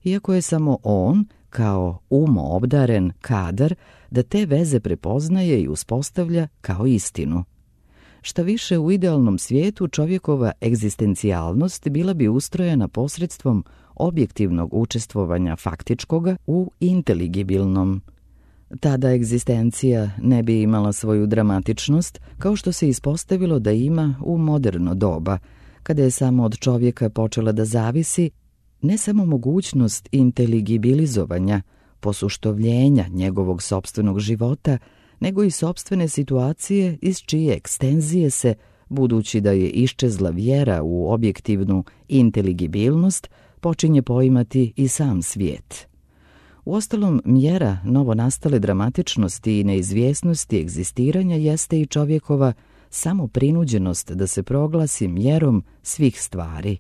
iako je samo on, kao umo obdaren kadar, da te veze prepoznaje i uspostavlja kao istinu. Šta više, u idealnom svijetu čovjekova egzistencijalnost bila bi ustrojena posredstvom objektivnog učestvovanja faktičkoga u inteligibilnom. Tada egzistencija ne bi imala svoju dramatičnost, kao što se ispostavilo da ima u moderno doba, kada je samo od čovjeka počela da zavisi ne samo mogućnost inteligibilizovanja, posuštovljenja njegovog sopstvenog života, nego i sopstvene situacije iz čije ekstenzije se, budući da je iščezla vjera u objektivnu inteligibilnost, počinje poimati i sam svijet. Uostalom, mjera novonastale dramatičnosti i neizvjesnosti egzistiranja jeste i čovjekova samo prinuđenost da se proglasi mjerom svih stvari.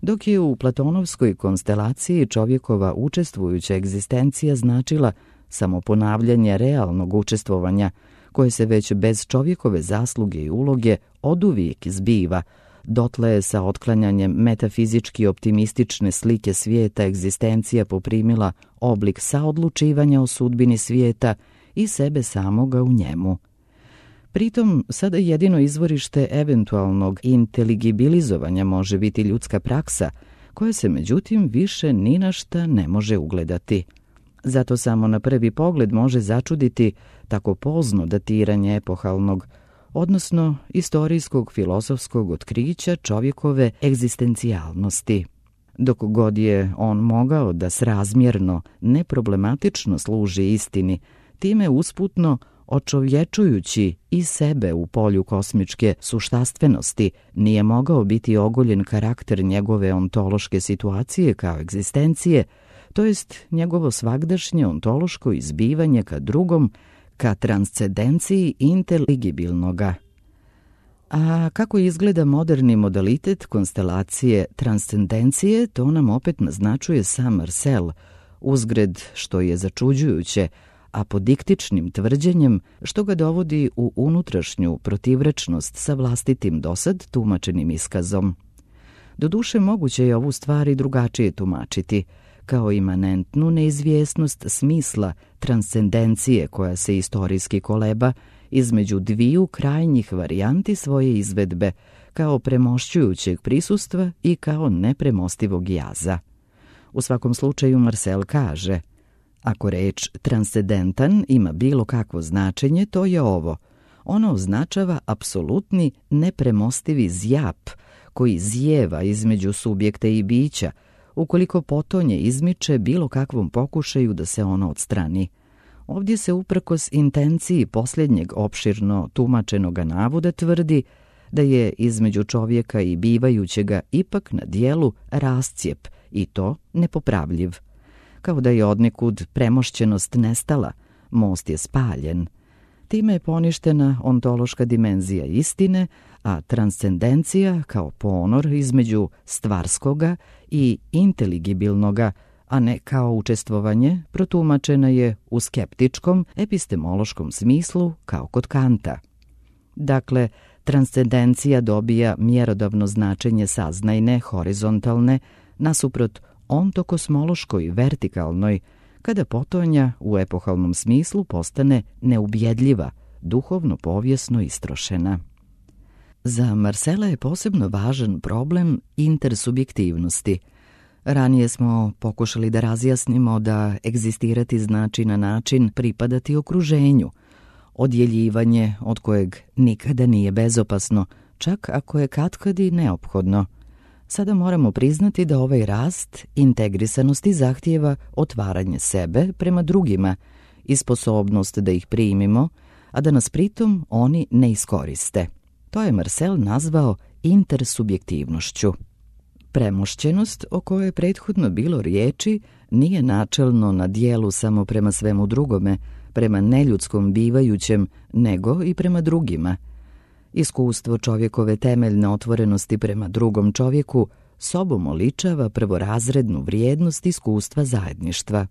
Dok je u platonovskoj konstelaciji čovjekova učestvujuća egzistencija značila samo ponavljanje realnog učestvovanja, koje se već bez čovjekove zasluge i uloge oduvijek zbiva, dotle je sa otklanjanjem metafizički optimistične slike svijeta egzistencija poprimila oblik saodlučivanja o sudbini svijeta i sebe samoga u njemu. Pritom, sada jedino izvorište eventualnog inteligibilizovanja može biti ljudska praksa, koja se međutim više ni na šta ne može ugledati. Zato samo na prvi pogled može začuditi tako pozno datiranje epohalnog, odnosno istorijskog filozofskog otkrića čovjekove egzistencijalnosti. Dok god je on mogao da srazmjerno, neproblematično služi istini, time usputno očovječujući i sebe u polju kosmičke suštastvenosti, nije mogao biti ogoljen karakter njegove ontološke situacije kao egzistencije, to jest njegovo svagdašnje ontološko izbivanje ka drugom, ka transcendenciji inteligibilnoga. A kako izgleda moderni modalitet konstelacije transcendencije, to nam opet naznačuje sam Marcel, uzgred što je začuđujuće, apodiktičnim tvrđenjem što ga dovodi u unutrašnju protivrečnost sa vlastitim dosad tumačenim iskazom. Doduše, moguće je ovu stvar i drugačije tumačiti, kao imanentnu neizvjesnost smisla transcendencije koja se istorijski koleba između dviju krajnjih varijanti svoje izvedbe, kao premošćujućeg prisustva i kao nepremostivog jaza. U svakom slučaju Marcel kaže: ako reč transcendentan ima bilo kakvo značenje, to je ovo. Ono označava apsolutni nepremostivi zjap koji zjeva između subjekta i bića, ukoliko potonje izmiče bilo kakvom pokušaju da se ono odstrani. Ovdje se uprkos intenciji posljednjeg opširno tumačenoga navoda tvrdi da je između čovjeka i bivajućega ipak na dijelu rascijep, i to nepopravljiv. Kao da je odnekud premošćenost nestala, most je spaljen. Time je poništena ontološka dimenzija istine, a transcendencija kao ponor između stvarskoga i inteligibilnoga, a ne kao učestvovanje, protumačena je u skeptičkom epistemološkom smislu kao kod Kanta. Dakle, transcendencija dobija mjerodavno značenje saznajne, horizontalne, nasuprot ontokosmološkoj, vertikalnoj, kada potonja u epohalnom smislu postane neubjedljiva, duhovno povijesno istrošena. Za Marcela je posebno važan problem intersubjektivnosti. Ranije smo pokušali da razjasnimo da egzistirati znači na način pripadati okruženju, odjeljivanje od kojeg nikada nije bezopasno, čak ako je katkad i neophodno. Sada moramo priznati da ovaj rast integrisanosti zahtijeva otvaranje sebe prema drugima i sposobnost da ih primimo, a da nas pritom oni ne iskoriste. To je Marcel nazvao intersubjektivnošću. Premošćenost o kojoj je prethodno bilo riječi nije načelno na dijelu samo prema svemu drugome, prema neljudskom bivajućem, nego i prema drugima. Iskustvo čovjekove temeljne otvorenosti prema drugom čovjeku sobom oličava prvorazrednu vrijednost iskustva zajedništva.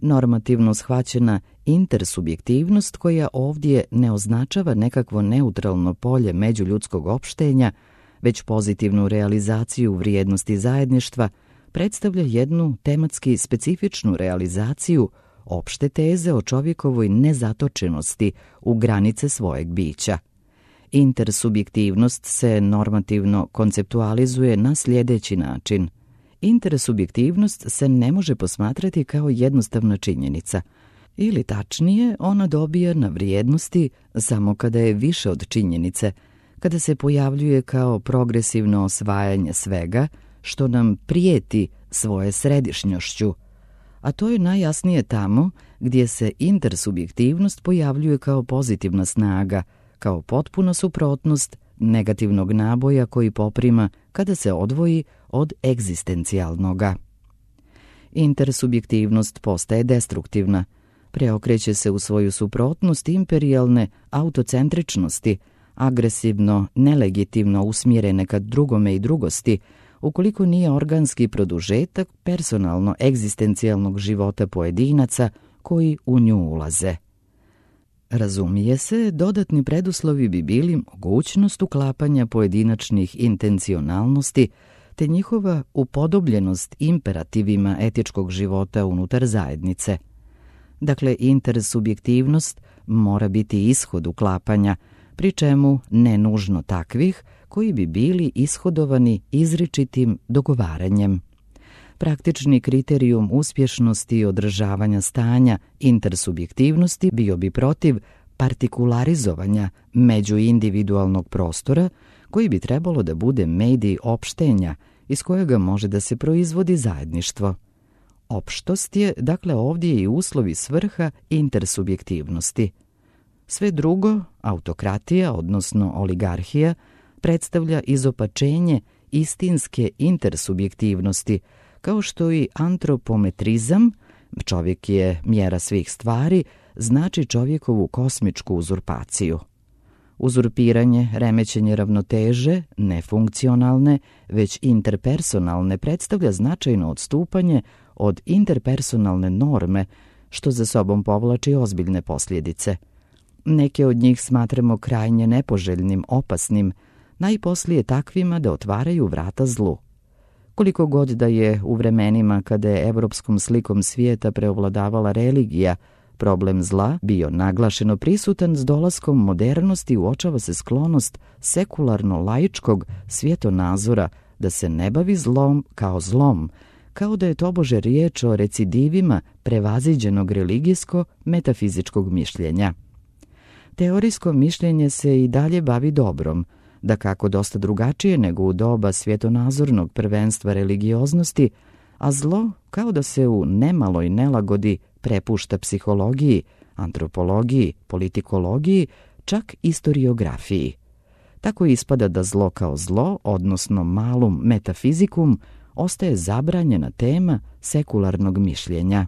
Normativno shvaćena intersubjektivnost koja ovdje ne označava nekakvo neutralno polje međuljudskog opštenja, već pozitivnu realizaciju vrijednosti zajedništva, predstavlja jednu tematski specifičnu realizaciju opšte teze o čovjekovoj nezatočenosti u granice svojeg bića. Intersubjektivnost se normativno konceptualizuje na sljedeći način. Intersubjektivnost se ne može posmatrati kao jednostavna činjenica, ili tačnije, ona dobija na vrijednosti samo kada je više od činjenice, kada se pojavljuje kao progresivno osvajanje svega što nam prijeti svoje središnjošću, a to je najjasnije tamo gdje se intersubjektivnost pojavljuje kao pozitivna snaga, kao potpuna suprotnost negativnog naboja koji poprima kada se odvoji od egzistencijalnoga. Intersubjektivnost postaje destruktivna, preokreće se u svoju suprotnost imperijalne autocentričnosti, agresivno, nelegitimno usmjerene ka drugome i drugosti, ukoliko nije organski produžetak personalno egzistencijalnog života pojedinaca koji u nju ulaze. Razumije se, dodatni preduslovi bi bili mogućnost uklapanja pojedinačnih intencionalnosti, te njihova upodobljenost imperativima etičkog života unutar zajednice. Dakle, intersubjektivnost mora biti ishod uklapanja, pri čemu ne nužno takvih koji bi bili ishodovani izričitim dogovaranjem. Praktični kriterijum uspješnosti i održavanja stanja intersubjektivnosti bio bi protiv partikularizovanja međuindividualnog prostora koji bi trebalo da bude medij opštenja iz kojega može da se proizvodi zajedništvo. Opštost je, dakle, ovdje i uslov i svrha intersubjektivnosti. Sve drugo, autokratija, odnosno oligarhija, predstavlja izopačenje istinske intersubjektivnosti, kao što i antropometrizam, čovjek je mjera svih stvari, znači čovjekovu kosmičku uzurpaciju. Uzurpiranje, remećenje ravnoteže, nefunkcionalne, već interpersonalne, predstavlja značajno odstupanje od interpersonalne norme, što za sobom povlači ozbiljne posljedice. Neke od njih smatramo krajnje nepoželjnim, opasnim, najposlije takvima da otvaraju vrata zlu. Koliko god da je u vremenima kada je evropskom slikom svijeta preovladavala religija, problem zla bio naglašeno prisutan, s dolaskom modernosti uočava se sklonost sekularno-laičkog svjetonazora da se ne bavi zlom kao zlom, kao da je tobože riječ o recidivima prevaziđenog religijsko-metafizičkog mišljenja. Teorijsko mišljenje se i dalje bavi dobrom, da kako dosta drugačije nego u doba svjetonazornog prvenstva religioznosti, a zlo kao da se u nemaloj nelagodi prepušta psihologiji, antropologiji, politikologiji, čak istoriografiji. Tako ispada da zlo kao zlo, odnosno malum metafizikum, ostaje zabranjena tema sekularnog mišljenja.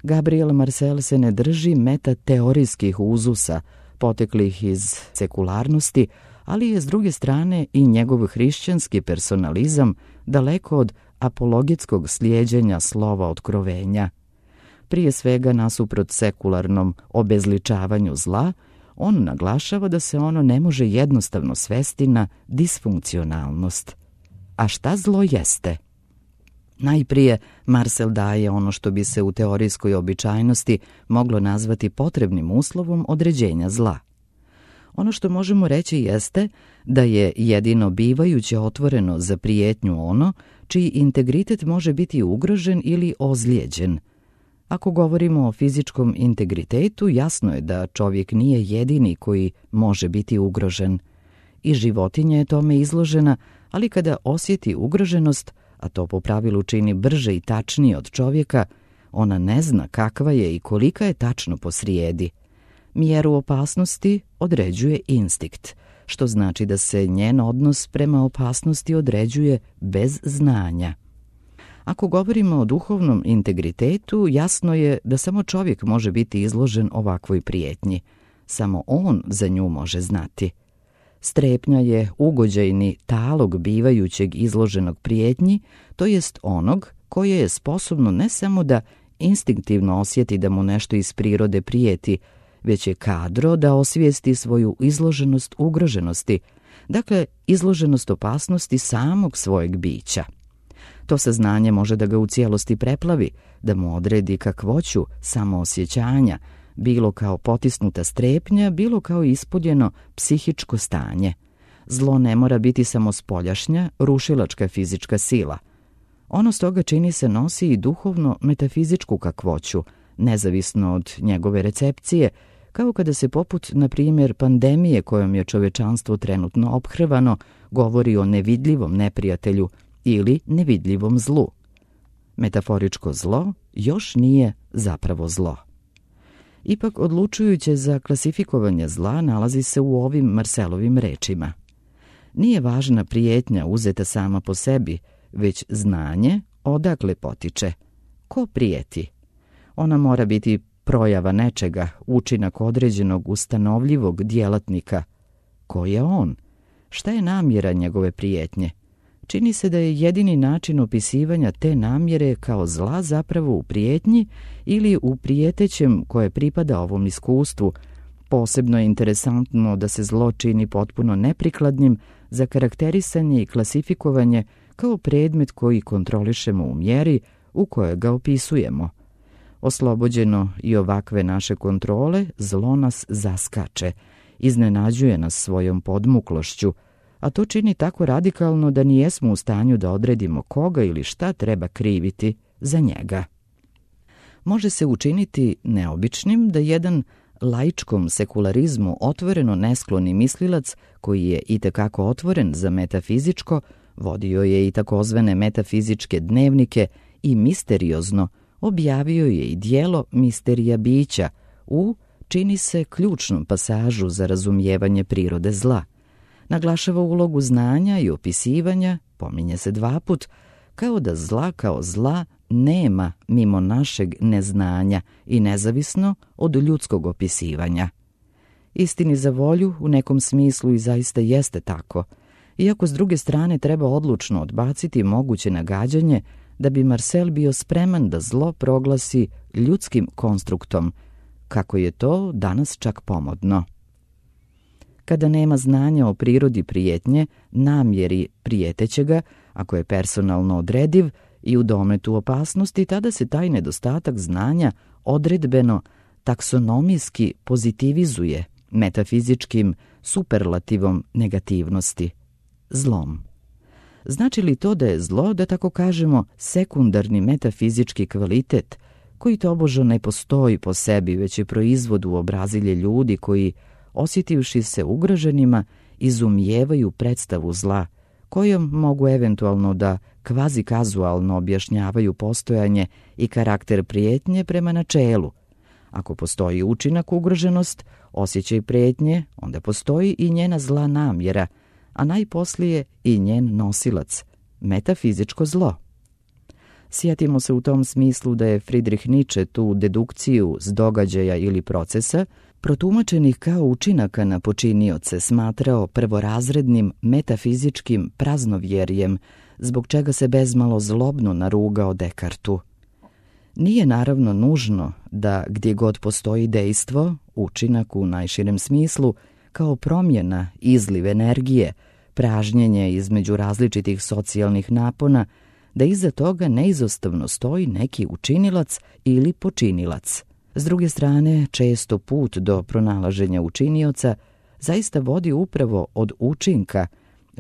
Gabriel Marcel se ne drži metateorijskih uzusa, poteklih iz sekularnosti, ali je s druge strane i njegov hrišćanski personalizam daleko od apologetskog slijeđenja slova otkrovenja. Prije svega, nasuprot sekularnom obezličavanju zla, on naglašava da se ono ne može jednostavno svesti na disfunkcionalnost. A šta zlo jeste? Najprije, Marcel daje ono što bi se u teorijskoj običajnosti moglo nazvati potrebnim uslovom određenja zla. Ono što možemo reći jeste da je jedino bivajuće otvoreno za prijetnju ono čiji integritet može biti ugrožen ili ozlijeđen. Ako govorimo o fizičkom integritetu, jasno je da čovjek nije jedini koji može biti ugrožen. I životinja je tome izložena, ali kada osjeti ugroženost, a to po pravilu čini brže i tačnije od čovjeka, ona ne zna kakva je i kolika je tačno posrijedi. Mjeru opasnosti određuje instinkt, što znači da se njen odnos prema opasnosti određuje bez znanja. Ako govorimo o duhovnom integritetu, jasno je da samo čovjek može biti izložen ovakvoj prijetnji. Samo on za nju može znati. Strepnja je ugođajni talog bivajućeg izloženog prijetnji, to jest onog koje je sposobno ne samo da instinktivno osjeti da mu nešto iz prirode prijeti, već je kadro da osvijesti svoju izloženost ugroženosti, dakle izloženost opasnosti samog svojeg bića. To saznanje može da ga u cijelosti preplavi, da mu odredi kakvoću samoosjećanja, bilo kao potisnuta strepnja, bilo kao ispoljeno psihičko stanje. Zlo ne mora biti samo spoljašnja, rušilačka fizička sila. Ono stoga čini se nosi i duhovno metafizičku kakvoću, nezavisno od njegove recepcije, kao kada se poput, na primjer, pandemije kojom je čovečanstvo trenutno ophrvano, govori o nevidljivom neprijatelju ili nevidljivom zlu. Metaforičko zlo još nije zapravo zlo. Ipak odlučujuće za klasifikovanje zla nalazi se u ovim Marcelovim rečima. Nije važna prijetnja uzeta sama po sebi, već znanje odakle potiče. Ko prijeti? Ona mora biti projava nečega, učinak određenog ustanovljivog djelatnika. Ko je on? Šta je namjera njegove prijetnje? Čini se da je jedini način opisivanja te namjere kao zla zapravo u prijetnji ili u prijetećem koje pripada ovom iskustvu. Posebno je interesantno da se zlo čini potpuno neprikladnim za karakterisanje i klasifikovanje kao predmet koji kontrolišemo u mjeri u kojoj ga opisujemo. Oslobođeno i ovakve naše kontrole, zlo nas zaskače, iznenađuje nas svojom podmuklošću, a to čini tako radikalno da nijesmo u stanju da odredimo koga ili šta treba kriviti za njega. Može se učiniti neobičnim da jedan laičkom sekularizmu otvoreno neskloni mislilac, koji je itekako otvoren za metafizičko, vodio je i takozvane metafizičke dnevnike i misteriozno objavio je i dijelo Misterija bića u, čini se, ključnom pasažu za razumijevanje prirode zla. Naglašava ulogu znanja i opisivanja, pominje se 2 put, kao da zla kao zla nema mimo našeg neznanja i nezavisno od ljudskog opisivanja. Istini za volju u nekom smislu i zaista jeste tako, iako s druge strane treba odlučno odbaciti moguće nagađanje da bi Marcel bio spreman da zlo proglasi ljudskim konstruktom, kako je to danas čak pomodno. Kada nema znanja o prirodi prijetnje, namjeri prijetećega, ako je personalno odrediv i u dometu opasnosti, tada se taj nedostatak znanja odredbeno taksonomijski pozitivizuje metafizičkim superlativom negativnosti, zlom. Znači li to da je zlo, da tako kažemo, sekundarni metafizički kvalitet, koji tobože ne postoji po sebi, već je proizvod u obrazilje ljudi koji, osjetivši se ugroženima, izumijevaju predstavu zla, kojom mogu eventualno da kvazi-kazualno objašnjavaju postojanje i karakter prijetnje prema načelu. Ako postoji učinak ugroženost, osjećaj prijetnje, onda postoji i njena zla namjera, a najposlije i njen nosilac, metafizičko zlo. Sjetimo se u tom smislu da je Friedrich Nietzsche tu dedukciju s događaja ili procesa, protumačenih kao učinaka na počinioce, smatrao prvorazrednim metafizičkim praznovjerjem, zbog čega se bezmalo zlobno narugao Descartesu. Nije naravno nužno da gdje god postoji dejstvo, učinak u najširem smislu, kao promjena, izliv energije, pražnjenje između različitih socijalnih napona, da iza toga neizostavno stoji neki učinilac ili počinilac. S druge strane, često put do pronalaženja učinioca zaista vodi upravo od učinka,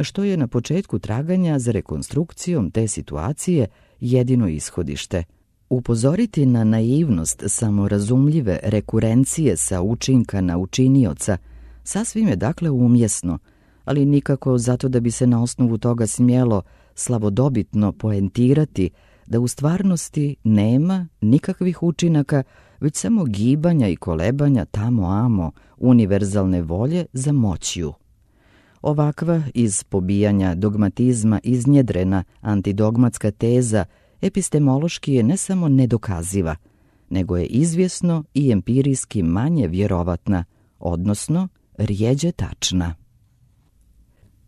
što je na početku traganja za rekonstrukcijom te situacije jedino ishodište. Upozoriti na naivnost samorazumljive rekurencije sa učinka na učinioca sasvim je dakle umjesno, ali nikako zato da bi se na osnovu toga smjelo slavodobitno poentirati da u stvarnosti nema nikakvih učinaka, već samo gibanja i kolebanja tamo-amo univerzalne volje za moćju. Ovakva iz pobijanja dogmatizma iznjedrena antidogmatska teza epistemološki je ne samo nedokaziva, nego je izvjesno i empirijski manje vjerovatna, odnosno rjeđe tačna.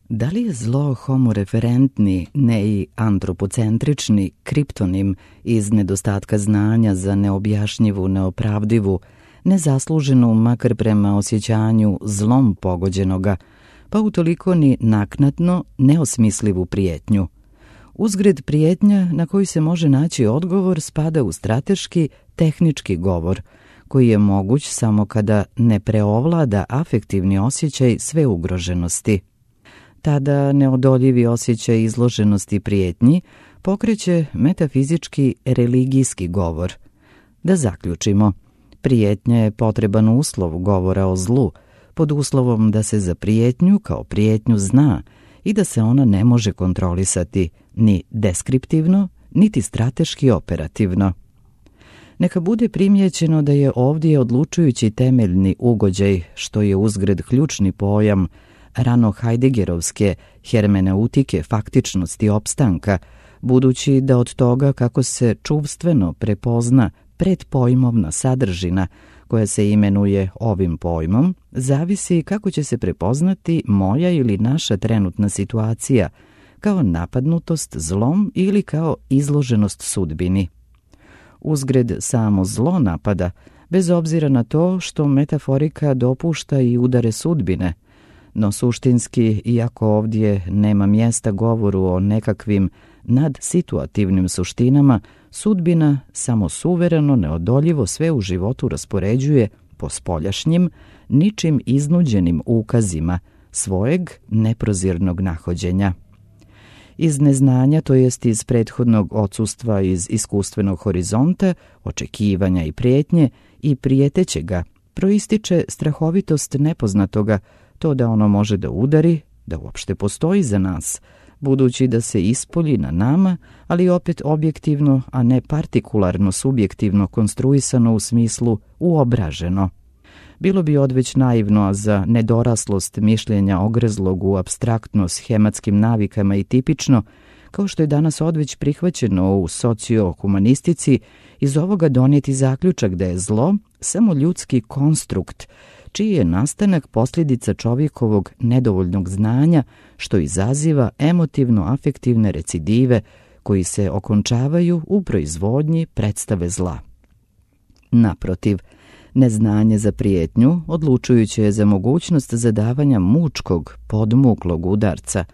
Da li je zlo homoreferentni, ne i antropocentrični kriptonim iz nedostatka znanja za neobjašnjivu, neopravdivu, nezasluženu makar prema osjećanju zlom pogođenoga, pa utoliko ni naknadno neosmislivu prijetnju? Uzgred prijetnja na koju se može naći odgovor spada u strateški, tehnički govor, koji je moguć samo kada ne preovlada afektivni osjećaj sve ugroženosti. Tada neodoljivi osjećaj izloženosti prijetnji pokreće metafizički religijski govor. Da zaključimo, prijetnja je potreban uslov govora o zlu, pod uslovom da se za prijetnju kao prijetnju zna i da se ona ne može kontrolisati ni deskriptivno, niti strateški operativno. Neka bude primijećeno da je ovdje odlučujući temeljni ugođaj, što je uzgred ključni pojam rano Heideggerovske hermeneutike faktičnosti opstanka, budući da od toga kako se čuvstveno prepozna predpojmovna sadržina koja se imenuje ovim pojmom, zavisi kako će se prepoznati moja ili naša trenutna situacija, kao napadnutost zlom ili kao izloženost sudbini. Uzgred samo zlo napada, bez obzira na to što metaforika dopušta i udare sudbine, No suštinski, iako ovdje nema mjesta govoru o nekakvim nadsituativnim suštinama, sudbina samo suvereno, neodoljivo sve u životu raspoređuje po spoljašnjim, ničim iznuđenim ukazima svojeg neprozirnog nahođenja. Iz neznanja, to jest iz prethodnog odsustva iz iskustvenog horizonta, očekivanja i prijetnje i prijetećega, proističe strahovitost nepoznatoga, to da ono može da udari, da uopšte postoji za nas, budući da se ispolji na nama, ali opet objektivno, a ne partikularno subjektivno konstruisano u smislu uobraženo. Bilo bi odveć naivno, a za nedoraslost mišljenja ogrezlog u apstraktno schematskim navikama i tipično, kao što je danas odveć prihvaćeno u sociohumanistici, iz ovoga donijeti zaključak da je zlo samo ljudski konstrukt, čiji je nastanak posljedica čovjekovog nedovoljnog znanja, što izaziva emotivno-afektivne recidive koji se okončavaju u proizvodnji predstave zla. Naprotiv, neznanje za prijetnju odlučujuće je za mogućnost zadavanja mučkog, podmuklog udarca,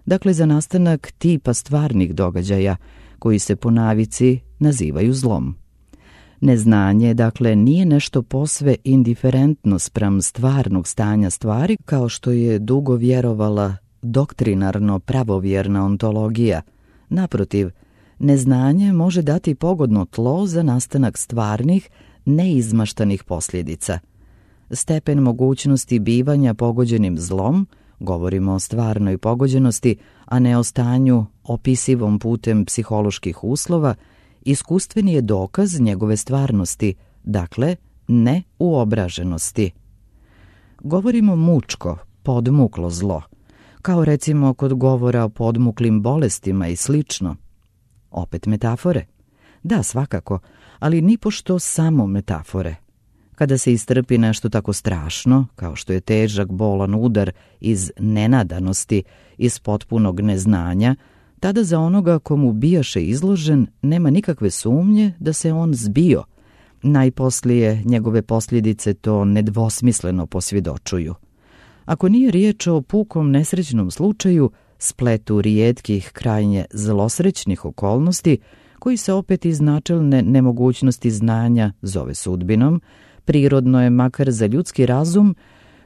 dakle za nastanak tipa stvarnih događaja koji se po navici nazivaju zlom. Neznanje, dakle, nije nešto posve indiferentno spram stvarnog stanja stvari, kao što je dugo vjerovala doktrinarno pravovjerna ontologija. Naprotiv, neznanje može dati pogodno tlo za nastanak stvarnih, neizmaštanih posljedica. Stepen mogućnosti bivanja pogođenim zlom, govorimo o stvarnoj pogođenosti, a ne o stanju opisivom putem psiholoških uslova, iskustveni je dokaz njegove stvarnosti, dakle ne uobraženosti. Govorimo mučko, podmuklo zlo, kao recimo kod govora o podmuklim bolestima i slično. Opet metafore? Da, svakako, ali nipošto samo metafore. Kada se istrpi nešto tako strašno, kao što je težak bolan udar iz nenadanosti, iz potpunog neznanja, tada za onoga komu bijaše izložen nema nikakve sumnje da se on zbio. Najposlije njegove posljedice to nedvosmisleno posvjedočuju. Ako nije riječ o pukom nesrećnom slučaju, spletu rijetkih krajnje zlosrećnih okolnosti, koji se opet iz načelne nemogućnosti znanja zove sudbinom, prirodno je makar za ljudski razum,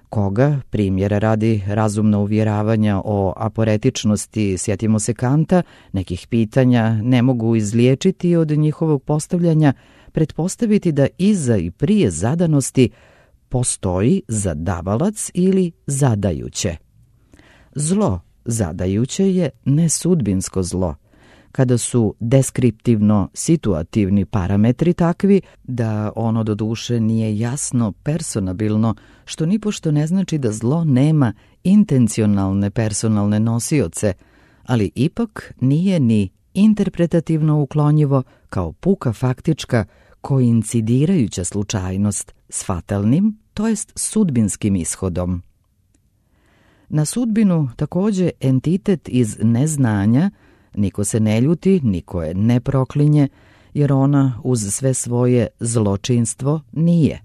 koga, primjera radi razumno uvjeravanja o aporetičnosti, sjetimo se Kanta, nekih pitanja ne mogu izliječiti od njihovog postavljanja, pretpostaviti da iza i prije zadanosti postoji zadavalac ili zadajuće. Zlo zadajuće je nesudbinsko zlo, kada su deskriptivno situativni parametri takvi da ono do duše nije jasno personabilno, što nipošto ne znači da zlo nema intencionalne personalne nosioce, ali ipak nije ni interpretativno uklonjivo kao puka faktička koincidirajuća slučajnost s fatalnim, to jest sudbinskim ishodom. Na sudbinu također entitet iz neznanja niko se ne ljuti, niko je ne proklinje, jer ona uz sve svoje zločinstvo nije.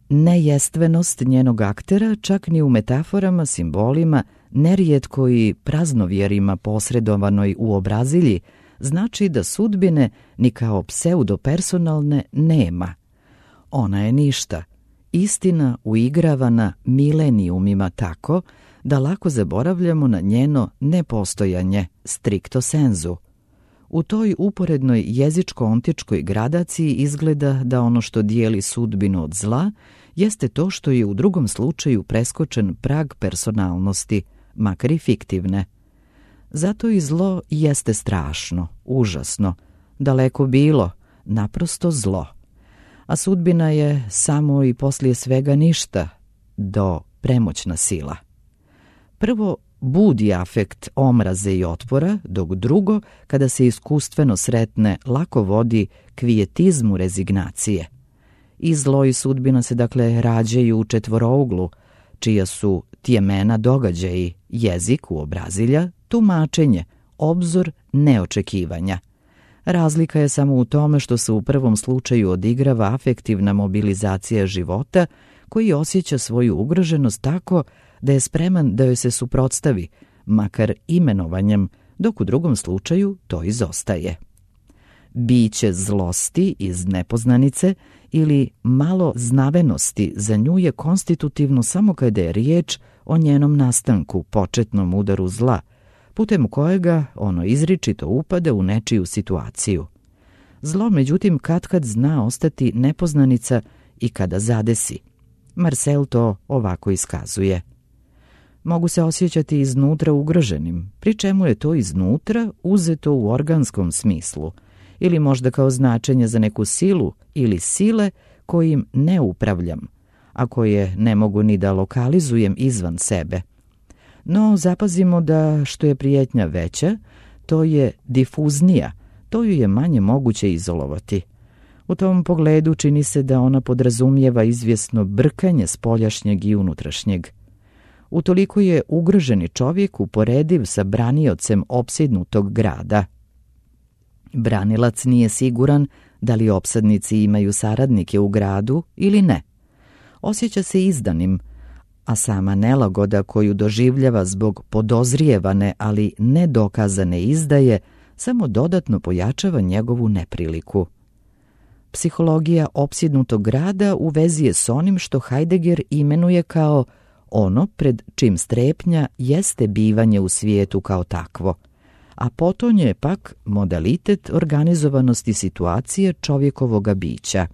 Nejestvenost njenog aktera čak ni u metaforama, simbolima, nerijetko i praznovjerima posredovanoj u obrazilji, znači da sudbine ni kao pseudopersonalne nema. Ona je ništa, istina uigravana milenijumima tako da lako zaboravljamo na njeno nepostojanje stricto sensu. U toj uporednoj jezičko-ontičkoj gradaciji izgleda da ono što dijeli sudbinu od zla jeste to što je u drugom slučaju preskočen prag personalnosti, makar i fiktivne. Zato i zlo jeste strašno, užasno, daleko bilo, naprosto zlo. A sudbina je samo i poslije svega ništa, do premoćna sila. Prvo budi afekt omraze i otpora, dok drugo, kada se iskustveno sretne, lako vodi kvijetizmu rezignacije. I zlo i sudbina se dakle rađaju u četvorouglu, čija su tjemena događaji, jezik uobrazilja, tumačenje, obzor neočekivanja. Razlika je samo u tome što se u prvom slučaju odigrava afektivna mobilizacija života koji osjeća svoju ugroženost tako da je spreman da joj se suprotstavi, makar imenovanjem, dok u drugom slučaju to izostaje. Biće zlosti iz nepoznanice ili malo znavenosti za nju je konstitutivno samo kada je riječ o njenom nastanku, početnom udaru zla, putem kojega ono izričito upada u nečiju situaciju. Zlo, međutim, katkad zna ostati nepoznanica i kada zadesi. Marcel to ovako iskazuje. Mogu se osjećati iznutra ugroženim, pri čemu je to iznutra uzeto u organskom smislu, ili možda kao značenje za neku silu ili sile kojim ne upravljam, a koje ne mogu ni da lokalizujem izvan sebe. No, zapazimo da što je prijetnja veća, to je difuznija, to ju je manje moguće izolovati. U tom pogledu čini se da ona podrazumijeva izvjesno brkanje spoljašnjeg i unutrašnjeg. Utoliko je ugroženi čovjek uporediv sa braniocem opsjednutog grada. Branilac nije siguran da li opsadnici imaju saradnike u gradu ili ne. Osjeća se izdanim, a sama nelagoda koju doživljava zbog podozrijevane, ali nedokazane izdaje, samo dodatno pojačava njegovu nepriliku. Psihologija opsjednutog grada u vezi je s onim što Heidegger imenuje kao ono pred čim strepnja jeste bivanje u svijetu kao takvo, a potonje je pak modalitet organizovanosti situacije čovjekovoga bića.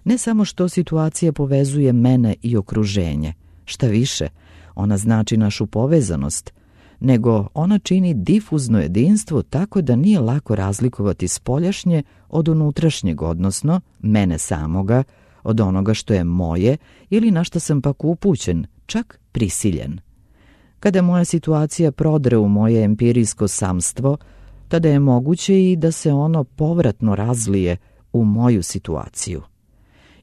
Ne samo što situacija povezuje mene i okruženje, šta više, ona znači našu povezanost, nego ona čini difuzno jedinstvo tako da nije lako razlikovati spoljašnje od unutrašnjeg, odnosno mene samoga, od onoga što je moje ili na što sam pak upućen, čak prisiljen. Kada moja situacija prodre u moje empirijsko samstvo, tada je moguće i da se ono povratno razlije u moju situaciju.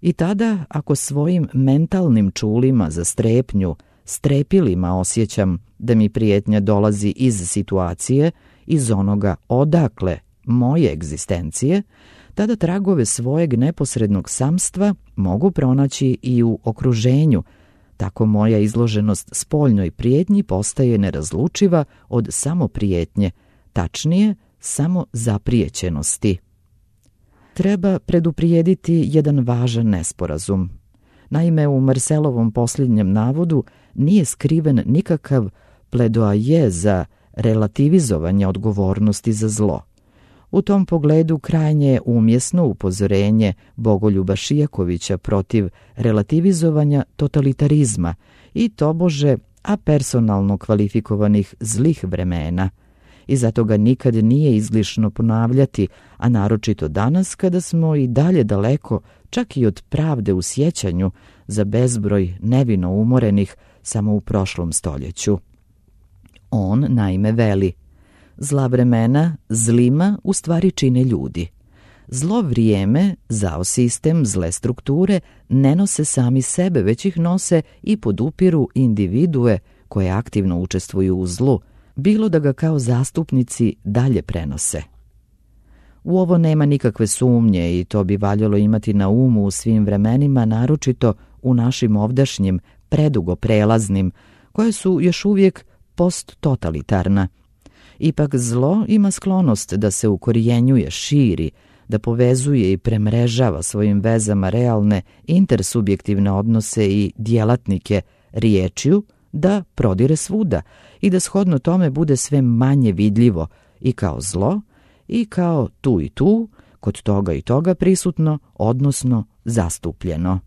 I tada, ako svojim mentalnim čulima za strepnju, strepilima osjećam da mi prijetnja dolazi iz situacije, iz onoga odakle moje egzistencije, tada tragove svojeg neposrednog samstva mogu pronaći i u okruženju. Tako moja izloženost spoljnoj prijetnji postaje nerazlučiva od samoprijetnje, tačnije samo zaprijećenosti. Treba preduprijediti jedan važan nesporazum. Naime, u Marcelovom posljednjem navodu nije skriven nikakav pledoaje za relativizovanje odgovornosti za zlo. U tom pogledu krajnje je umjesno upozorenje Bogoljuba Šijakovića protiv relativizovanja totalitarizma i tobože apersonalno kvalifikovanih zlih vremena. I zato ga nikad nije izlišno ponavljati, a naročito danas kada smo i dalje daleko, čak i od pravde u sjećanju, za bezbroj nevino umorenih samo u prošlom stoljeću. On naime veli: zla vremena zlima u stvari čine ljudi. Zlo vrijeme, zao sistem, zle strukture ne nose sami sebe, već ih nose i podupiru individue koje aktivno učestvuju u zlu, bilo da ga kao zastupnici dalje prenose. U ovo nema nikakve sumnje i to bi valjalo imati na umu u svim vremenima, naročito u našim ovdašnjim, predugo prelaznim, koje su još uvijek posttotalitarna. Ipak zlo ima sklonost da se ukorijenjuje, širi, da povezuje i premrežava svojim vezama realne intersubjektivne odnose i djelatnike riječju, da prodire svuda i da shodno tome bude sve manje vidljivo i kao zlo i kao tu i tu, kod toga i toga prisutno, odnosno zastupljeno.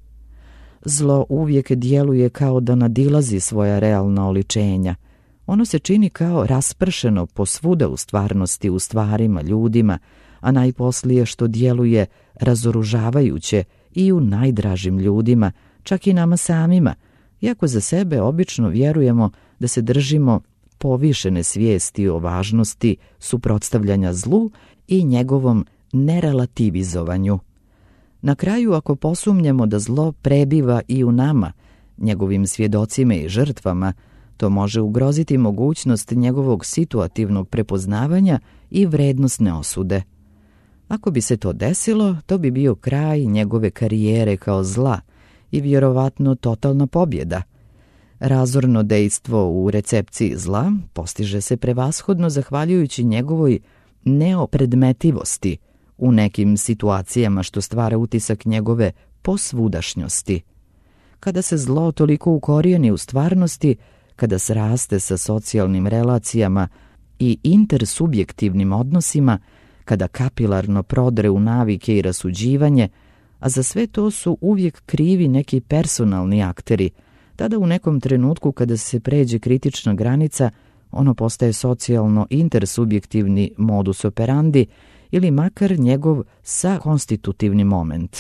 Zlo uvijek djeluje kao da nadilazi svoja realna oličenja. Ono se čini kao raspršeno posvuda u stvarnosti, u stvarima, ljudima, a najposlije što djeluje razoružavajuće i u najdražim ljudima, čak i nama samima, iako za sebe obično vjerujemo da se držimo povišene svijesti o važnosti suprotstavljanja zlu i njegovom nerelativizovanju. Na kraju, ako posumnjamo da zlo prebiva i u nama, njegovim svjedocima i žrtvama, to može ugroziti mogućnost njegovog situativnog prepoznavanja i vrednosne osude. Ako bi se to desilo, to bi bio kraj njegove karijere kao zla i vjerovatno totalna pobjeda. Razorno dejstvo u recepciji zla postiže se prevashodno zahvaljujući njegovoj neopredmetivosti u nekim situacijama, što stvara utisak njegove posvudašnjosti. Kada se zlo toliko ukorijeni u stvarnosti, kada sraste sa socijalnim relacijama i intersubjektivnim odnosima, kada kapilarno prodre u navike i rasuđivanje, a za sve to su uvijek krivi neki personalni akteri, tada u nekom trenutku kada se pređe kritična granica, ono postaje socijalno intersubjektivni modus operandi ili makar njegov sakonstitutivni moment.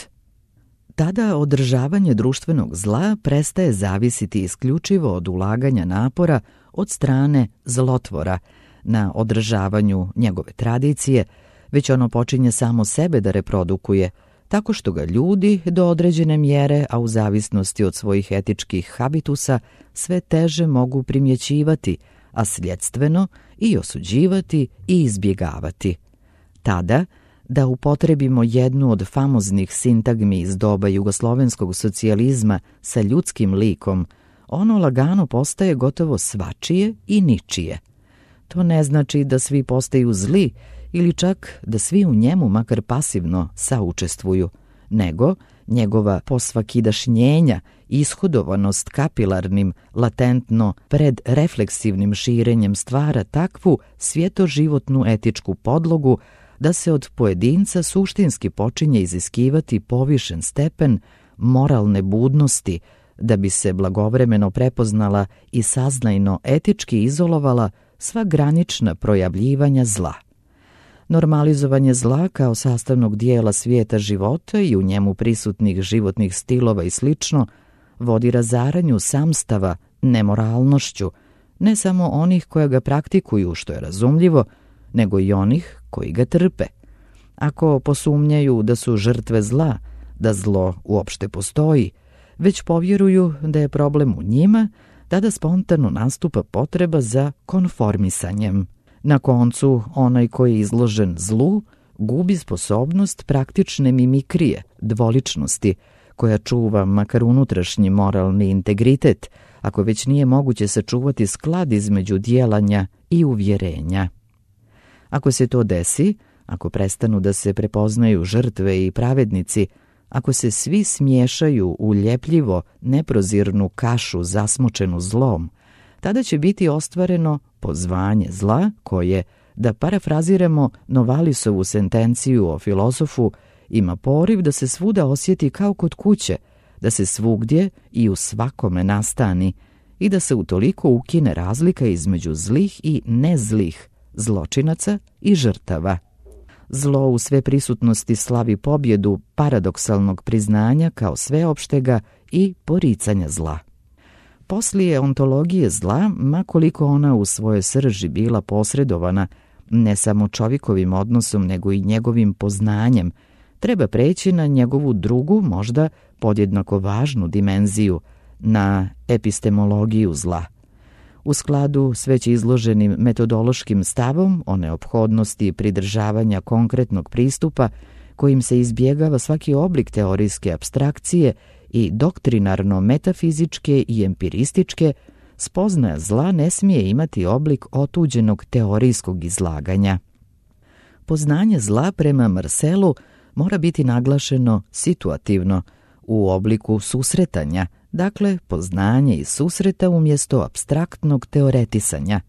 Tada održavanje društvenog zla prestaje zavisiti isključivo od ulaganja napora od strane zlotvora na održavanju njegove tradicije, već ono počinje samo sebe da reprodukuje, tako što ga ljudi do određene mjere, a u zavisnosti od svojih etičkih habitusa, sve teže mogu primjećivati, a sljedstveno i osuđivati i izbjegavati. Tada, da upotrebimo jednu od famoznih sintagmi iz doba jugoslovenskog socijalizma sa ljudskim likom, ono lagano postaje gotovo svačije i ničije. To ne znači da svi postaju zli ili čak da svi u njemu makar pasivno saučestvuju, nego njegova posvakidašnjenja, ishodovanost kapilarnim, latentno predrefleksivnim širenjem stvara takvu svjetoživotnu etičku podlogu da se od pojedinca suštinski počinje iziskivati povišen stepen moralne budnosti, da bi se blagovremeno prepoznala i saznajno etički izolovala sva granična projavljivanja zla. Normalizovanje zla kao sastavnog dijela svijeta života i u njemu prisutnih životnih stilova i slično vodi razaranju samstava nemoralnošću, ne samo onih koja ga praktikuju, što je razumljivo, nego i onih koji ga trpe. Ako posumnjaju da su žrtve zla, da zlo uopšte postoji, već povjeruju da je problem u njima, tada spontano nastupa potreba za konformisanjem. Na koncu, onaj koji je izložen zlu gubi sposobnost praktične mimikrije, dvoličnosti, koja čuva makar unutrašnji moralni integritet, ako već nije moguće sačuvati sklad između djelanja i uvjerenja. Ako se to desi, ako prestanu da se prepoznaju žrtve i pravednici, ako se svi smiješaju u ljepljivo neprozirnu kašu zasmučenu zlom, tada će biti ostvareno pozvanje zla koje, da parafraziramo Novalisovu sentenciju o filozofu, ima poriv da se svuda osjeti kao kod kuće, da se svugdje i u svakome nastani i da se utoliko ukine razlika između zlih i nezlih, zločinaca i žrtava. Zlo u sve prisutnosti slavi pobjedu paradoksalnog priznanja kao sveopštega i poricanja zla. Poslije ontologije zla, ma koliko ona u svojoj srži bila posredovana ne samo čovjekovim odnosom nego i njegovim poznanjem, treba preći na njegovu drugu, možda podjednako važnu dimenziju, na epistemologiju zla. U skladu s već izloženim metodološkim stavom o neophodnosti pridržavanja konkretnog pristupa kojim se izbjegava svaki oblik teorijske apstrakcije i doktrinarno-metafizičke i empirističke, spoznaja zla ne smije imati oblik otuđenog teorijskog izlaganja. Poznanje zla prema Marselu mora biti naglašeno situativno, u obliku susretanja, dakle poznanje iz susreta umjesto apstraktnog teoretisanja.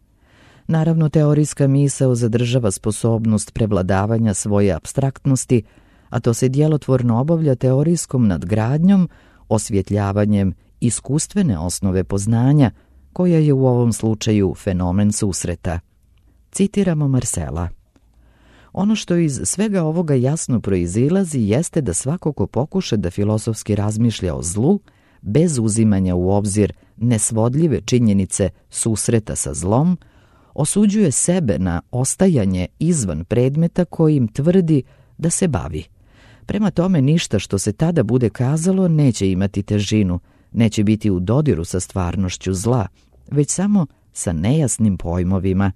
Naravno, teorijska misao zadržava sposobnost prevladavanja svoje apstraktnosti, a to se djelotvorno obavlja teorijskom nadgradnjom, osvjetljavanjem iskustvene osnove poznanja, koja je u ovom slučaju fenomen susreta. Citiramo Marsela. Ono što iz svega ovoga jasno proizilazi jeste da svako ko pokuša da filozofski razmišlja o zlu, bez uzimanja u obzir nesvodljive činjenice susreta sa zlom, osuđuje sebe na ostajanje izvan predmeta kojim tvrdi da se bavi. Prema tome, ništa što se tada bude kazalo neće imati težinu, neće biti u dodiru sa stvarnošću zla, već samo sa nejasnim pojmovima.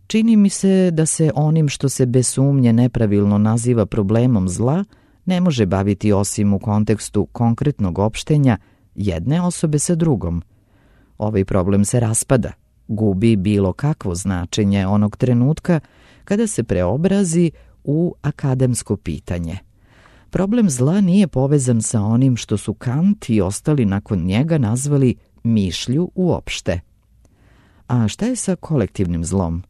Čini mi se da se onim što se bez sumnje nepravilno naziva problemom zla ne može baviti osim u kontekstu konkretnog opštenja jedne osobe sa drugom. ovaj problem se raspada, gubi bilo kakvo značenje onog trenutka kada se preobrazi u akademsko pitanje. Problem zla nije povezan sa onim što su Kant i ostali nakon njega nazvali mišlju uopšte. A šta je sa kolektivnim zlom?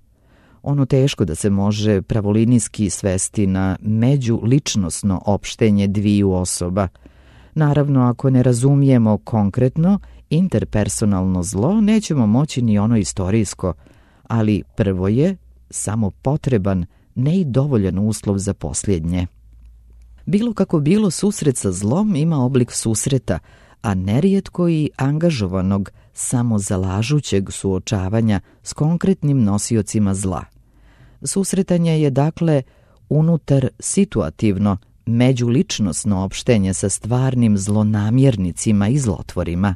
Ono teško da se može pravolinijski svesti na međuličnosno opštenje dviju osoba. Naravno, ako ne razumijemo konkretno interpersonalno zlo, nećemo moći ni ono istorijsko, ali prvo je samo potreban, ne i dovoljan uslov za posljednje. Bilo kako bilo, susret sa zlom ima oblik susreta, a nerijetko i angažovanog, samozalažućeg suočavanja s konkretnim nosiocima zla. Susretanje je dakle unutar situativno, međuličnosno opštenje sa stvarnim zlonamjernicima i zlotvorima.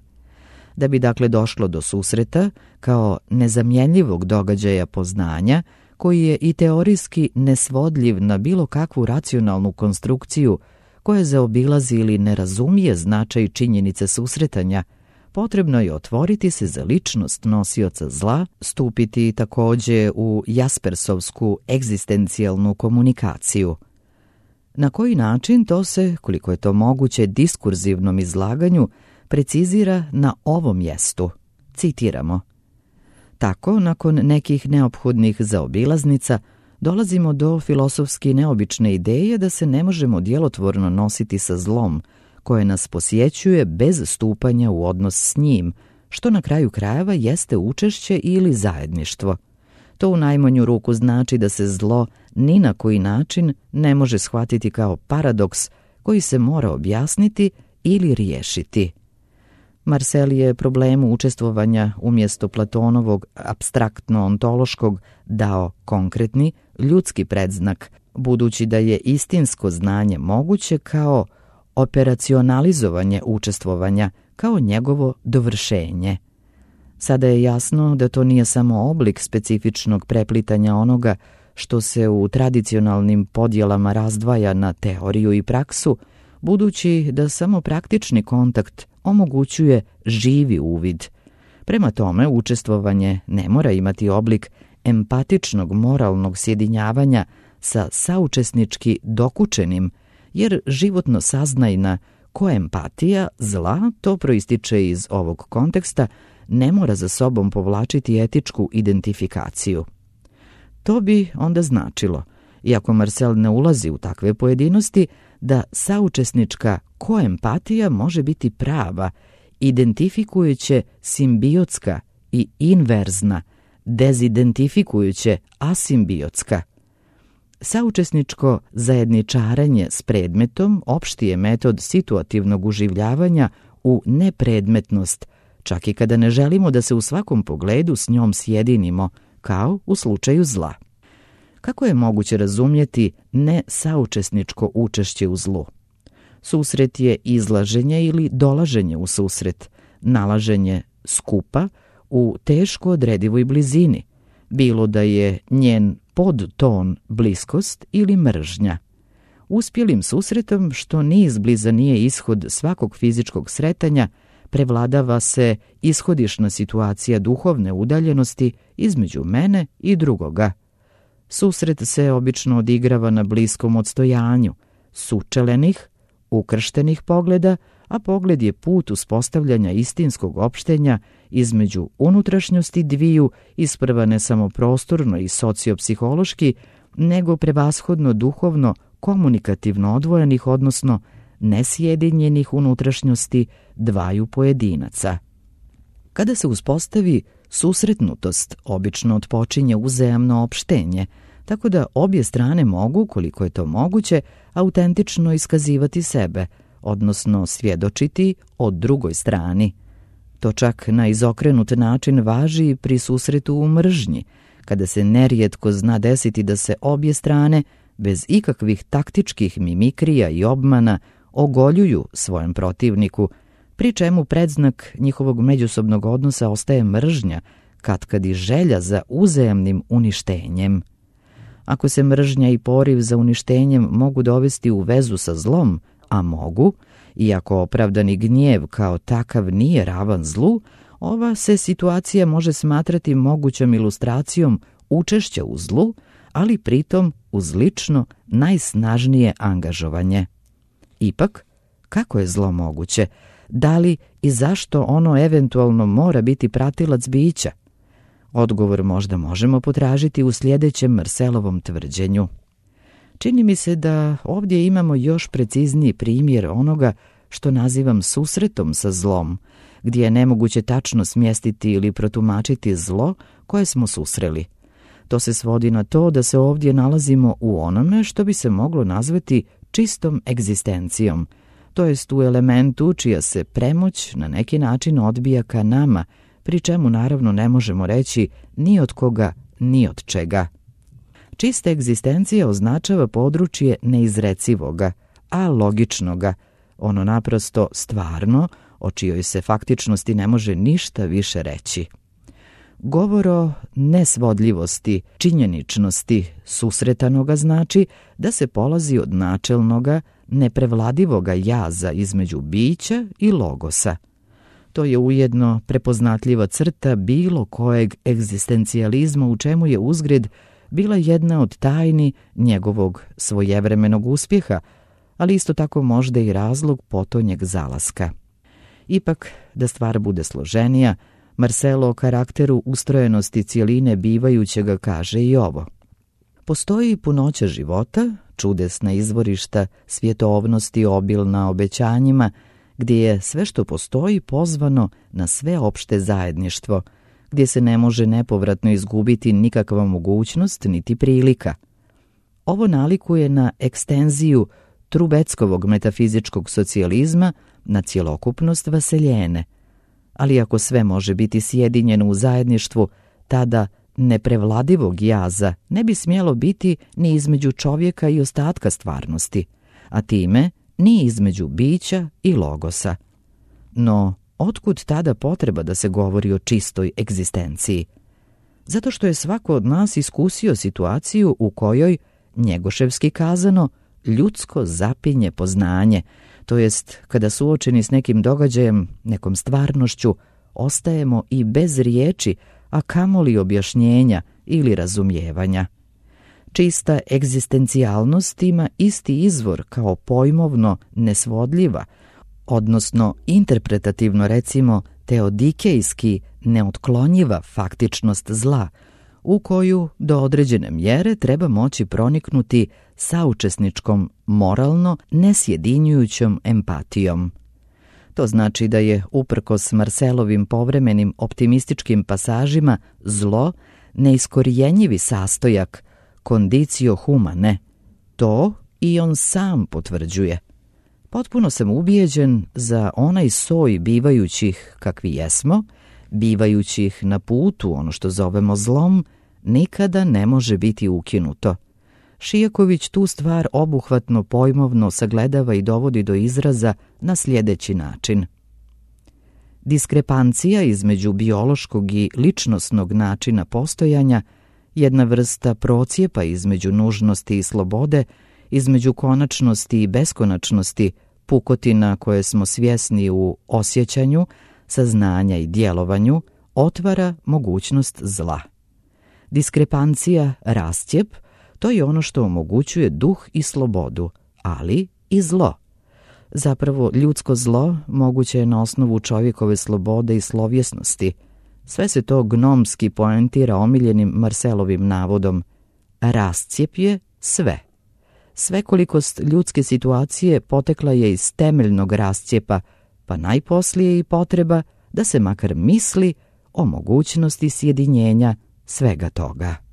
Da bi dakle došlo do susreta kao nezamjenljivog događaja poznanja, koji je i teorijski nesvodljiv na bilo kakvu racionalnu konstrukciju koja zaobilazi ili ne razumije značaj činjenice susretanja, potrebno je otvoriti se za ličnost nosioca zla, stupiti također u jaspersovsku egzistencijalnu komunikaciju. Na koji način to se, koliko je to moguće, diskurzivnom izlaganju precizira na ovom mjestu. Citiramo. Tako, nakon nekih neophodnih zaobilaznica, dolazimo do filosofski neobične ideje da se ne možemo djelotvorno nositi sa zlom, koje nas posjećuje bez stupanja u odnos s njim, što na kraju krajeva jeste učešće ili zajedništvo. To u najmanju ruku znači da se zlo ni na koji način ne može shvatiti kao paradoks koji se mora objasniti ili riješiti. Marcel je problemu učestvovanja umjesto Platonovog apstraktno-ontološkog dao konkretni, ljudski predznak, budući da je istinsko znanje moguće kao operacionalizovanje učestvovanja, kao njegovo dovršenje. Sada je jasno da to nije samo oblik specifičnog preplitanja onoga što se u tradicionalnim podjelama razdvaja na teoriju i praksu, budući da samo praktični kontakt omogućuje živi uvid. Prema tome, učestvovanje ne mora imati oblik empatičnog moralnog sjedinjavanja sa saučesnički dokučenim, jer životno saznajna koempatija zla, to proističe iz ovog konteksta, ne mora za sobom povlačiti etičku identifikaciju. To bi onda značilo, iako Marcel ne ulazi u takve pojedinosti, da saučesnička koempatija može biti prava, identifikujuće simbiotska i inverzna, dezidentifikujuće asimbiotska. Saučesničko zajedničarenje s predmetom opšti je metod situativnog uživljavanja u nepredmetnost, čak i kada ne želimo da se u svakom pogledu s njom sjedinimo, kao u slučaju zla. Kako je moguće razumjeti nesaučesničko učešće u zlu? Susret je izlaženje ili dolaženje u susret, nalaženje skupa u teško odredivoj blizini, bilo da je njen podton bliskost ili mržnja. Uspjelim susretom, što ni izbliza nije ishod svakog fizičkog sretanja, prevladava se ishodišna situacija duhovne udaljenosti između mene i drugoga. Susret se obično odigrava na bliskom odstojanju, sučelenih, ukrštenih pogleda, a pogled je put uspostavljanja istinskog opštenja između unutrašnjosti dviju, isprva ne samo prostorno i sociopsihološki, nego prevashodno duhovno, komunikativno odvojenih, odnosno nesjedinjenih unutrašnjosti dvaju pojedinaca. Kada se uspostavi susretnutost, obično otpočinje uzajamno opštenje, tako da obje strane mogu, koliko je to moguće, autentično iskazivati sebe, odnosno svjedočiti o drugoj strani. To čak na izokrenut način važi pri susretu u mržnji, kada se nerijetko zna desiti da se obje strane, bez ikakvih taktičkih mimikrija i obmana, ogoljuju svojem protivniku, pri čemu predznak njihovog međusobnog odnosa ostaje mržnja, katkad i želja za uzajamnim uništenjem. Ako se mržnja i poriv za uništenjem mogu dovesti u vezu sa zlom, a mogu, iako opravdani gnjev kao takav nije ravan zlu, Ova se situacija može smatrati mogućom ilustracijom učešća u zlu, ali pritom uz lično najsnažnije angažovanje. Ipak, kako je zlo moguće? Da li i zašto ono eventualno mora biti pratilac bića? Odgovor možda možemo potražiti u sljedećem Marselovom tvrđenju. Čini mi se da ovdje imamo još precizniji primjer onoga što nazivam susretom sa zlom, gdje je nemoguće tačno smjestiti ili protumačiti zlo koje smo susreli. To se svodi na to da se ovdje nalazimo u onome što bi se moglo nazvati čistom egzistencijom, to jest u elementu čija se premoć na neki način odbija ka nama, pri čemu naravno ne možemo reći ni od koga, ni od čega. Čista egzistencija označava područje neizrecivoga, a logičnoga, ono naprosto stvarno, o čijoj se faktičnosti ne može ništa više reći. Govor o nesvodljivosti, činjeničnosti susretanoga znači da se polazi od načelnoga, neprevladivoga jaza između bića i logosa. To je ujedno prepoznatljiva crta bilo kojeg egzistencijalizma u čemu je uzgred bila jedna od tajni njegovog svojevremenog uspjeha, ali isto tako možda i razlog potonjeg zalaska. Ipak, da stvar bude složenija, Marcelo o karakteru ustrojenosti cijeline bivajućega kaže i ovo. Postoji punoća života, čudesna izvorišta svjetovnosti obilna obećanjima, gdje je sve što postoji pozvano na sveopšte zajedništvo, gdje se ne može nepovratno izgubiti nikakva mogućnost niti prilika. Ovo nalikuje na ekstenziju Trubeckovog metafizičkog socijalizma na cjelokupnost vaseljene, ali ako sve može biti sjedinjeno u zajedništvu, tada neprevladivog jaza ne bi smjelo biti ni između čovjeka i ostatka stvarnosti, a time ni između bića i logosa. No, otkud tada potreba da se govori o čistoj egzistenciji? Zato što je svako od nas iskusio situaciju u kojoj, njegoševski kazano, ljudsko zapinje poznanje, to jest kada suočeni s nekim događajem, nekom stvarnošću, ostajemo i bez riječi, a kamoli objašnjenja ili razumijevanja. Čista egzistencijalnost ima isti izvor kao pojmovno nesvodljiva, odnosno interpretativno recimo teodikejski neotklonjiva faktičnost zla, u koju do određene mjere treba moći proniknuti saučesničkom, moralno nesjedinjujućom empatijom. To znači da je, uprkos Marcelovim povremenim optimističkim pasažima, zlo neiskorijenjivi sastojak, condicio humane. To i on sam potvrđuje. Potpuno sam ubijeđen za onaj soj bivajućih kakvi jesmo, bivajućih na putu ono što zovemo zlom, nikada ne može biti ukinuto. Šijaković tu stvar obuhvatno pojmovno sagledava i dovodi do izraza na sljedeći način. Diskrepancija između biološkog i ličnosnog načina postojanja, jedna vrsta procijepa između nužnosti i slobode, između konačnosti i beskonačnosti, pukotina koje smo svjesni u osjećanju, saznanja i djelovanju, otvara mogućnost zla. Diskrepancija, rascijep, to je ono što omogućuje duh i slobodu, ali i zlo. Zapravo, ljudsko zlo moguće je na osnovu čovjekove slobode i slovjesnosti. Sve se to gnomski poentira omiljenim Marcelovim navodom. Rascijep je sve. Svekolikost ljudske situacije potekla je iz temeljnog rascijepa, pa najposlije i potreba da se makar misli o mogućnosti sjedinjenja svega toga.